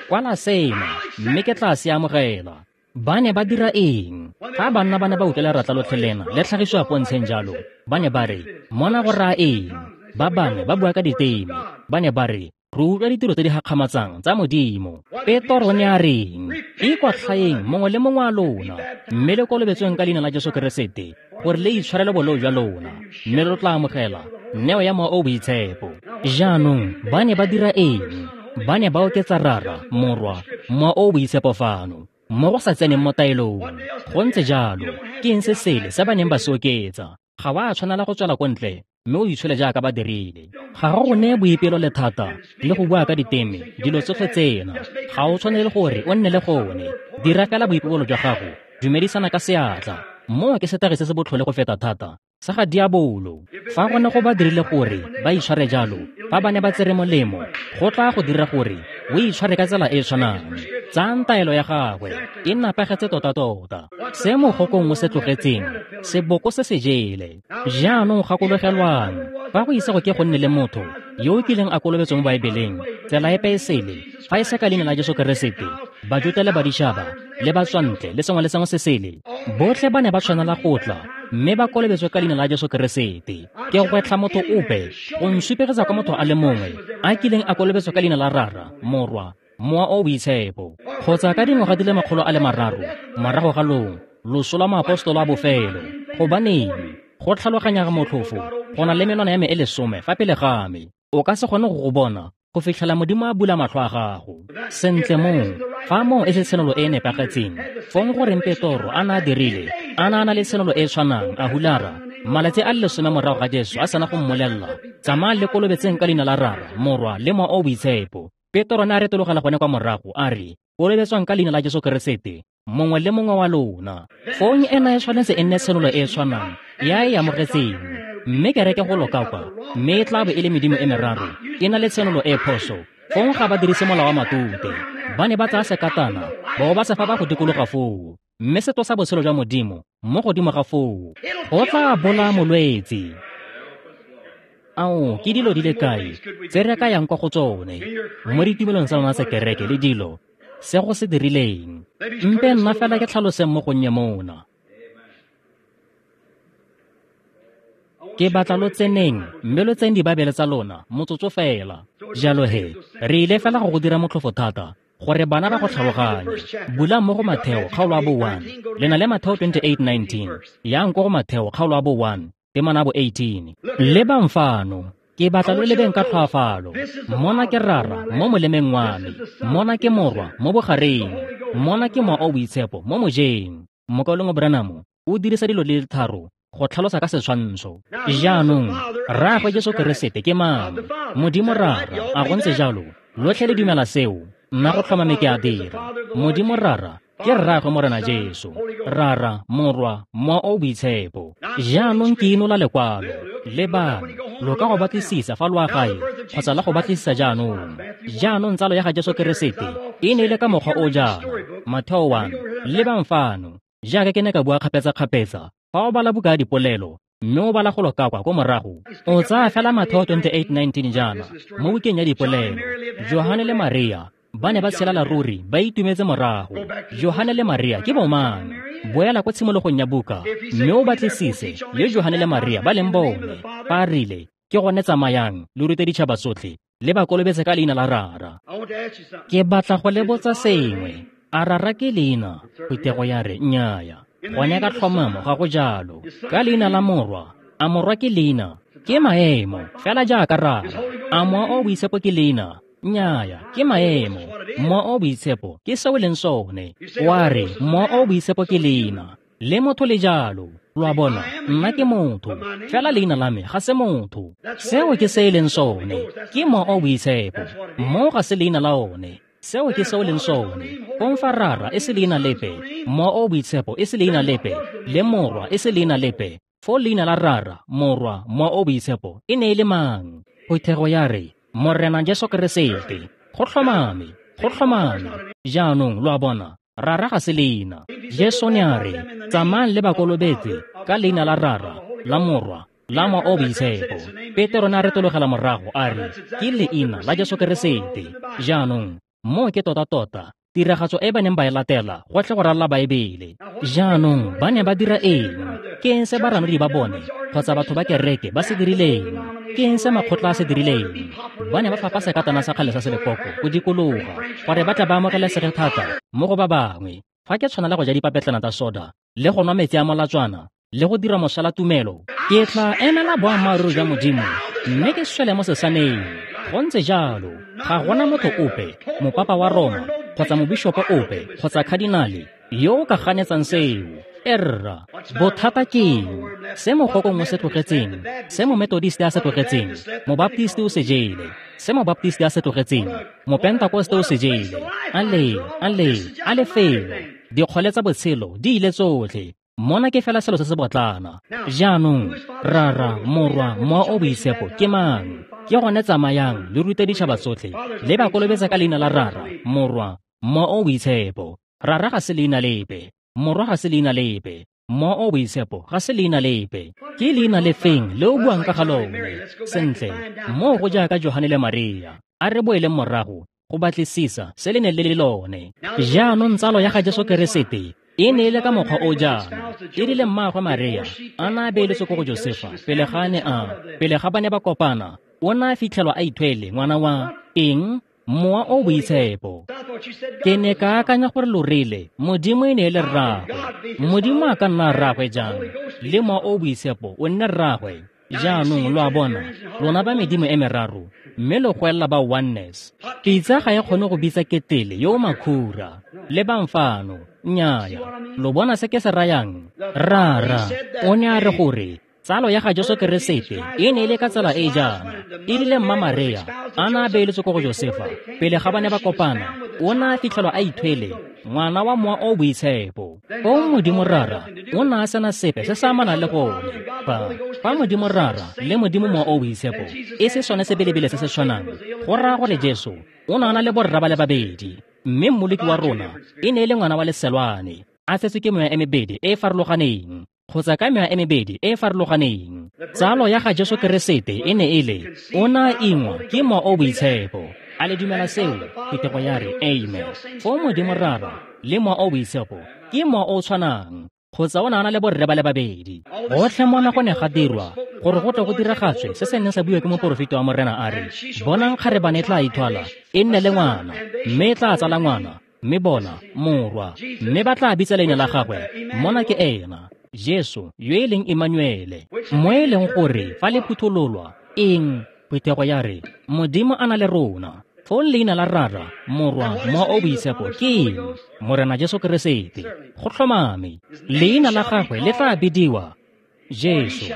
Kwala sena, mme ke tla se amogela. Ba ne ba dira eng? Fa banna ba ne ba utlwa leratla lotlhe lena le tlhagisiwa pontsheng jalo, ba ne ba re, mona go raya eng? Ba bangwe ba bua ka diteme. Ba ne ba re, re utlwa ditiro tse di gakgamatsang tsa Modimo. Petoro ne a reng? Ikwatlhaeng mongwe le mongwe wa lona, mme le kolobetsweng ka leina la Jesu Keresete, gore le itshwarele boleo jwa lona, mme lo tla amogela neo ya Mowa o o Boitshepo. Jaanong ba ne ba dira eng? Ba ne ba oketsa Rara, Morwa, Mowa o o Boitshepo fano, mo go sa tseneng mo taelong. Go ntse jalo. Ke eng se sele se ba neng ba se oketsa? Ga wa tshwanela go tswela ko ntle mme o itshole jaaka ba dirile. Ga go go neye boipelo le thata le go bua ka diteme, dilo tsotlhe tsena. Ga o tshwanele gore o nne le gone. Dira fela boipobolo jwa gago, dumedisana ka seatla. Moo ke setagi se se botlhole go feta thata sa ga diabolo. Fa gone go ba dirile gore ba itshware jalo, fa ba ne ba tsere molemo, go tla go dira gore o itshware ka tsela e e tshwanang. Tsayang taelo ya gagwe, e napagetse tota-tota. Se mogokong o se tlogetseng, seboko se se jele. Jaanong gakologelwang, fa go ise go ke go nne le motho yo o kileng a kolobetswa mo Baebeleng, tsela epe e sele, fa e se ka leina la Jesu Keresete, Bajuta le Baditšhaba, le batswantle le sengwe le sengwe se sele, botlhe ba ne ba tshwanela go tla mme ba kolobetswe ka leina la Jesu Keresete. Ke gwetlha motho ope go nsupegetsa kwa motho a le mongwe a kileng a kolobetswa ka leina la Rara, Morwa, Mowa o o Boitshepo, kgotsa ka dingwaga di le 300 morago ga loso lwa moapostolo a bofelo. Gobaneng? Go tlhaloganya ga motlhofo, go na le menwana ya me e 10 fa pele ga me. O ka se kgone go go bona go fitlhela Modimo a bula matlho a gago. Sentle moo, fa moo e se tshenolo e e nepagetseng, fong goreng Petoro a na a dirile, a na a na le tshenolo e e tshwanang, a hulara, malatsi a le 10 morago ga Jesu a sena go mmolelela, tsamaya le kolobetseng ka leina la Rara, Morwa le Mowa o o Boitshepo. Petoro ne a retologela gone kwa morago, a re, kolobetswang ka leina la Jesu Keresete, mongwe le mongwe wa lona. Fong ena e tshwanetse e nne tshenolo e e tshwanang ya e amogetseng. Mme kereke go loka kwa, mme e tla bo e le medimo e meraro, e na le tshenolo e phoso. Fong ga ba dirise molao wa matute. Ba ne ba tsaya sekatana, bao ba se fa ba go dikologa foo, mme se tlosa botshelo jwa Modimo mo godimo ga foo. Go tla bolaya molwetse. Ao, ke dilo di le kae tse re ka yang kwa go tsone mo ditumelong tsa lona tsa kereke le dilo se go se dirileng. Mpe nna fela ke tlhaloseng mo gonnye mona. Ke batla lo tseneng mme lo tseng Dibaebele tsa lona motsotso fela. Jalo he, re ile fela go go dira motlhofo thata gore bana ba go tlhaloganye. Bulang mo go Matheo kgaolo ya bo 1. Le na le Matheo 28:19. Yang ko go Matheo kgaolo ya bo 1, temana bo 18. Lebang fano. Ke batla lo lebeng ka tlhoafalo. Mona ke Rara mo molemeng wa me. Mona ke Morwa mo bogareng. Mona ke Mowa o Boitshepo mo mojeng. Mokaulengwe Branham o dirisa dilo di le tharo go tlhalosa ka setshwantsho. Jaanong, Rraagwe Jesu Keresete ke mang? Modimo Rara, a go ntse jalo? Lotlhe le dumela seo? Nna go tlhomame ke a dira. Modimo Rara ke Rraagwe Morena Jesu. Rara, Morwa, Mowa o Boitshepo. Jaanong ke inola lekwalo. Lebang, lo ka go batlisisa fa lo a gae kgotsa la go batlisisa jaanong. Jaanong tsalo ya ga Jesu Keresete e ne e le ka mokgwa o jaana. Matheo 1. Lebang fano. Jaaka ke ne ka bua kgapetsa-kgapetsa, fa o bala buka ya dipolelo mme o bala go lo ka kwa ko morago, o tsaya fela Matheo 28:19 jaana mo bukeng ya dipolelo. Johane le Maria ba ne ba tshelela ruri ba itumetse morago. Johane le Maria ke bomang? Boela ko tshimologong ya buka mme o batlisise le Johane le Maria ba leng bone. Fa a rile, ke gone tsamayang lo rute ditšhaba tsotlhe le ba kolobetse ka leina la Rara. Ke batla go le botsa sengwe. A Rara ke leina? Phuthego ya re, nnyaya. Gone ka tlhomamo ga go jalo. Ka leina la Morwa. A Morwa ke leina? Ke maemo, fela jaaka Rara. A Mowa o Boitshepo ke leina? Nnyaya, ke maemo. Mowa o Boitshepo ke seo leng sone. Wa re, Mowa o Boitshepo ke leina. Le motho le jalo. Lo a bona, nna ke motho, fela leina la me ga se motho. Seo ke se e leng sone. Ke Mowa o Boitshepo. Mo ga se leina la one. Seo ke seo leng sone. Kong fa Rara e se leina lepe, Mowa o Boitshepo e se leina lepe, le Morwa e se leina lepe, fo leina la Rara, Morwa, Mowa o Boitshepo e ne e le mang? Phuthego ya re, Morena Jesu Keresete. Go tlhomame, go tlhomame. Jaanong lo a bona, Rara ga se leina. Jesu ne a re, tsamayang le ba kolobetse ka leina la Rara, la Morwa, la Mowa o Boitshepo. Petero ne a retologela morago a re, ke leina la Jesu Keresete. Jaanong, mo ke tota-tota tiragatso e ba neng ba e latela gotlhe go ralla Baebele. Jaanong ba ne ba dira eng? Ke eng se baranodi ba bone kgotsa batho ba kereke ba se dirileng? Ke eng se makgotla a se dirileng? Ba ne ba fapa sekatana sa kgale sa selekoko go dikologa gore ba tla ba amogelesege thata mo go ba bangwe. Fa ke tshwanela go ja dipapetlana tsa soda le go nwa metsi a molatswana le go dira mosala tumelo, ke tla emela boammaaruri jwa Modimo mme ke swele mo sesaneng. Go ntse jalo, ga gona motho ope, mopapa wa Roma, kgotsa mobishopo ope, kgotsa khadinale yo o ka ganetsang seo. Erra, bothata ke eng? Se mogokong o se tlogetseng, se momethodiste a se tlogetseng, mobaptiste o se jele, se mobaptiste a se tlogetseng, mopentakoste o se jele. A le felo, dikgole tsa botshelo di ile tsotlhe. Mona ke fela selo se se botlana. Jaanong, Rara, Morwa, Mowa o Boitshepo ke mang? Ke gone tsamayang le rute ditšhaba tsotlhe le ba kolobetsa ka leina la Rara, Morwa, Mowa o Boitshepo. Rara ga se leina lepe, Morwa ga se leina lepe, Mowa o Boitshepo ga se leina lepe. Ke leina lefeng le o buang ka ga lone? Sentle, moo go jaaka Johane le Maria. A re boeleng morago go batlisisa se le neng le le lone. Jaanong tsalo ya ga Jesu Keresete e ne e le ka mokgwa o jaana. E rile mmaagwe Maria a na a beeletswe ko go Josefa pele ga ba ne ba kopana, o ne a fitlhelwa a ithwele ngwana wa eng? Mowa o Boitshepo. Ke ne ka akanya gore lo rile Modimo e ne e le rraagwe. Modimo a ka nna rraagwe jang? Le Mowa o Boitshepo o nne rraagwe. Jaanong lo a bona, lona ba medimo e meraro, mme lo goelela ba oneness. Pitsa ga e kgone go bitsa ketele yo o makhura. Lebang fano, nnyaya. Lo bona se ke se rayang? Rara o ne a re gore tsalo ya ga Jesu Keresete e ne e le ka tsela e jaana. E rile mma Maria a na a beeletswe ko go Josefa pele ga ba ne ba kopana, o ne a fitlhelwa a ithwele ngwana wa Mowa o Boitshepo. Ko Modimo Rara o ne a sena sepe se se amanang le gone. Fa Modimo Rara le Modimo Mowa o Boitshepo e se sone sebelebele se se tshwanang, go raya gore Jesu o ne a na le borra ba le babedi, mme Mmoloki wa rona e ne e le ngwana wa leselwane, a tsetswe ke mewa e mebedi e e farologaneng, kgotsa ka mewa e mebedi e e farologaneng. Tsalo ya ga Jesu Keresete e ne e le, o ne a ingwa ke Mowa o Boitshepo. A le dumela seo? Phuthego ya re, amen. Fo Modimo Rara le Mowa o Boitshepo ke Mowa o tshwanang. Kgotsa o ne a na le borre ba le babedi. Gotlhe mona go ne ga dirwa gore go tle go diragatswe se se neng sa buiwa ke moporofeti wa Morena a re, bonang kgarebane e tla ithwala, e nne le ngwana, mme e tla tsala ngwana, mme bona, morwa, mme ba tla bitsa leina la gagwe, mona ke ena, Jesu, yo e leng Emmanuele. Mo e leng gore fa le phuthololwa, eng, phuthego ya re, Modimo a na le rona. Fong leina la Rara, Morwa, Mowa o Boitshepo ke eng? Morena Jesu Keresete. Go tlhomame, leina la gagwe le tla bidiwa Jesu,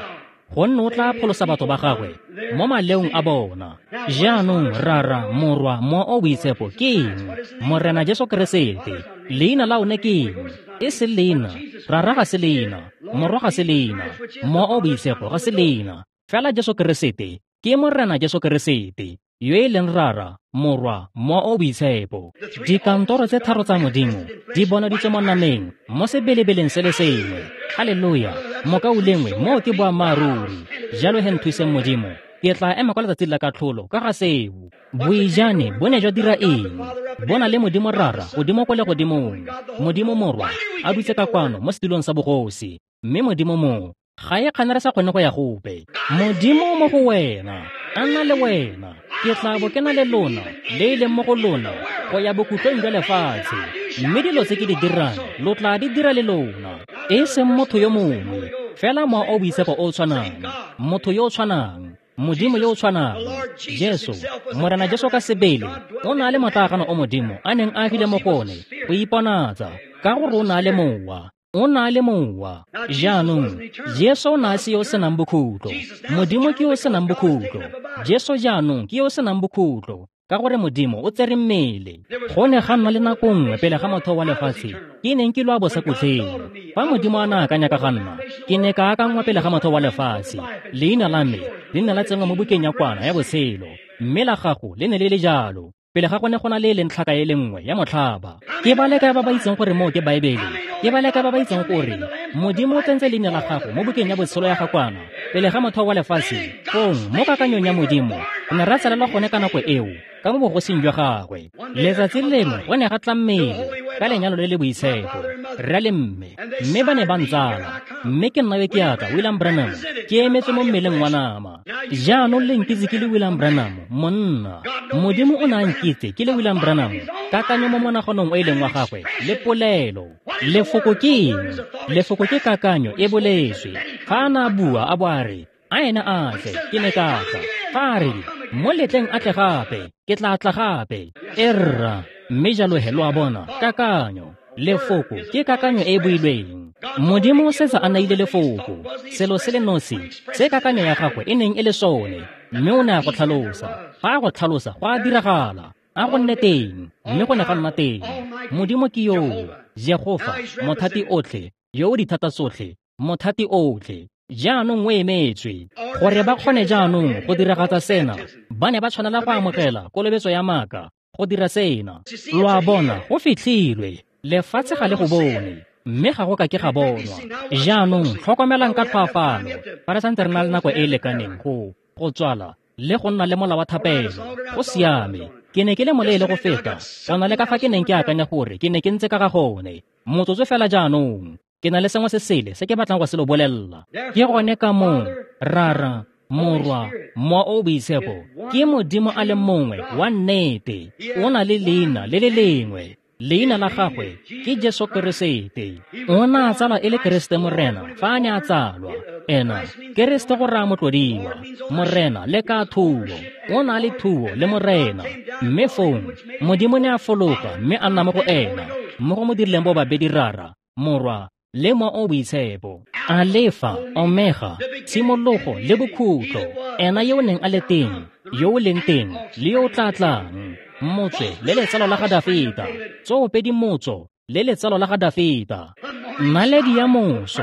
gonne o tla pholosa batho ba gagwe mo maleong a bona. Jaanong Rara, Morwa, Mowa o Boitshepo ke eng? Morena Jesu Keresete. Leina la one ke eng? E se leina. Rara ga se leina, Morwa ga se leina, Mowa o Boitshepo ga se leina. Fela Jesu Keresete ke Morena Jesu Keresete, yo e leng Rara, Morwa, Mowa o Boitshepo. Dikantoro tse tharo tsa Modimo di bonaditswe mo nameng mo sebelebeleng se le sengwe. Haleluya! Mokaulengwe, moo ke boammaaruri. Jalo he nthuseng Modimo, ke tla ema kwa letsatsing la katlholo ka ga seo. Boijane bo ne jwa dira eng? Bo na le Modimo Rara godimo kwa legodimong, Modimo Morwa a dutse ka kwano mo setulong sa bogosi, mme Modimo mo ga e kgane re sa kgone go ya gope. Modimo mo go wena, a nna le wena, ke tla bo ke na le lona, le e leng mo go lona, go ya bokhutlong jwa lefatshe. Mme dilo tse ke di dirang, lo tla di dira le lona. E seng motho yo mongwe, fela Mowa o Boitshepo o tshwanang, motho yo o tshwanang, Modimo yo o tshwanang, Jesu, Morena Jesu ka sebele, o na le motlaaganong o Modimo a neng a agile mo go one go iponatsa, ka gore o na le Mowa. O na le Mowa. Jaanong, Jesu o ne a se yo o senang bokhutlo. Modimo ke yo o senang bokhutlo. Jesu jaanong ke yo o senang bokhutlo, ka gore Modimo o tsere mmele. Go ne ga nna le nako nngwe pele ga motheo wa lefatshe ke neng ke lwa bosakutleng. Fa Modimo a ne a akanya ka ga nna, ke ne ka akanngwa pele ga motheo wa lefatshe. Leina la me le ne la tsenngwa mo bukeng ya kwana ya botshelo, mme la gago le ne le le jalo. Pele ga go ne go na le e leng tlhaka e le nngwe ya motlhaba. Ke ba le kae ba ba itseng gore moo ke Baebele? Ke ba le kae ba ba itseng gore Modimo o tsentse leina la gago mo bukeng ya botshelo ya ga kwana pele ga motheo wa lefatshe? Fong, mo kakanyong ya Modimo, re ne ra tsalelwa gone ka nako eo, ka mo bogosing jwa gagwe. Letsatsi lengwe go ne ga tla mmele ka lenyalo le le boitshepo, rre le mme, mme ba ne ba ntsala. Mme ke nna yo ke atla, William Branham, ke emetswe mo mmeleng wa nama. Jaanong le nkitse ke le William Branham, monna. Modimo o ne a nkitse ke le William Branham, kakanyo mo monaganong o e leng wa gagwe, le polelo. Lefoko ke eng? Lefoko ke kakanyo e boletswe. Fa a ne a bua a bo a re, a ena a tle, ke ne ka tla. Fa a re, mo letleng a tle gape, ke tla tla gape. E rra, mme jalo he lo a bona, kakanyo. Lefoko ke kakanyo e e builweng. Modimo o setse a naile lefoko, selo se le nosi se kakanyo ya gagwe e neng e le sone, mme o ne a go tlhalosa. Fa a go tlhalosa, go a diragala. A go nne teng, mme go ne ga nna teng. Modimo ke yoo, Jehofa, mothati otlhe, yo o dithata tsotlhe, mothati otlhe. Jaanong o emetswe gore ba kgone jaanong go diragatsa sena. Ba ne ba tshwanela go amogela kolobetso ya maaka go dira sena. Lo a bona, go fitlhilwe. Lefatshe ga le go bone, mme ga go ka ke ga bonwa. Jaanong tlhokomelang ka tlhoafalo, fa re santse re na le nako e e lekaneng go tswala le go nna le mola wa thapelo. Go siame. Ke ne ke le moleele go feta go na le ka fa ke neng ke akanya gore ke ne ke ntse ka ga gone. Motsotso fela jaanong, ke na le sengwe se sele se ke batlang go se lo bolelela. Ke gone ka moo Rara, Morwa, Mowa o Boitshepo ke Modimo a le mongwe wa nnete. O na le leina le le lengwe. Leina la gagwe ke Jesu Keresete. O ne a tsalwa e le Keresete Morena fa a ne a tsalwa. Ena, Keresete go raya motlodiwa, Morena le ka thuo. O na le thuo le Morena. Mme fong, Modimo ne a fologa mme a nna mo go ena, mo go mo dirileng bo babedi Rara, Morwa, le Mowa o Boitshepo. Alefa, Omega, tshimologo le bokhutlo. Ena yo o neng a le teng, yo o leng teng, le yo o tla tlang. Motswe le letsalo la ga Dafita, tsoopedi motso le letsalo la ga Dafita. Naledi ya moso,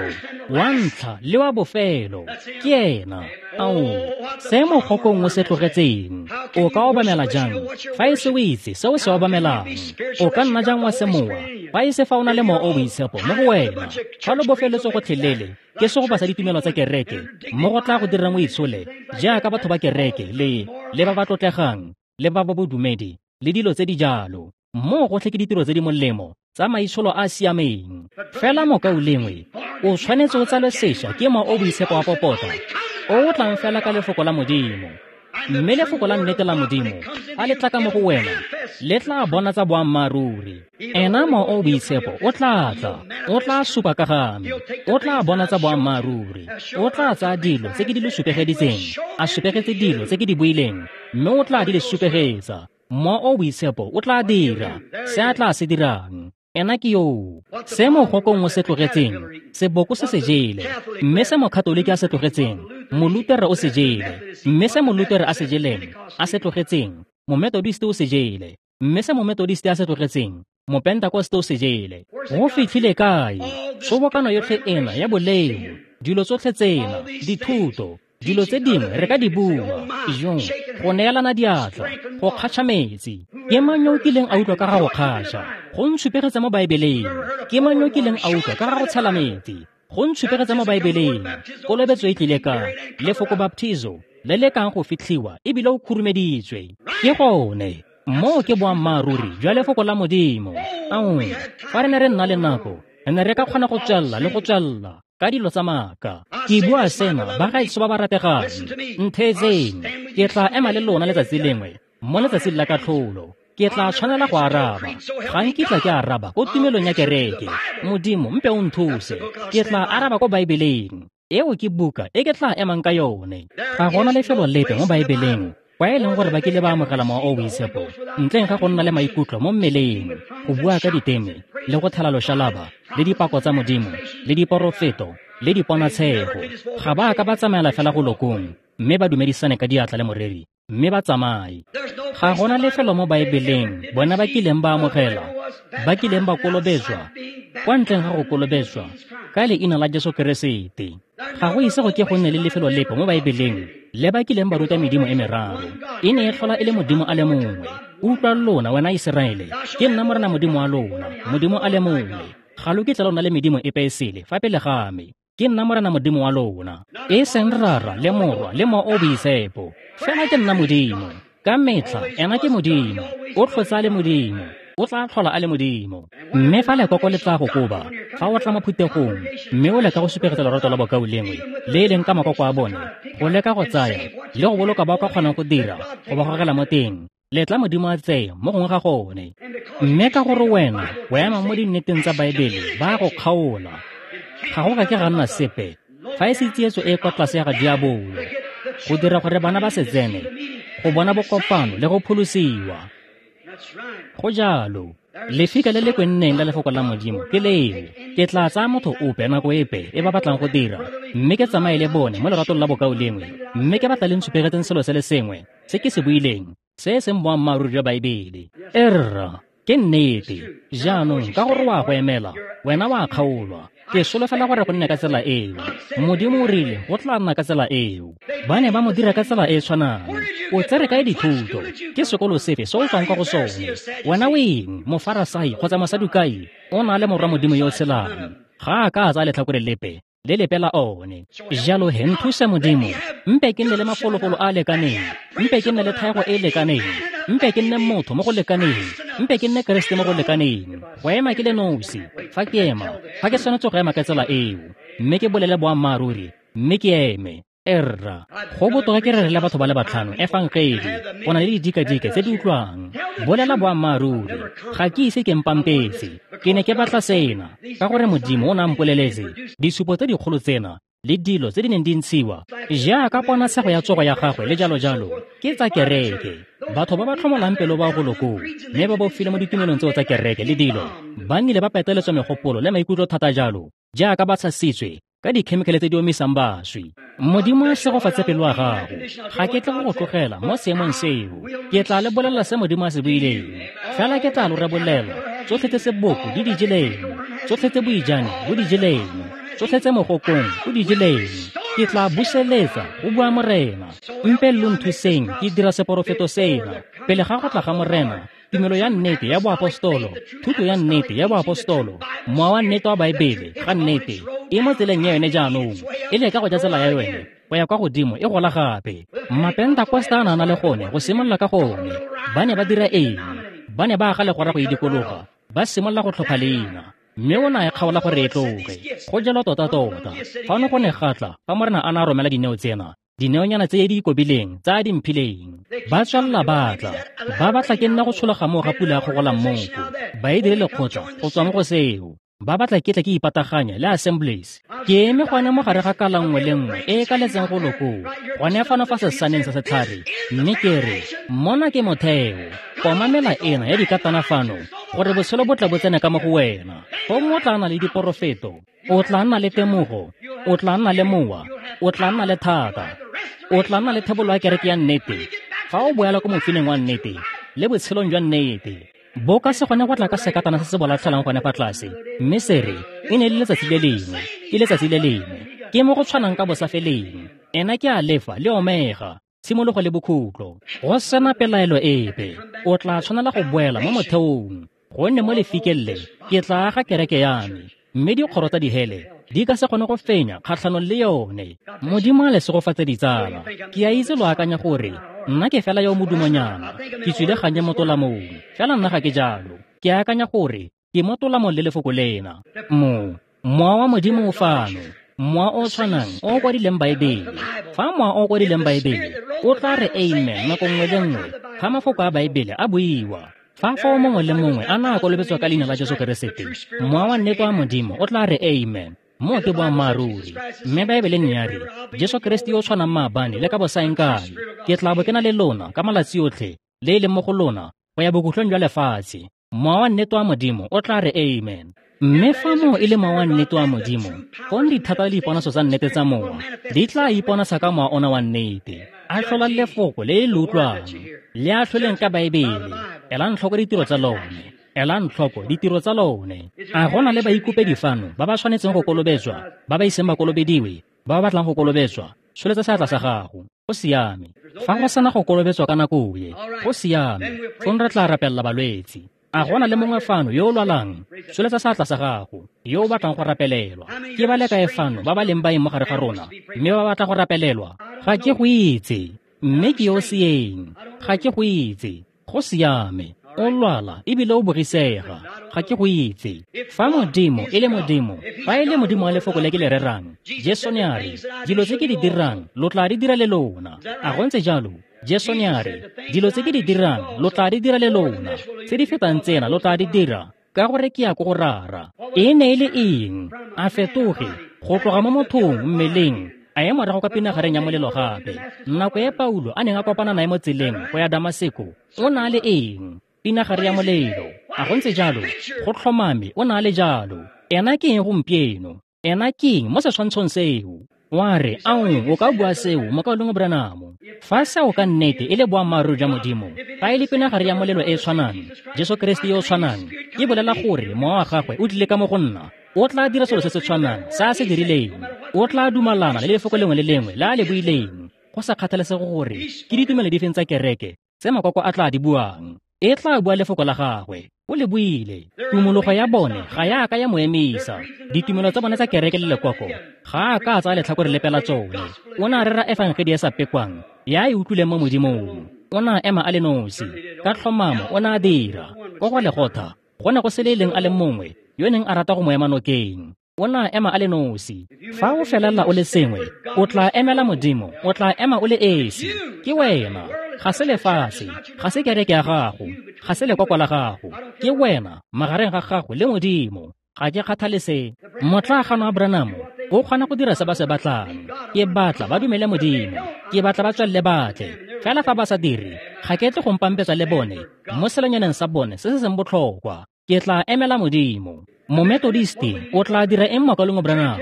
wa ntlha le wa bofelo, ke ena. Ao, se mogokong o se tlogetseng, o ka obamela jang fa e se o itse se o se obamelang? O ka nna jang wa semowa fa e se fa o na le Mowa o Boitshepo mo go wena? Fa lo bofeletswe gotlhelele ke segopa sa ditumelo tsa kereke, mo go tla go dirang o itshole jaaka batho ba kereke le ba ba tlotlegang le ba ba bodumedi le dilo tse di jalo. Moo gotlhe ke ditiro tse di molemo tsa maitsholo a a siameng. Fela mokaulengwe, o tshwanetse o tsalwe sešwa ke Mowa o Boitshepo wa popota, o o tlang fela ka Lefoko la Modimo. Mme Lefoko la nnete la Modimo, a le tla ka mo go wena, le tla bonatsa boammaaruri. Ena Mowa o o Boitshepo o tla tla, o tla supa ka ga me, o tla bonatsa boammaaruri, o tla tsaya dilo tse ke di le supegeditseng, a supegetse dilo tse ke di buileng, mme o tla di le supegetsa. Mowa o o Boitshepo o tla dira se a tla se dirang. Ena ke yoo. Se mogokong o se tlogetseng, seboko se se jele, mme se mokatoliki a se tlogetseng, molutere o se jele, mme se molutere a se jeleng, a se tlogetseng, mometodiste o se jele, mme se mometodiste a se tlogetseng, mopentakoste o se jele. Go fitlhile kae? Tshobokano yotlhe ena ya boleo, dilo tsotlhe tsena, dithuto, dilo tse dingwe re ka di bua, jo, go neelana diatla, go kgatšha metsi. Ke mang yo o kileng a utlwa ka ga go kgatšha? Go ntshupegetse mo Baebeleng. Ke mang yo o kileng a utlwa ka ga go tshela metsi? Go ntshupegetse mo Baebeleng. Kolobetso e tlile ka lefoko baptizo, le le kang go fitlhiwa ebile o khurumeditswe. Ke gone. Moo ke boammaaruri jwa Lefoko la Modimo. Ao, fa re ne re nna le nako, re ne re ka kgona go tswelela le go tswelela ka dilo tsa maaka. Ke bua sena, bagaetsho ba ba rategang, ntheetseng. Ke tla ema le lona letsatsi lengwe, mo letsatsing la katlholo. Ke tla tshwanela go araba. Ga nkitla ke araba ko tumelong ya kereke. Modimo, mpe o nthuse. Ke tla araba ko Baebeleng. Eo ke buka e ke tla emang ka yone. Ga gona lefelo lepe mo Baebeleng kwa e leng gore ba kile ba amogela Mowa o o Boitshepo ntleng ga go nna le maikutlo mo mmeleng, go bua ka diteme, le go thela loshalaba, le dipako tsa Modimo, le diporofeto, le diponatshego. Ga ba ka ba tsamaela fela go lokong, mme ba dumedisane ka diatla le moreri, mme ba tsamaye. Ga gona lefelo mo Baebeleng bona ba kileng ba amogela, ba kileng ba kolobetswa, kwa ntleng ga go kolobetswa ka leina la Jesu Keresete. Ga go ise go ke go nne le lefelo lepe mo Baebeleng le ba kileng ba ruta medimo e meraro. E ne e tlhola e le Modimo a le mongwe. Utlwa lona, wena Iseraele, ke nna Morena Modimo wa lona, Modimo a le mongwe. Ga lo kitla lo nna le medimo epe e sele fa pele ga me. Ke nna Morena Modimo wa lona, e seng Rara le Morwa le Mowa o o Boitshepo. Fela ke nna Modimo. Ka metlha ena ke Modimo, o tlhotse a le Modimo, o tla tlhola a le Modimo. Mme fa lekoko le tla go koba, fa o tla mo phuthegong, mme o leka go supegetsa lorato lwa bokaulengwe, le e leng ka makoko a bone, go leka go tsaya le go boloka ba o ka kgonang go dira, go ba gogela mo teng, letla Modimo a tseye mo gongwe ga gone. Mme ka gore wena o ema mo dinneteng tsa Baebele, ba go kgaola. Ga go ka ke ga nna sepe fa e se tsietso e kwa tlase ya ga diabolo, go dira gore bana ba se tsene, go bona bokopano le go pholosiwa. Go jalo. Lefika le le kwenneng la Lefoko la Modimo ke leo. Ke tla tsaya motho ope nako epe e ba batlang go dira, mme ke tsamaye le bone mo leratong la bokaulengwe, mme ke batla le ntshupegetseng selo se le sengwe se ke se buileng, se e seng boammaaruri jwa Baebele. Erra, ke nnete. Jaanong ka gore wa go emela, wena wa kgaolwa. Ke solofela gore go nne ka tsela eo. Modimo o rile go tla nna ka tsela eo. Ba ne ba mo dira ka tsela e e tshwanang. O tsere kae dithuto? Ke sekolo sefe se o tswang kwa go sone? Wena o eng, mofarasai kgotsa mosadukai? O na le Morwa Modimo yo o tshelang. Ga a ka a tsaya letlhakore lepe le lepe la one. Jalo he nthuse Modimo, mpe ke nne le mafolofolo a a lekaneng, mpe ke nne le thaego e e lekaneng, mpe ke nne motho mo go lekaneng, mpe ke nne Keresete mo go lekaneng, go ema ke le nosi. Fa ke ema, fa ke tshwanetse go ema ka tsela eo, mme ke bolele boammaaruri, mme ke eme. Erra, go botoka ke rerele batho ba le batlhano efangedi, go na le didikadike tse di utlwang. Bolela boammaaruri, ga ke ise ke mpampetse. Ke ne ke batla sena, ka gore Modimo o ne a mpoleletse disupo tse dikgolo tsena le dilo tse di neng di ntshiwa jaaka ponatshego ya tsogo ya gagwe le jalo jalo, ke tsa kereke. Batho ba ba tlhomolang pelo ba go lokong, mme ba bofile mo ditumelong tseo tsa kereke le dilo, ba nnile ba peteletswa megopolo le maikutlo thata jalo, jaaka ba tshasitswe ka dikhemikhale tse di omisang baswi. Modimo a segofatse pelo ya gago. Ga ke tle go go tlogela mo seemong seo. Ke tla le bolelela se Modimo a se buileng. Fela ke tla lo rebolela tsotlhe tse seboko di di jeleng, tsotlhe tse boijane bo di jeleng, tsotlhe tse mogokong o di jeleng. Ke tla buseletsa, go bua Morena. Mpe lo nthuseng ke dira seporofeto sena pele ga go tla ga Morena. Tumelo ya nnete ya boapostolo, thuto ya nnete ya boapostolo, mowa wa nnete wa Baebele ga nnete e mo tseleng ya yone jaanong, e leka go ja tsela ya yone go ya kwa godimo e gola gape. Mapentakosta a na le gone go simolola ka gone. Ba ne ba dira eng? Ba ne ba aga legora go e dikologa, Ba simolola go tlhopha leina, mme o ne a e kgaola gore e tloge. Go jalo tota-tota. Fano go ne ga tla fa Morena a ne a romela dineo tsena, dineonyana tse di ikobileng tsa a di mphileng. Ba tswelela ba tla, ba batla ke nna go tshologa moo ga pula ya kgogola mmoko, ba e dire lekgotla go tswa mo go seo. Ba batla ke tle ke ipataganye le Assemblies. Ke eme gone mo gare ga kala nngwe le nngwe e e kaletseng go lokoo, gone fano fa sesaneng sa setlhare, mme ke re, mona ke motheo, komamela ena ya dikatana fano, gore botshelo bo tle bo tsene ka mo go wena. Gongwe o tla nna le diporofeto, o tla nna le temogo, o tla nna le mowa, o tla nna le thata, o tla nna le thebolo ya kereke ya nnete, fa o boela ko mofineng wa nnete, le botshelong jwa nnete. Bo ka se gone go tla ka sekatana se se bolatlhelang gone fa tlase, mme se re, e ne le letsatsi le lengwe, ke letsatsi le lengwe, ke mo go tshwanang ka bosafeleng. Ena ke Alefa le Omega, tshimologo le bokhutlo. Go sena pelaelo epe, o tla tshwanela go boela mo motheong, gonne mo lefikeng le ke tla aga kereke ya me, mme dikgoro tsa dihele di ka se kgone go fenya kgatlhanong le yone. Modimo a le segofatse ditsala. Ke a itse lo akanya gore nna ke fela yo modumonyana, ke tswile gannye mo tolamong, fela nna ga ke jalo. Ke akanya gore ke mo tolamong le lefoko lena. Mowa wa Modimo o fano, mowa o tshwanang o kwadileng Baebele. Fa mowa o kwadileng Baebele o tla re amen nako nngwe le nngwe fa mafoko a Baebele a buiwa. Fa fao mongwe le mongwe a na a kolobetswa ka leina la Jesu Keresete, mowa wa nnete wa Modimo o tla re amen. Moo ke boammaaruri. Mme Baebele ne ya re, Jesu Keresete yo o tshwanang maabane le ka bosaengkae, ke tla bo ke na le lona ka malatsi otlhe, le e leng mo go lona go ya bokhutlong jwa lefatshe. Mowa wa nnete wa Modimo o tla re amen. Mme fa moo e le mowa wa nnete wa Modimo, fong dithata le diponaso tsa nnete tsa mowa di tla iponasa ka mowa ona wa nnete. A tlhola lefoko le le utlwang, le a tlholeng ka Baebele. Elang tlhoko ditiro tsa lone. Elang tlhoko ditiro tsa lone. A go na le baikopedi fano ba ba tshwanetseng go kolobetswa, ba ba iseng ba kolobediwe, ba ba batlang go kolobetswa? Tsholetsa seatla sa gago. Go siame. Fa go sena go kolobetswa ka nako e, go siame. Fong re tla rapelela balwetsi. A go na le mongwe fano yo o lwalang? Tsholetsa seatla sa gago, yo o batlang go rapelelwa. Ke ba le kae fano ba ba leng baeng mo gare ga rona, mme ba batla go rapelelwa? Ga ke go itse, mme ke yo seeng. Ga ke go itse. Go siame. O lwala ebile o bogisega. Ga ke go itse. Fa Modimo e le Modimo, fa e le Modimo wa lefoko le ke le rerang, Jesu ne a re, dilo tse ke di dirang lo tla di dira le lona. A go ntse jalo? Jesu ne a re, dilo tse ke di dirang lo tla di dira le lona, tse di fetang tsena lo tla di dira, ka gore ke ya ko go Rara. E ne e le eng? A fetoge go tloga mo mothong mmeleng, a ye morago ka pinagareng ya molelo gape. Nako e Paulo a neng a kopana nae mo tseleng go ya Damaseko, o na le eng? Pinagare ya molelo. A go ntse jalo? Go tlhomame o na le jalo. Ena ke eng gompieno? Ena ke eng mo setshwantshong seo? Wa re, ao, o ka bua seo, mokaulengwe Branham. Fa seo ka nnete e le boammaaruri jwa Modimo, fa e le pinagare ya molelo e e tshwanang, Jesu Keresete yo o tshwanang, ke bolela gore mowa wa gagwe o tlile ka mo go nna, o tla dira selo se se tshwanang se a se dirileng. O tla dumalana le lefoko lengwe le lengwe le a le buileng, go sa kgathalesege gore ke ditumelo difeng tsa kereke tse makoko a tla di buang. E tla bua lefoko la gagwe. O le buile. Tumologo ya bone ga ya ka ya mo emisa. Ditumelo tsa bone tsa kereke le lekoko ga a ka a tsaya letlhakore lepe la tsone. O ne a rera efangedi e sa pekwang ya e utlwileng mo Modimong. O ne a ema a le nosi. Ka tlhomamo o ne a dira. Ko go Legotha go ne go se le e leng a le mongwe yo neng a rata go mo ema nokeng. O ne a ema a le nosi. Fa o felela o le sengwe, o tla emela Modimo, o tla ema o le esi. Ke wena. Ga se lefatshe, ga se kereke ya gago, ga se lekoko la gago. Ke wena magareng ga gago le Modimo. Ga ke kgathale se. Motlaaganwa wa Branham o kgona go dira se ba se batlang. Ke batla ba dumele Modimo, ke batla ba tswelele batle. Fela fa ba sa dire, ga ke tle go mpampetsa le bone mo selonyaneng sa bone se se seng botlhokwa. Ke tla emela Modimo. Mometodisti o tla dira eng mokaulengwe Branham?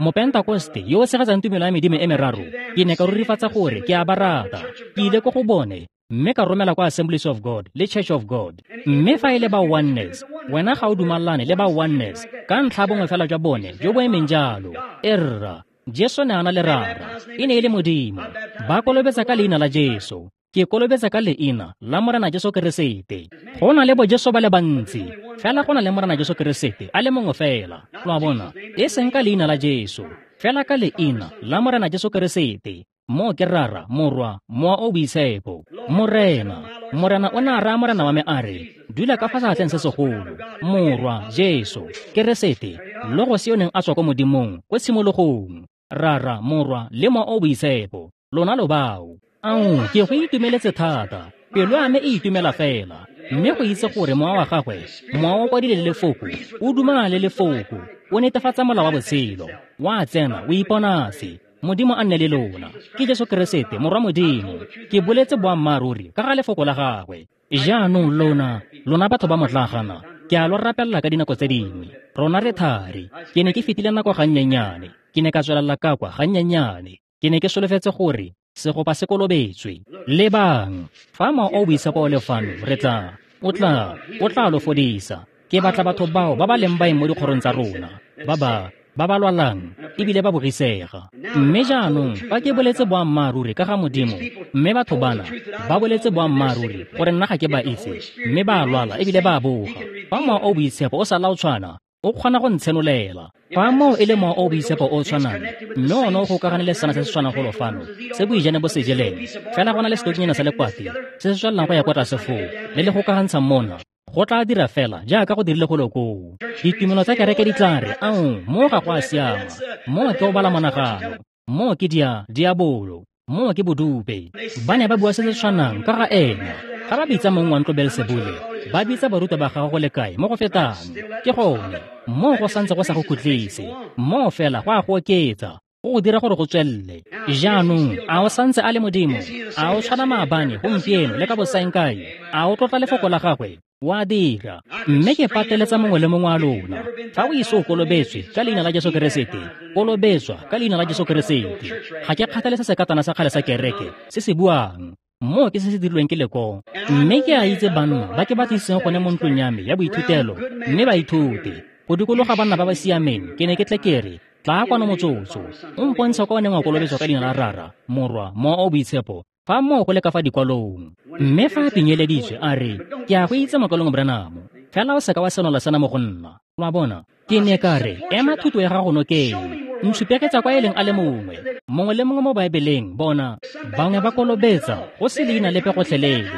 Mopentakoste yo o tshegetsang tumelo ya medimo e meraro, ke ne ka rurifatsa gore ke a ba rata. Ke ile ko go bone mme ka romela kwa Assemblies of God le Church of God. Mme fa e le ba Oneness, wena ga o dumalane le ba Oneness ka ntlha bongwe fela jwa bone jo bo emeng jalo. Erra, Jesu ne a na le Rara, e ne e le Modimo. Ba kolobetsa ka leina la Jesu. Ke kolobetsa ka leina la Morena Jesu Keresete. Go na le bo Jesu ba le bantsi, fela go na le Morena Jesu Keresete a le mongwe fela. Lo a bona, e seng ka leina la Jesu, fela ka leina la Morena Jesu Keresete. Moo ke Rara, Morwa, Mowa o Boitshepo. Morena, Morena o ne a raya Morena wa me a re, dula ka fa seatleng se segolo, Morwa, Jesu, Keresete, Logos yo neng a tswa ko Modimong, ko tshimologong, Rara, Morwa, le Mowa o Boitshepo, lona lo bao. Ao, ke go itumeletse thata, pelo ya me e itumela fela, mme go itse gore mowa wa gagwe, mowa o kwadile le lefoko, o dumela le lefoko, o netefatsa molao wa botshelo, wa tsena, o iponatse. Modimo a nne le lona. Ke Jesu Keresete, Morwa Modimo. Ke boletse boammaaruri ka ga lefoko la gagwe. Jaanong lona, lona batho ba motlagana, ke a lo rapelela ka dinako tse dingwe. Rona re thari. Ke ne ke fetile nako gannyenyane. Ke ne ka tswelela ka kwa gannyenyane. Ke ne ke solofetse gore segopa se kolobetswe. Lebang, fa Mowa o Boitshepo o le fano, re tla, o tla lo fodisa. Ke batla batho bao ba ba leng baeng mo dikgorong tsa rona, ba ba lwalang ebile ba bogisega. Mme jaanong fa ke boletse boammaaruri ka ga Modimo, mme batho bana ba boletse boammaaruri gore nna ga ke ba itse, mme ba lwala ebile ba boga. Fa Mowa o Boitshepo o sa la o tshwana, o kgona go ntshenolela. Fa moo e le Mowa o Boitshepo o tshwanang, mme one o gokagane le sena se se tshwanang golo fano, se boijane bo se jeleng, fela go na le setokinyana sa lekwati se se tswelelang go ya kwa tlase foo, le le gokagantshang mona, go tla dira fela jaaka go dirile golo koo. Ditumelo tsa kereke di tla re, ao, moo ga go a siama, moo ke go bala monagano, moo ke diabolo, moo ke bodupe. Ba ne ba bua se se tshwanang ka ga ena. Ga ba bitsa mong wa ntlo Beelsebule, ba bitsa barutwa ba gagwe go le kae mo go fetang. Ke gone, moo go santse go sa go khutlise, moo fela go a go oketsa, go go dira gore go tswelele. Jaanong, a o santse a le Modimo? A o tshwana maabane, gompieno, le ka bosaengkae? A o tlotla lefoko la gagwe? Wa dira. Mme ke pateletsa mongwe le mongwe wa lona, fa o ise o kolobetswe ka leina la Jesu Keresete, kolobetswa ka leina la Jesu Keresete. Ga ke kgathale se sekatana sa kgale sa kereke se se buang. Moo ke se se dirilweng ke lekong. Mme ke a itse banna ba ke ba tlisitseng gone mo ntlong ya me ya boithutelo, mme ba ithute go dikologa banna ba ba siameng. Ke ne ke tle ke re, tla kwano motsotso, o mpontshe kwa o neng wa kolobetswa ka leina la Rara, Morwa, Mowa o Boitshepo, fa moo go le ka fa dikwalong. Mme fa a pinyeleditswe a re, ke a go itse mokalong Branham, fela o seka wa senola sena mo go nna. Wa bona? Ke ne ka re, ema thuto ya gago nokeng, ntshupegetsa kwa e leng a le mongwe, mongwe le mongwe mo Baebeleng. Bona, bangwe ba kolobetsa go se leina lepe gotlhelele.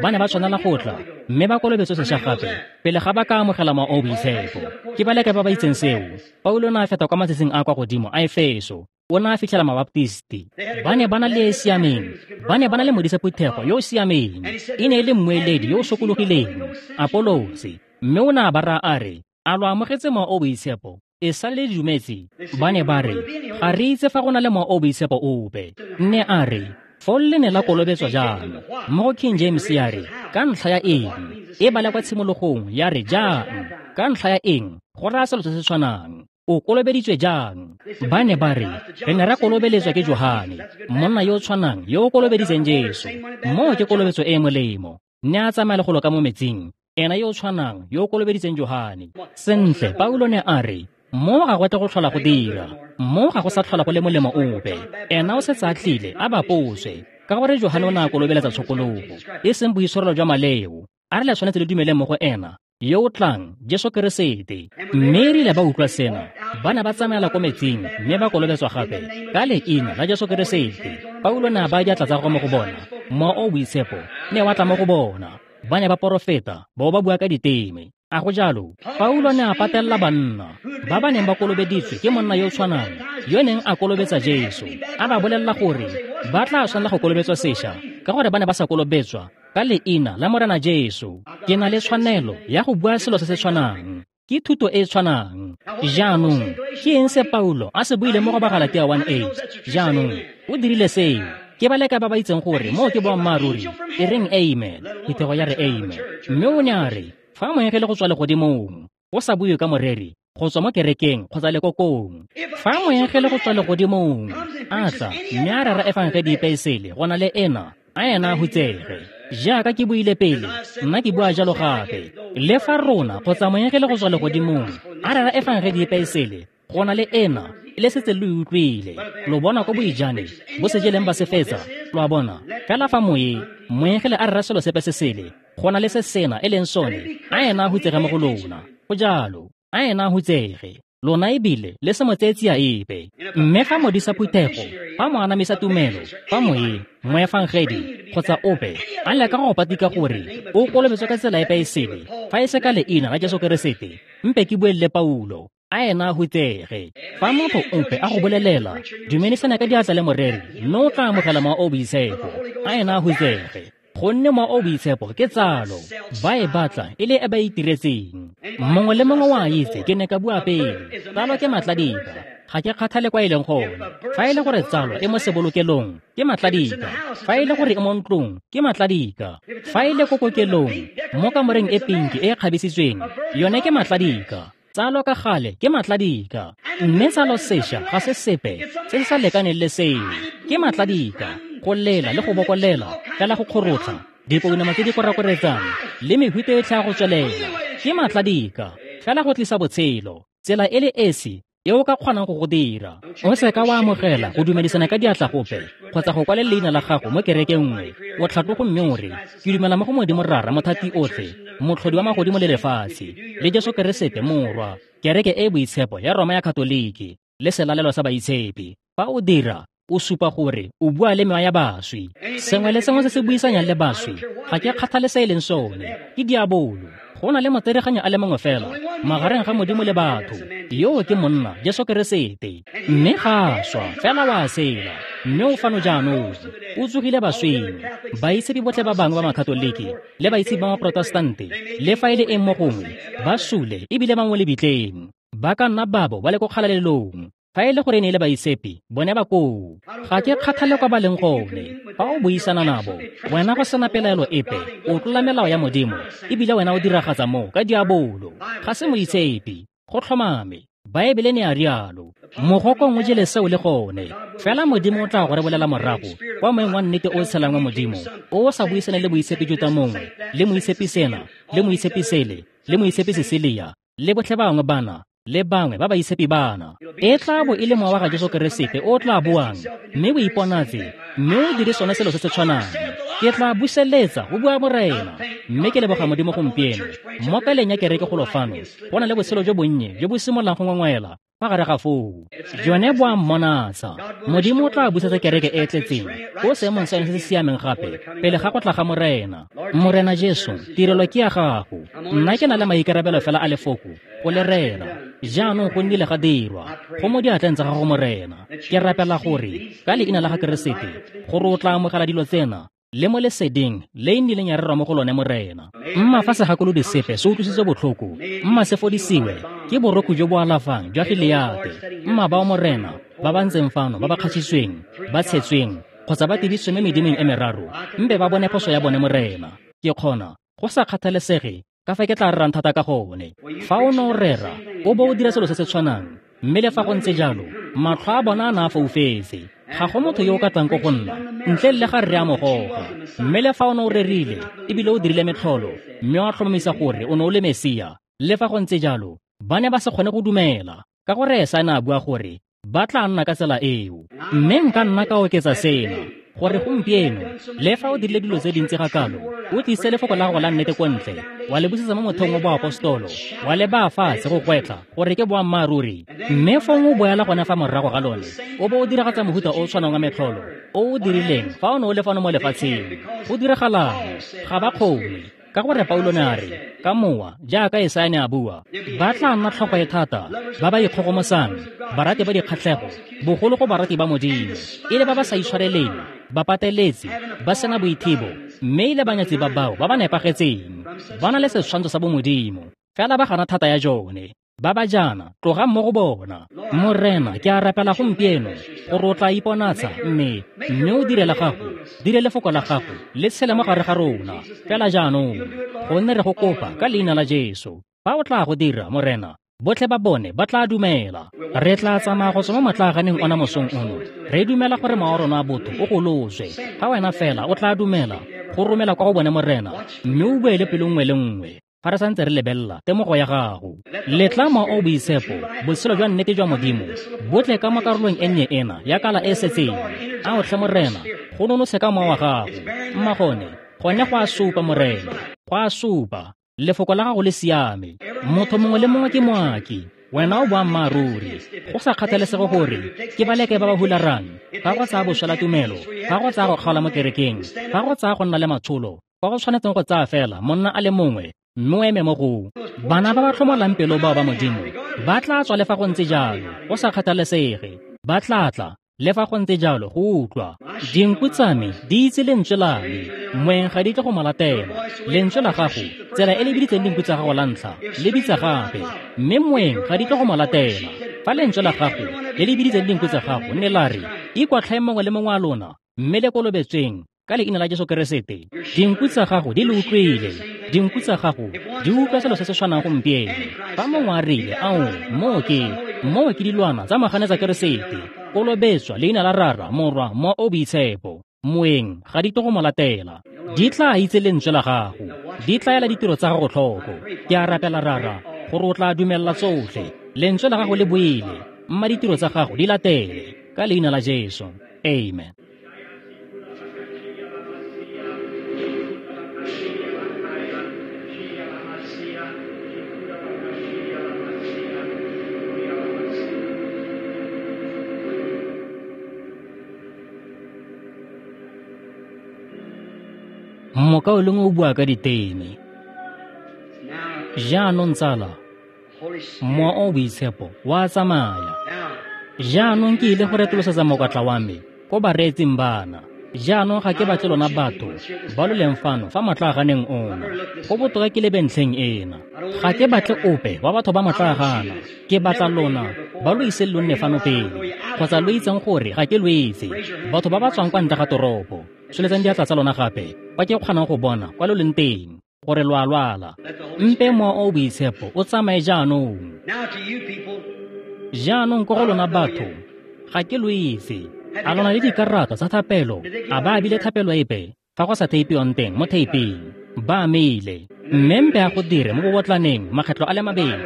Ba ne ba tshwanela go tla mme ba kolobetswe sešwa gape pele ga ba ka amogela Mowa o Boitshepo. Ke ba leke ba ba itseng seo. Paulo ne a feta kwa matsatsing a kwa godimo a Efeso. O ne a fitlhela mabaptisti. Ba ne ba na le e siameng. Ba ne ba na le modisa phuthego yo o siameng. E ne e le mmueledi yo o sokologileng, Apolose. Mme o ne a ba raya a re, a lo amogetse Mowa o Boitshepo e sa le dumetse? Ba ne ba re, ga re itse fa go na le Mowa o Boitshepo ope. Nne a re, foo le ne la kolobetswa jang? Mo go King James ya re, ka ntlha ya eng? E bala kwa tshimologong ya re jang? Ka ntlha ya eng? Go raya selo se se tshwanang. O kolobeditswe jang? Ba ne ba re, re ne ra kolobeletswa ke Johane, monna yo o tshwanang yo o kolobeditseng Jesu. Moo ke kolobetso e e molemo. Ne a tsamaya le golo ka mo metsing, ena yo o tshwanang yo o kolobeditseng Johane. Sentle, Paulo ne a re, mo ga go tle go tlhola go dira, mo ga go sa tlhola go le molemo ope. Ena o setse a tlile a baposwe, ka gore Johane o ne a kolobeletsa tshokologo, e seng boitshwarelo jwa maleo. A re le tshwanetse le dumele mo go ena yo o tlang, Jesu Keresete. Mme erile ba utlwa sena, ba ne ba tsamaela ko metsing mme ba kolobetswa gape ka leina la Jesu Keresete. Paulo ne a baya diatla tsa gagwe mo go bona, Mowa o Boitshepo ne wa tla mo go bona. Ba ne ba porofeta, bao ba bua ka diteme. A go jalo? Paulo ne a patelela banna ba ba neng ba kolobeditswe ke monna yo o tshwanang yo neng a kolobetsa Jesu, a ba bolelela gore ba tla tshwanela go kolobetswa sešwa ka gore ba ne ba sa kolobetswa ka leina la Morena Jesu. Ke na le tshwanelo ya go bua selo se se tshwanang. Ke thuto e e tshwanang. Jaanong, ke eng se Paulo a se buile mo go Bagalatia 1:8? Jaanong, o dirile seo. Ke ba leka ba ba itseng gore moo ke boammaaruri. E reng amen. Phuthego ya re amen. Mme o ne a re, fa moengele go tswa legodimong, go sa bue ka moreri, go tswa mo kerekeng kgotsa lekokong. Fa moengele go tswa legodimong a tla mme a rera efangedi epe e sele go na le ena, a ena a hutsege. Jaaka ke buile pele, nna ke bua jalo gape. Le fa rona kgotsa moengele go tswa legodimong a rera efangedi epe e sele go na le ena, le setse lo e utlwile. Lo bona ko boijane bo se jeleng ba se fetsa, lo a bona. Fela fa moengele a rera selo sepe se sele, go na le se sena e leng sone, a ena a hutsege mo go lona. Go jalo, a ena a hutsege. Lona ebile le se mo tseye tsia epe. Mme fa modisa phuthego, fa mo anamisa tumelo, fa moe, moefangedi, kgotsa ope, a leka go patika gore o kolobetswe ka tsela epe e sele, fa e se ka leina la Jesu Keresete, mpe ke buelele Paulo, a ena a hutsege. Fa motho ope a go bolelela, dumedisana ka diatla le moreri, mme o tla amogela mowa o boitshepo, a ena a hutsege. Gonne mowa o boitshepo ke tsalo, ba e batla e le e ba itiretseng. Mongwe le mongwe wa itse ke ne ka bua pele, tsalo ke matladika, ga ke kgathale kwa e leng gone. Fa e le gore tsalo e mo sebolokelong, ke matladika. Fa e le gore e mo ntlong, ke matladika. Fa e le ko kokelong, mo kamoreng e pinki e e kgabisitsweng, yone ke matladika. Tsalo ka gale ke matladika. Mme tsalo sešwa ga se sepe se se sa lekaneng le seo, ke matladika. Go lela le go bokolela, fela go kgorotlha, dipounama tse di korakoretsang le mehuta e tlha go tswelela, ke matladika, fela go tlisa botshelo, tsela e le esi e o ka kgonang go go dira. O se ka wa amogela go dumedisana ka diatla gope, kgotsa go kwale leina la gago mo kerekeng nngwe, o tlhatlogo mme o re, ke dumela mo go Modimo Rara Mothati otlhe, motlhodi wa magodimo le lefatshe, le Jesu Keresete Morwa, kereke e e boitshepo ya Roma ya Katoliki, le selalelo sa baitshepi. Fa o dira, o supa gore o bua le mewa ya baswi. Sengwe le sengwe se se buisanyang le baswi, ga ke kgathale se e leng sone, ke diabolo. Go na le motsereganyo a le mongwe fela magareng ga Modimo le batho, yoo ke monna Jesu Keresete. Mme ga a swa, fela wa sela, mme o fano jaanong, o tsogile baswing. Baitshepi botlhe ba bangwe ba Makatoliki le baitshepi ba Maprotestante, le fa e le eng mo gongwe, ba sule ebile ba mo lebitleng. Ba ka nna babo ba le ko kgalalelong. Fa e le gore ne e le baitshepi, bone ba koo. Ga ke kgathale kwa ba leng gone. Fa o buisana nabo, wena go sena pelaelo epe, o tlola melao ya Modimo, ebile wena o diragatsa mo ka diabolo. Ga se moitshepi, go tlhomame. Baebele ne a rialo. Mogokong o jele seo le gone. Fela Modimo o tla go re bolela morago kwa moeng wa nnete o tshelang wa Modimo, o sa buisane le moitshepi Juta mongwe, le moitshepi sena, le moitshepi sele, le moitshepi Cecilia, le botlhe bangwe bana, le bangwe ba baitshepi bana. E tla bo e le mowa wa ga Jesu Keresete o tla boang, mme o iponatse, mme o dire sone selo se se tshwanang. Ke tla buseletsa, go bua Morena. Mme ke leboga Modimo gompieno, mo kaleng ya kereke golo fano, go na le botshelo jo bonnye jo bo simololang go ngwengwela fa gare ga foo. Jone bo a mmonatsa. Modimo o tla busetsa kereke e e tletseng ko seemong sa yone se se siameng gape pele ga go tla ga Morena. Morena Jesu, tirelo ke ya gago. Nna ke na le maikarabelo fela a lefoko go le rera. Jaanong go nnile ga dirwa, go mo diatleng tsa gago Morena. Ke rapela gore ka leina la ga Keresete, gore o tla amogela dilo tsena le mo leseding le e nnileng ya rerwa mo go lone Morena. Mma fa segakolodi sepe se utlwisitswe botlhoko, mma se fodisiwe ke borokgo jo bo alafang jwa Gileate. Mma bao Morena ba ba ntseng fano ba ba kgatšhisitsweng, ba tshetsweng, kgotsa ba tibisitswe mo medimong e meraro, mpe ba bone phoso ya bone Morena. Ke kgona go sa kgathalesege ka fa ke tla rerang thata ka gone. Fa o ne o rera, o bo o dira selo se se tshwanang, mme le fa go ntse jalo, matlho a bona a na a foufetse. Ga go motho yo o ka tlang ko go nna ntle le ga rre a mo goga. Mme le fa o ne o rerile ebile o dirile metlholo, mme wa tlhomamisa gore o ne o le Mesia, le fa go ntse jalo, ba ne ba se kgone go dumela, ka gore Esaya ne a bua gore ba tla nna ka tsela eo. Mme nka nna ka oketsa sena, gore gompieno, le fa o dirile dilo tse dintsi ga kalo, o tlise lefoko la gago la nnete ko ntle, wa le busetsa mo motheong wa boapostolo, wa le baya fatshe go gwetla gore ke boammaaruri, mme fong o boela gone fa morago ga lone, o bo o diragatsa mohuta o o tshwanang wa metlholo o o dirileng fa o ne o le fano mo lefatsheng. Go diragalang? Ga ba kgone, ka gore Paulo ne a re, ka mowa, jaaka Esaya ne a bua, ba tla nna tlhogo e thata, ba ba ikgogomosang, barati ba dikgatlhego, bogolo go barati ba Modimo, e le ba ba sa itshwareleng, ba pateletse, ba sena boithibo, mme e le banyatsi ba bao ba ba nepagetseng, ba na le setshwantsho sa bomodimo, fela ba gana thata ya jone. Ba ba jaana, tlogang mo go bona. Morena, ke a rapela gompieno gore o tla iponatsa, mme o dire la gago, dire lefoko la gago le tshele mo gare ga rona fela jaanong, gonne re go kopa ka leina la Jesu. Fa o tla go dira, Morena, botlhe ba bone ba tla dumela. Re tla tsamaya go tswa mo motlaaganeng ona mosong ono, re dumela gore mowa wa rona wa botho o goloswe. Fa wena fela o tla dumela go romela kwa go bone Morena, mme o bue le pelo nngwe le nngwe fa re santse re lebelela temogo ya gago. Letla mowa o boitshepo, botshelo jwa nnete jwa Modimo, bo tle ka mo karolong e nnye ena ya kala e setseng. A o tlhe Morena, go nonose ka mowa wa gago. Mma gone, gone go a supa Morena, go a supa. Lefoko la gago le siame. Motho mongwe le mongwe ke moaki. Wena o boammaaruri. Go sa kgathalesege gore ke ba leke ba ba hularang, fa go tsaya boswela tumelo, fa go tsaya go kgaola mo kerekeng, fa go tsaya go nna le matsholo, fa go tshwanetseng go tsaya fela monna a le mongwe mme o eme mo go bana ba ba tlhomolang pelo bao ba Modimo, ba tla tswa le fa go ntse jalo, go sa kgathalesege, ba tla tla le fa go ntse jalo go utlwa. Dinku tsa me di itse lentswe la me, moeng ga di tle go mo latela. Lentswe la gago, tsela e le biditseng dinku tsa gago la ntlha, le bitsa gape, mme moeng ga di tle go mo latela. Fa lentswe la gago le le biditseng dinku tsa gago ne la re, ikwatlhae mongwe le mongwe wa lona, mme le kolobetsweng ka leina la Jesu Keresete, dinku tsa gago di le utlwile. Dinku tsa gago di utlwa selo se se tshwanang gompieno. Fa mongwe a rile, ao, moo ke dilwana tsa maganetsa Keresete, kolobetswa leina la Rara, Morwa, Mowa o Boitshepo, moeng ga di tle go mo latela. Di tla itse lentswe la gago, di tla ela ditiro tsa gago tlhoko. Ke a rapela Rara gore o tla dumella tsotlhe. Lentswe la gago le boele, mma ditiro tsa gago di latele, ka leina la Jesu. Amen. Mokaulengwe o bua ka diteme. Jaanong tsala, Mowa o Boitshepo wa tsamaya. Jaanong ke ile go retolosetsa mokwatla wa me ko bareetsing bana. Jaanong ga ke batle lona batho ba lo leng fano fa motlaaganeng ona. Go botoka ke lebe ntlheng ena. Ga ke batle ope wa batho ba motlaagana. Ke batla lona ba lo ise lo nne fano pele, kgotsa lo itseng gore ga ke lo itse. Batho ba ba tswang kwa ntle ga toropo, tsholetsang diatla tsa lona gape, kwa ke kgonang go bona kwa lo leng teng, gore lo a lwala. Mpe Mowa o Boitshepo o tsamaye jaanong. Jaanong ko go lona batho, ga ke lo itse. A lona le dikarata tsa thapelo? A ba abile thapelo epe fa go sa theipiwang teng mo theiping? Ba amile. Mme mpe a go dire mo bobotlaneng makgetlo a le mabedi.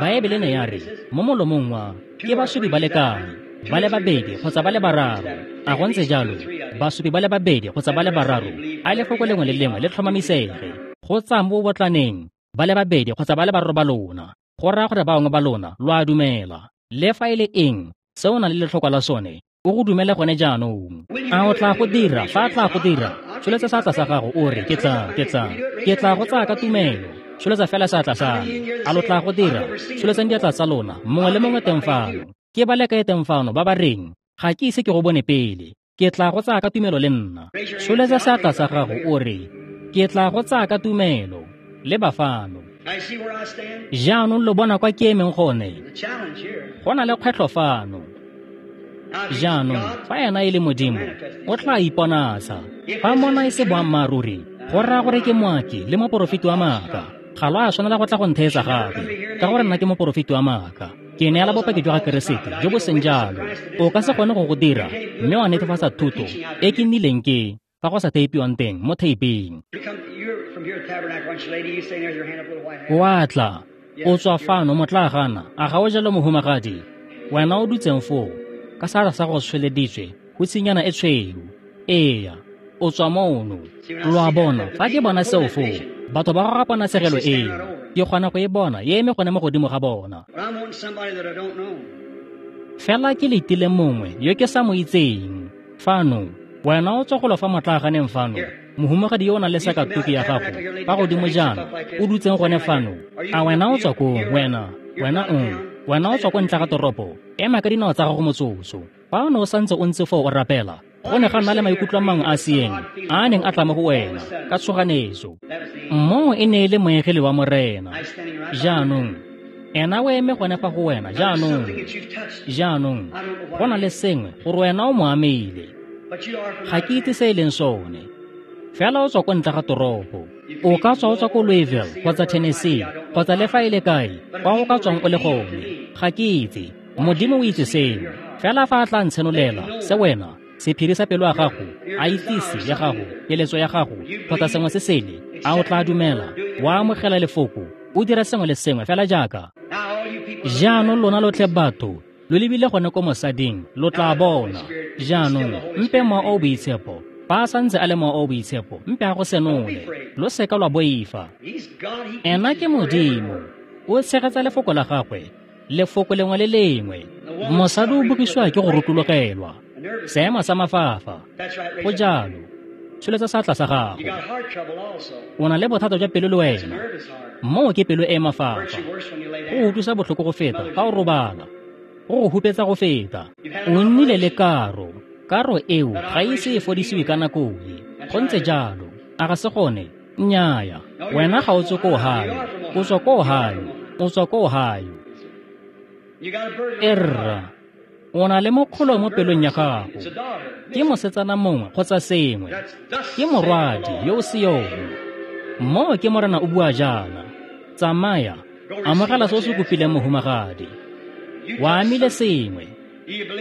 Baebele ne ya re mo molomong wa ke basupi ba le kae, ba le babedi kgotsa ba le bararo. A go ntse jalo, basupi ba le babedi kgotsa ba le bararo, a lefoko lengwe le lengwe le tlhomamisege. Go tsaya mo bobotlaneng ba le babedi kgotsa ba le bararo ba lona, go raya gore ba bangwe ba lona lo a dumela. Le fa e le eng se o nang le letlhoko la sone, o go dumele gone jaanong. A o tla go dira? Fa a tla go dira, tsholetsa seatla sa gago o re, ke tla go tsaya ka tumelo. Tsholetsa fela seatla sa me. A lo tla go dira? Tsholetsang diatla tsa lona, mongwe le mongwe teng fano. Ke ba le kae teng fano ba ba reng, ga ke ise ke go bone pele, ke tla go tsaya ka tumelo le nna? Tsholetsa seatla sa gago o re, ke tla go tsaya ka tumelo. Le ba fano. Jaanong lo bona kwa ke emeng gone. Go na le kgwetlho fano. Jaanong fa ena e le Modimo, o tla iponatsa. Fa mona e se boammaaruri, go raya gore ke moaki le moporofeti wa maaka. Ga lo a tshwanela go tla go ntheetsa gape, ka gore nna ke moporofeti wa maaka. Ke neela bopaki jwa ga Keresete jo bo seng jalo. O ka se kgone go go dira mme wa netefatsa thuto e ke nnileng ke fa go sa theipiwang teng mo theiping. O a tla, o tswa fano motlaagana, a ga o jalo mohumagadi? Wena o dutseng foo ka seatla sa go tsholeditswe go tsinyana e tshweu. Eya, o tswa mono. Lo a bona, fa ke bona seo foo, batho ba goga ponatshegelo eo, ke kgona go e bona e eme gone mo godimo ga bona. Fela ke letile mongwe yo ke sa mo itseng. Fano, wena o tswa golo fa motlaaganeng fano, mohumagadi yo o nang le sakatuki ya gago fa godimo jaana, o dutseng gone fano. A wena o tswa koo? Wena o tswa ko ntle ga toropo? Ema ka dinao tsa gago motsotso. Fa o ne o santse o ntse foo o rapela, go ne ga nna le maikutlo a mangwe a seeng a neng a tla mo go wena ka tshoganetso. Moo e ne e le moengele wa Morena. Jaanong ena o eme gone fa go wena jaanong. Jaanong go na le sengwe gore wena o mo amile. Ga ke itse se e leng sone. Fela o tswa ko ntle ga toropo. O ka tswa o tswa ko Louisville kgotsa Tennessee kgotsa le fa e le kae kwa o ka tswang o le gone. Ga ke itse. Modimo o itse seno. Fela fa a tla ntshenolela se wena, sephiri sa pelo ya gago, a itsise ya gago, keletso ya gago, kgotsa sengwe se sele, a o tla dumela, wa amogela lefoko, o dira sengwe le sengwe fela jaaka. Jaanong lona lotlhe batho, lo lebile gone ko mosading, lo tla bona. Jaanong mpe Mowa o Boitshepo, fa a santse a le Mowa o Boitshepo, mpe a go senole. Lo seka lwa boifa. Ena ke Modimo, o tshegetsa lefoko la gagwe Lefoko lengwe le lengwe. Mosadi o bogisiwa ke go rotologelwa. Seemo sa mafafa. Go jalo. Tsholetsa seatla sa gago. O na le bothata jwa pelo le wena. Moo ke pelo e mafafa. Go utlwisa botlhoko go feta fa o robala. Go go hupetsa go feta. O nnile le karo. Karo eo ga ise e fodisiwe ka nako e. Go ntse jalo. A ga se gone? Nnyaya. Wena ga o tswe ko Ohio. O tswa ko Ohio. O tswa ko Ohio. Erra. O na le mokgolo mo pelong ya gago. Ke mosetsana mongwe kgotsa sengwe. Ke morwadi yo o seyong. Moo ke Morena o bua jaana. Tsamaya, amogela se o se kopileng mohumagadi. Wa amile sengwe.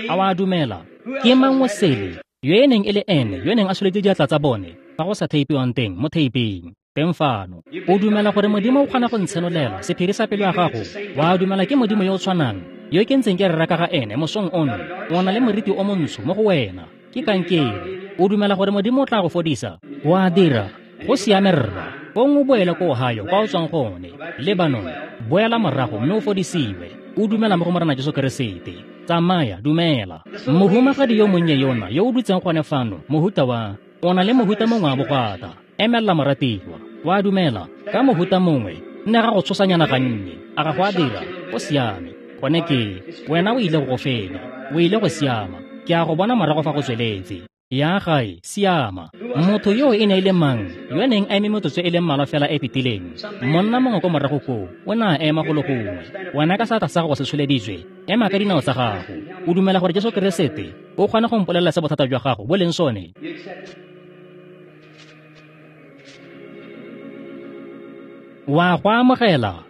A wa dumela? Ke mang o sele yo e neng e le ene yo neng a tsholetse diatla tsa bone fa go sa theipiwang teng mo theiping teng fano? O dumela gore Modimo o kgona go ntshenolela sephiri sa pelo ya gago? Wa dumela ke Modimo yo o tshwanang yo ke ntseng ke rera ka ga ene mosong ono? O na le moriti o montsho mo go wena. Ke kankere. O dumela gore Modimo o tla go fodisa? Wa dira. Go siame rra. Fong o boele ko Ohio kwa o tswang gone. Lebanon, boela morago mme o fodisiwe. O dumela mo go Morena Jesu Keresete. Tsamaya, dumela. Mohumagadi yo monnye yona yo o dutseng gone fano, mohuta wa o na le mohuta mongwe wa bogwata. Emelela moratiwa. Wa dumela ka mohuta mongwe. Nne ga go tshosanyana gannye. A ga go a dira? O siame. Gone ke wena o ile go go fenya. O ile go siama. Ke a go bona morago fa go tsweletse. Ya gae, siama. Motho yo e ne e le mang yo neng a eme metsotso e le mmalwa fela e fetileng? Monna mongwe ko morago koo o ne a ema go le gongwe. Wena ka seatla sa gago se tsholeditswe, ema ka dinao tsa gago. O dumela gore Jesu Keresete o kgona go mpolelela se bothata jwa gago bo leng sone? Wa go amogela?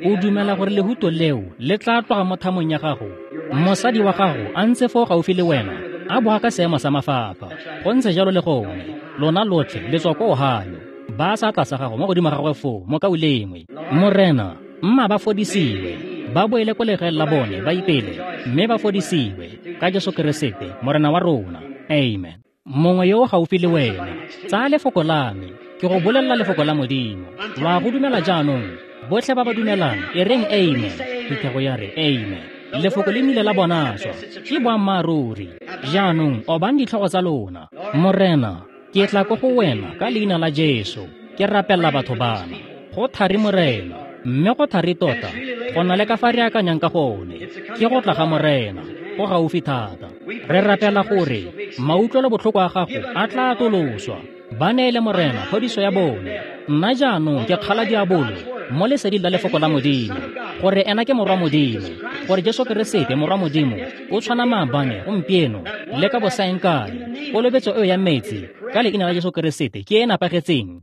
O dumela gore lehuto leo le tla tloga mo thamong ya gago? Mosadi wa gago a ntse foo gaufi le wena, a boga ka seemo sa mafafa. Go ntse jalo le gone. Lona lotlhe le tswa ko Ohio. Ba seatla sa gago mo godimo ga gagwe foo, mokaulengwe. Morena, mma ba fodisiwe. Ba boele ko legaeng la bone ba ipele, mme ba fodisiwe ka Jesu Keresete, Morena wa rona. Amen. Mongwe yo o gaufi le wena, tsaya lefoko la me. Ke go bolelela lefoko la Modimo. Lwa go dumela jaanong? Botlhe ba ba dumelang, e reng amen. Phuthego ya re amen. Lefoko le nnile la bonaswa. Ke boammaaruri. Jaanong obang ditlhogo tsa lona. Morena, ke tla ko go wena ka leina la Jesu. Ke rapelela batho bana. Go thari Morena, mme go thari tota go na le ka fa re akanyang ka gone. Ke go tla ga Morena, go gaufi thata. Re rapela gore mautlwelo botlhoko a gago a tla atoloswa. Ba neele Morena phodiso ya bone. Nna jaanong ke kgala diabolo mo leseding la lefoko la Modimo, gore ena ke morwa Modimo, gore Jesu Keresete morwa Modimo o tshwana maabane, gompieno le ka bosaengkae. Kolobetso eo ya metsi ka leina la Jesu Keresete ke e nepagetseng.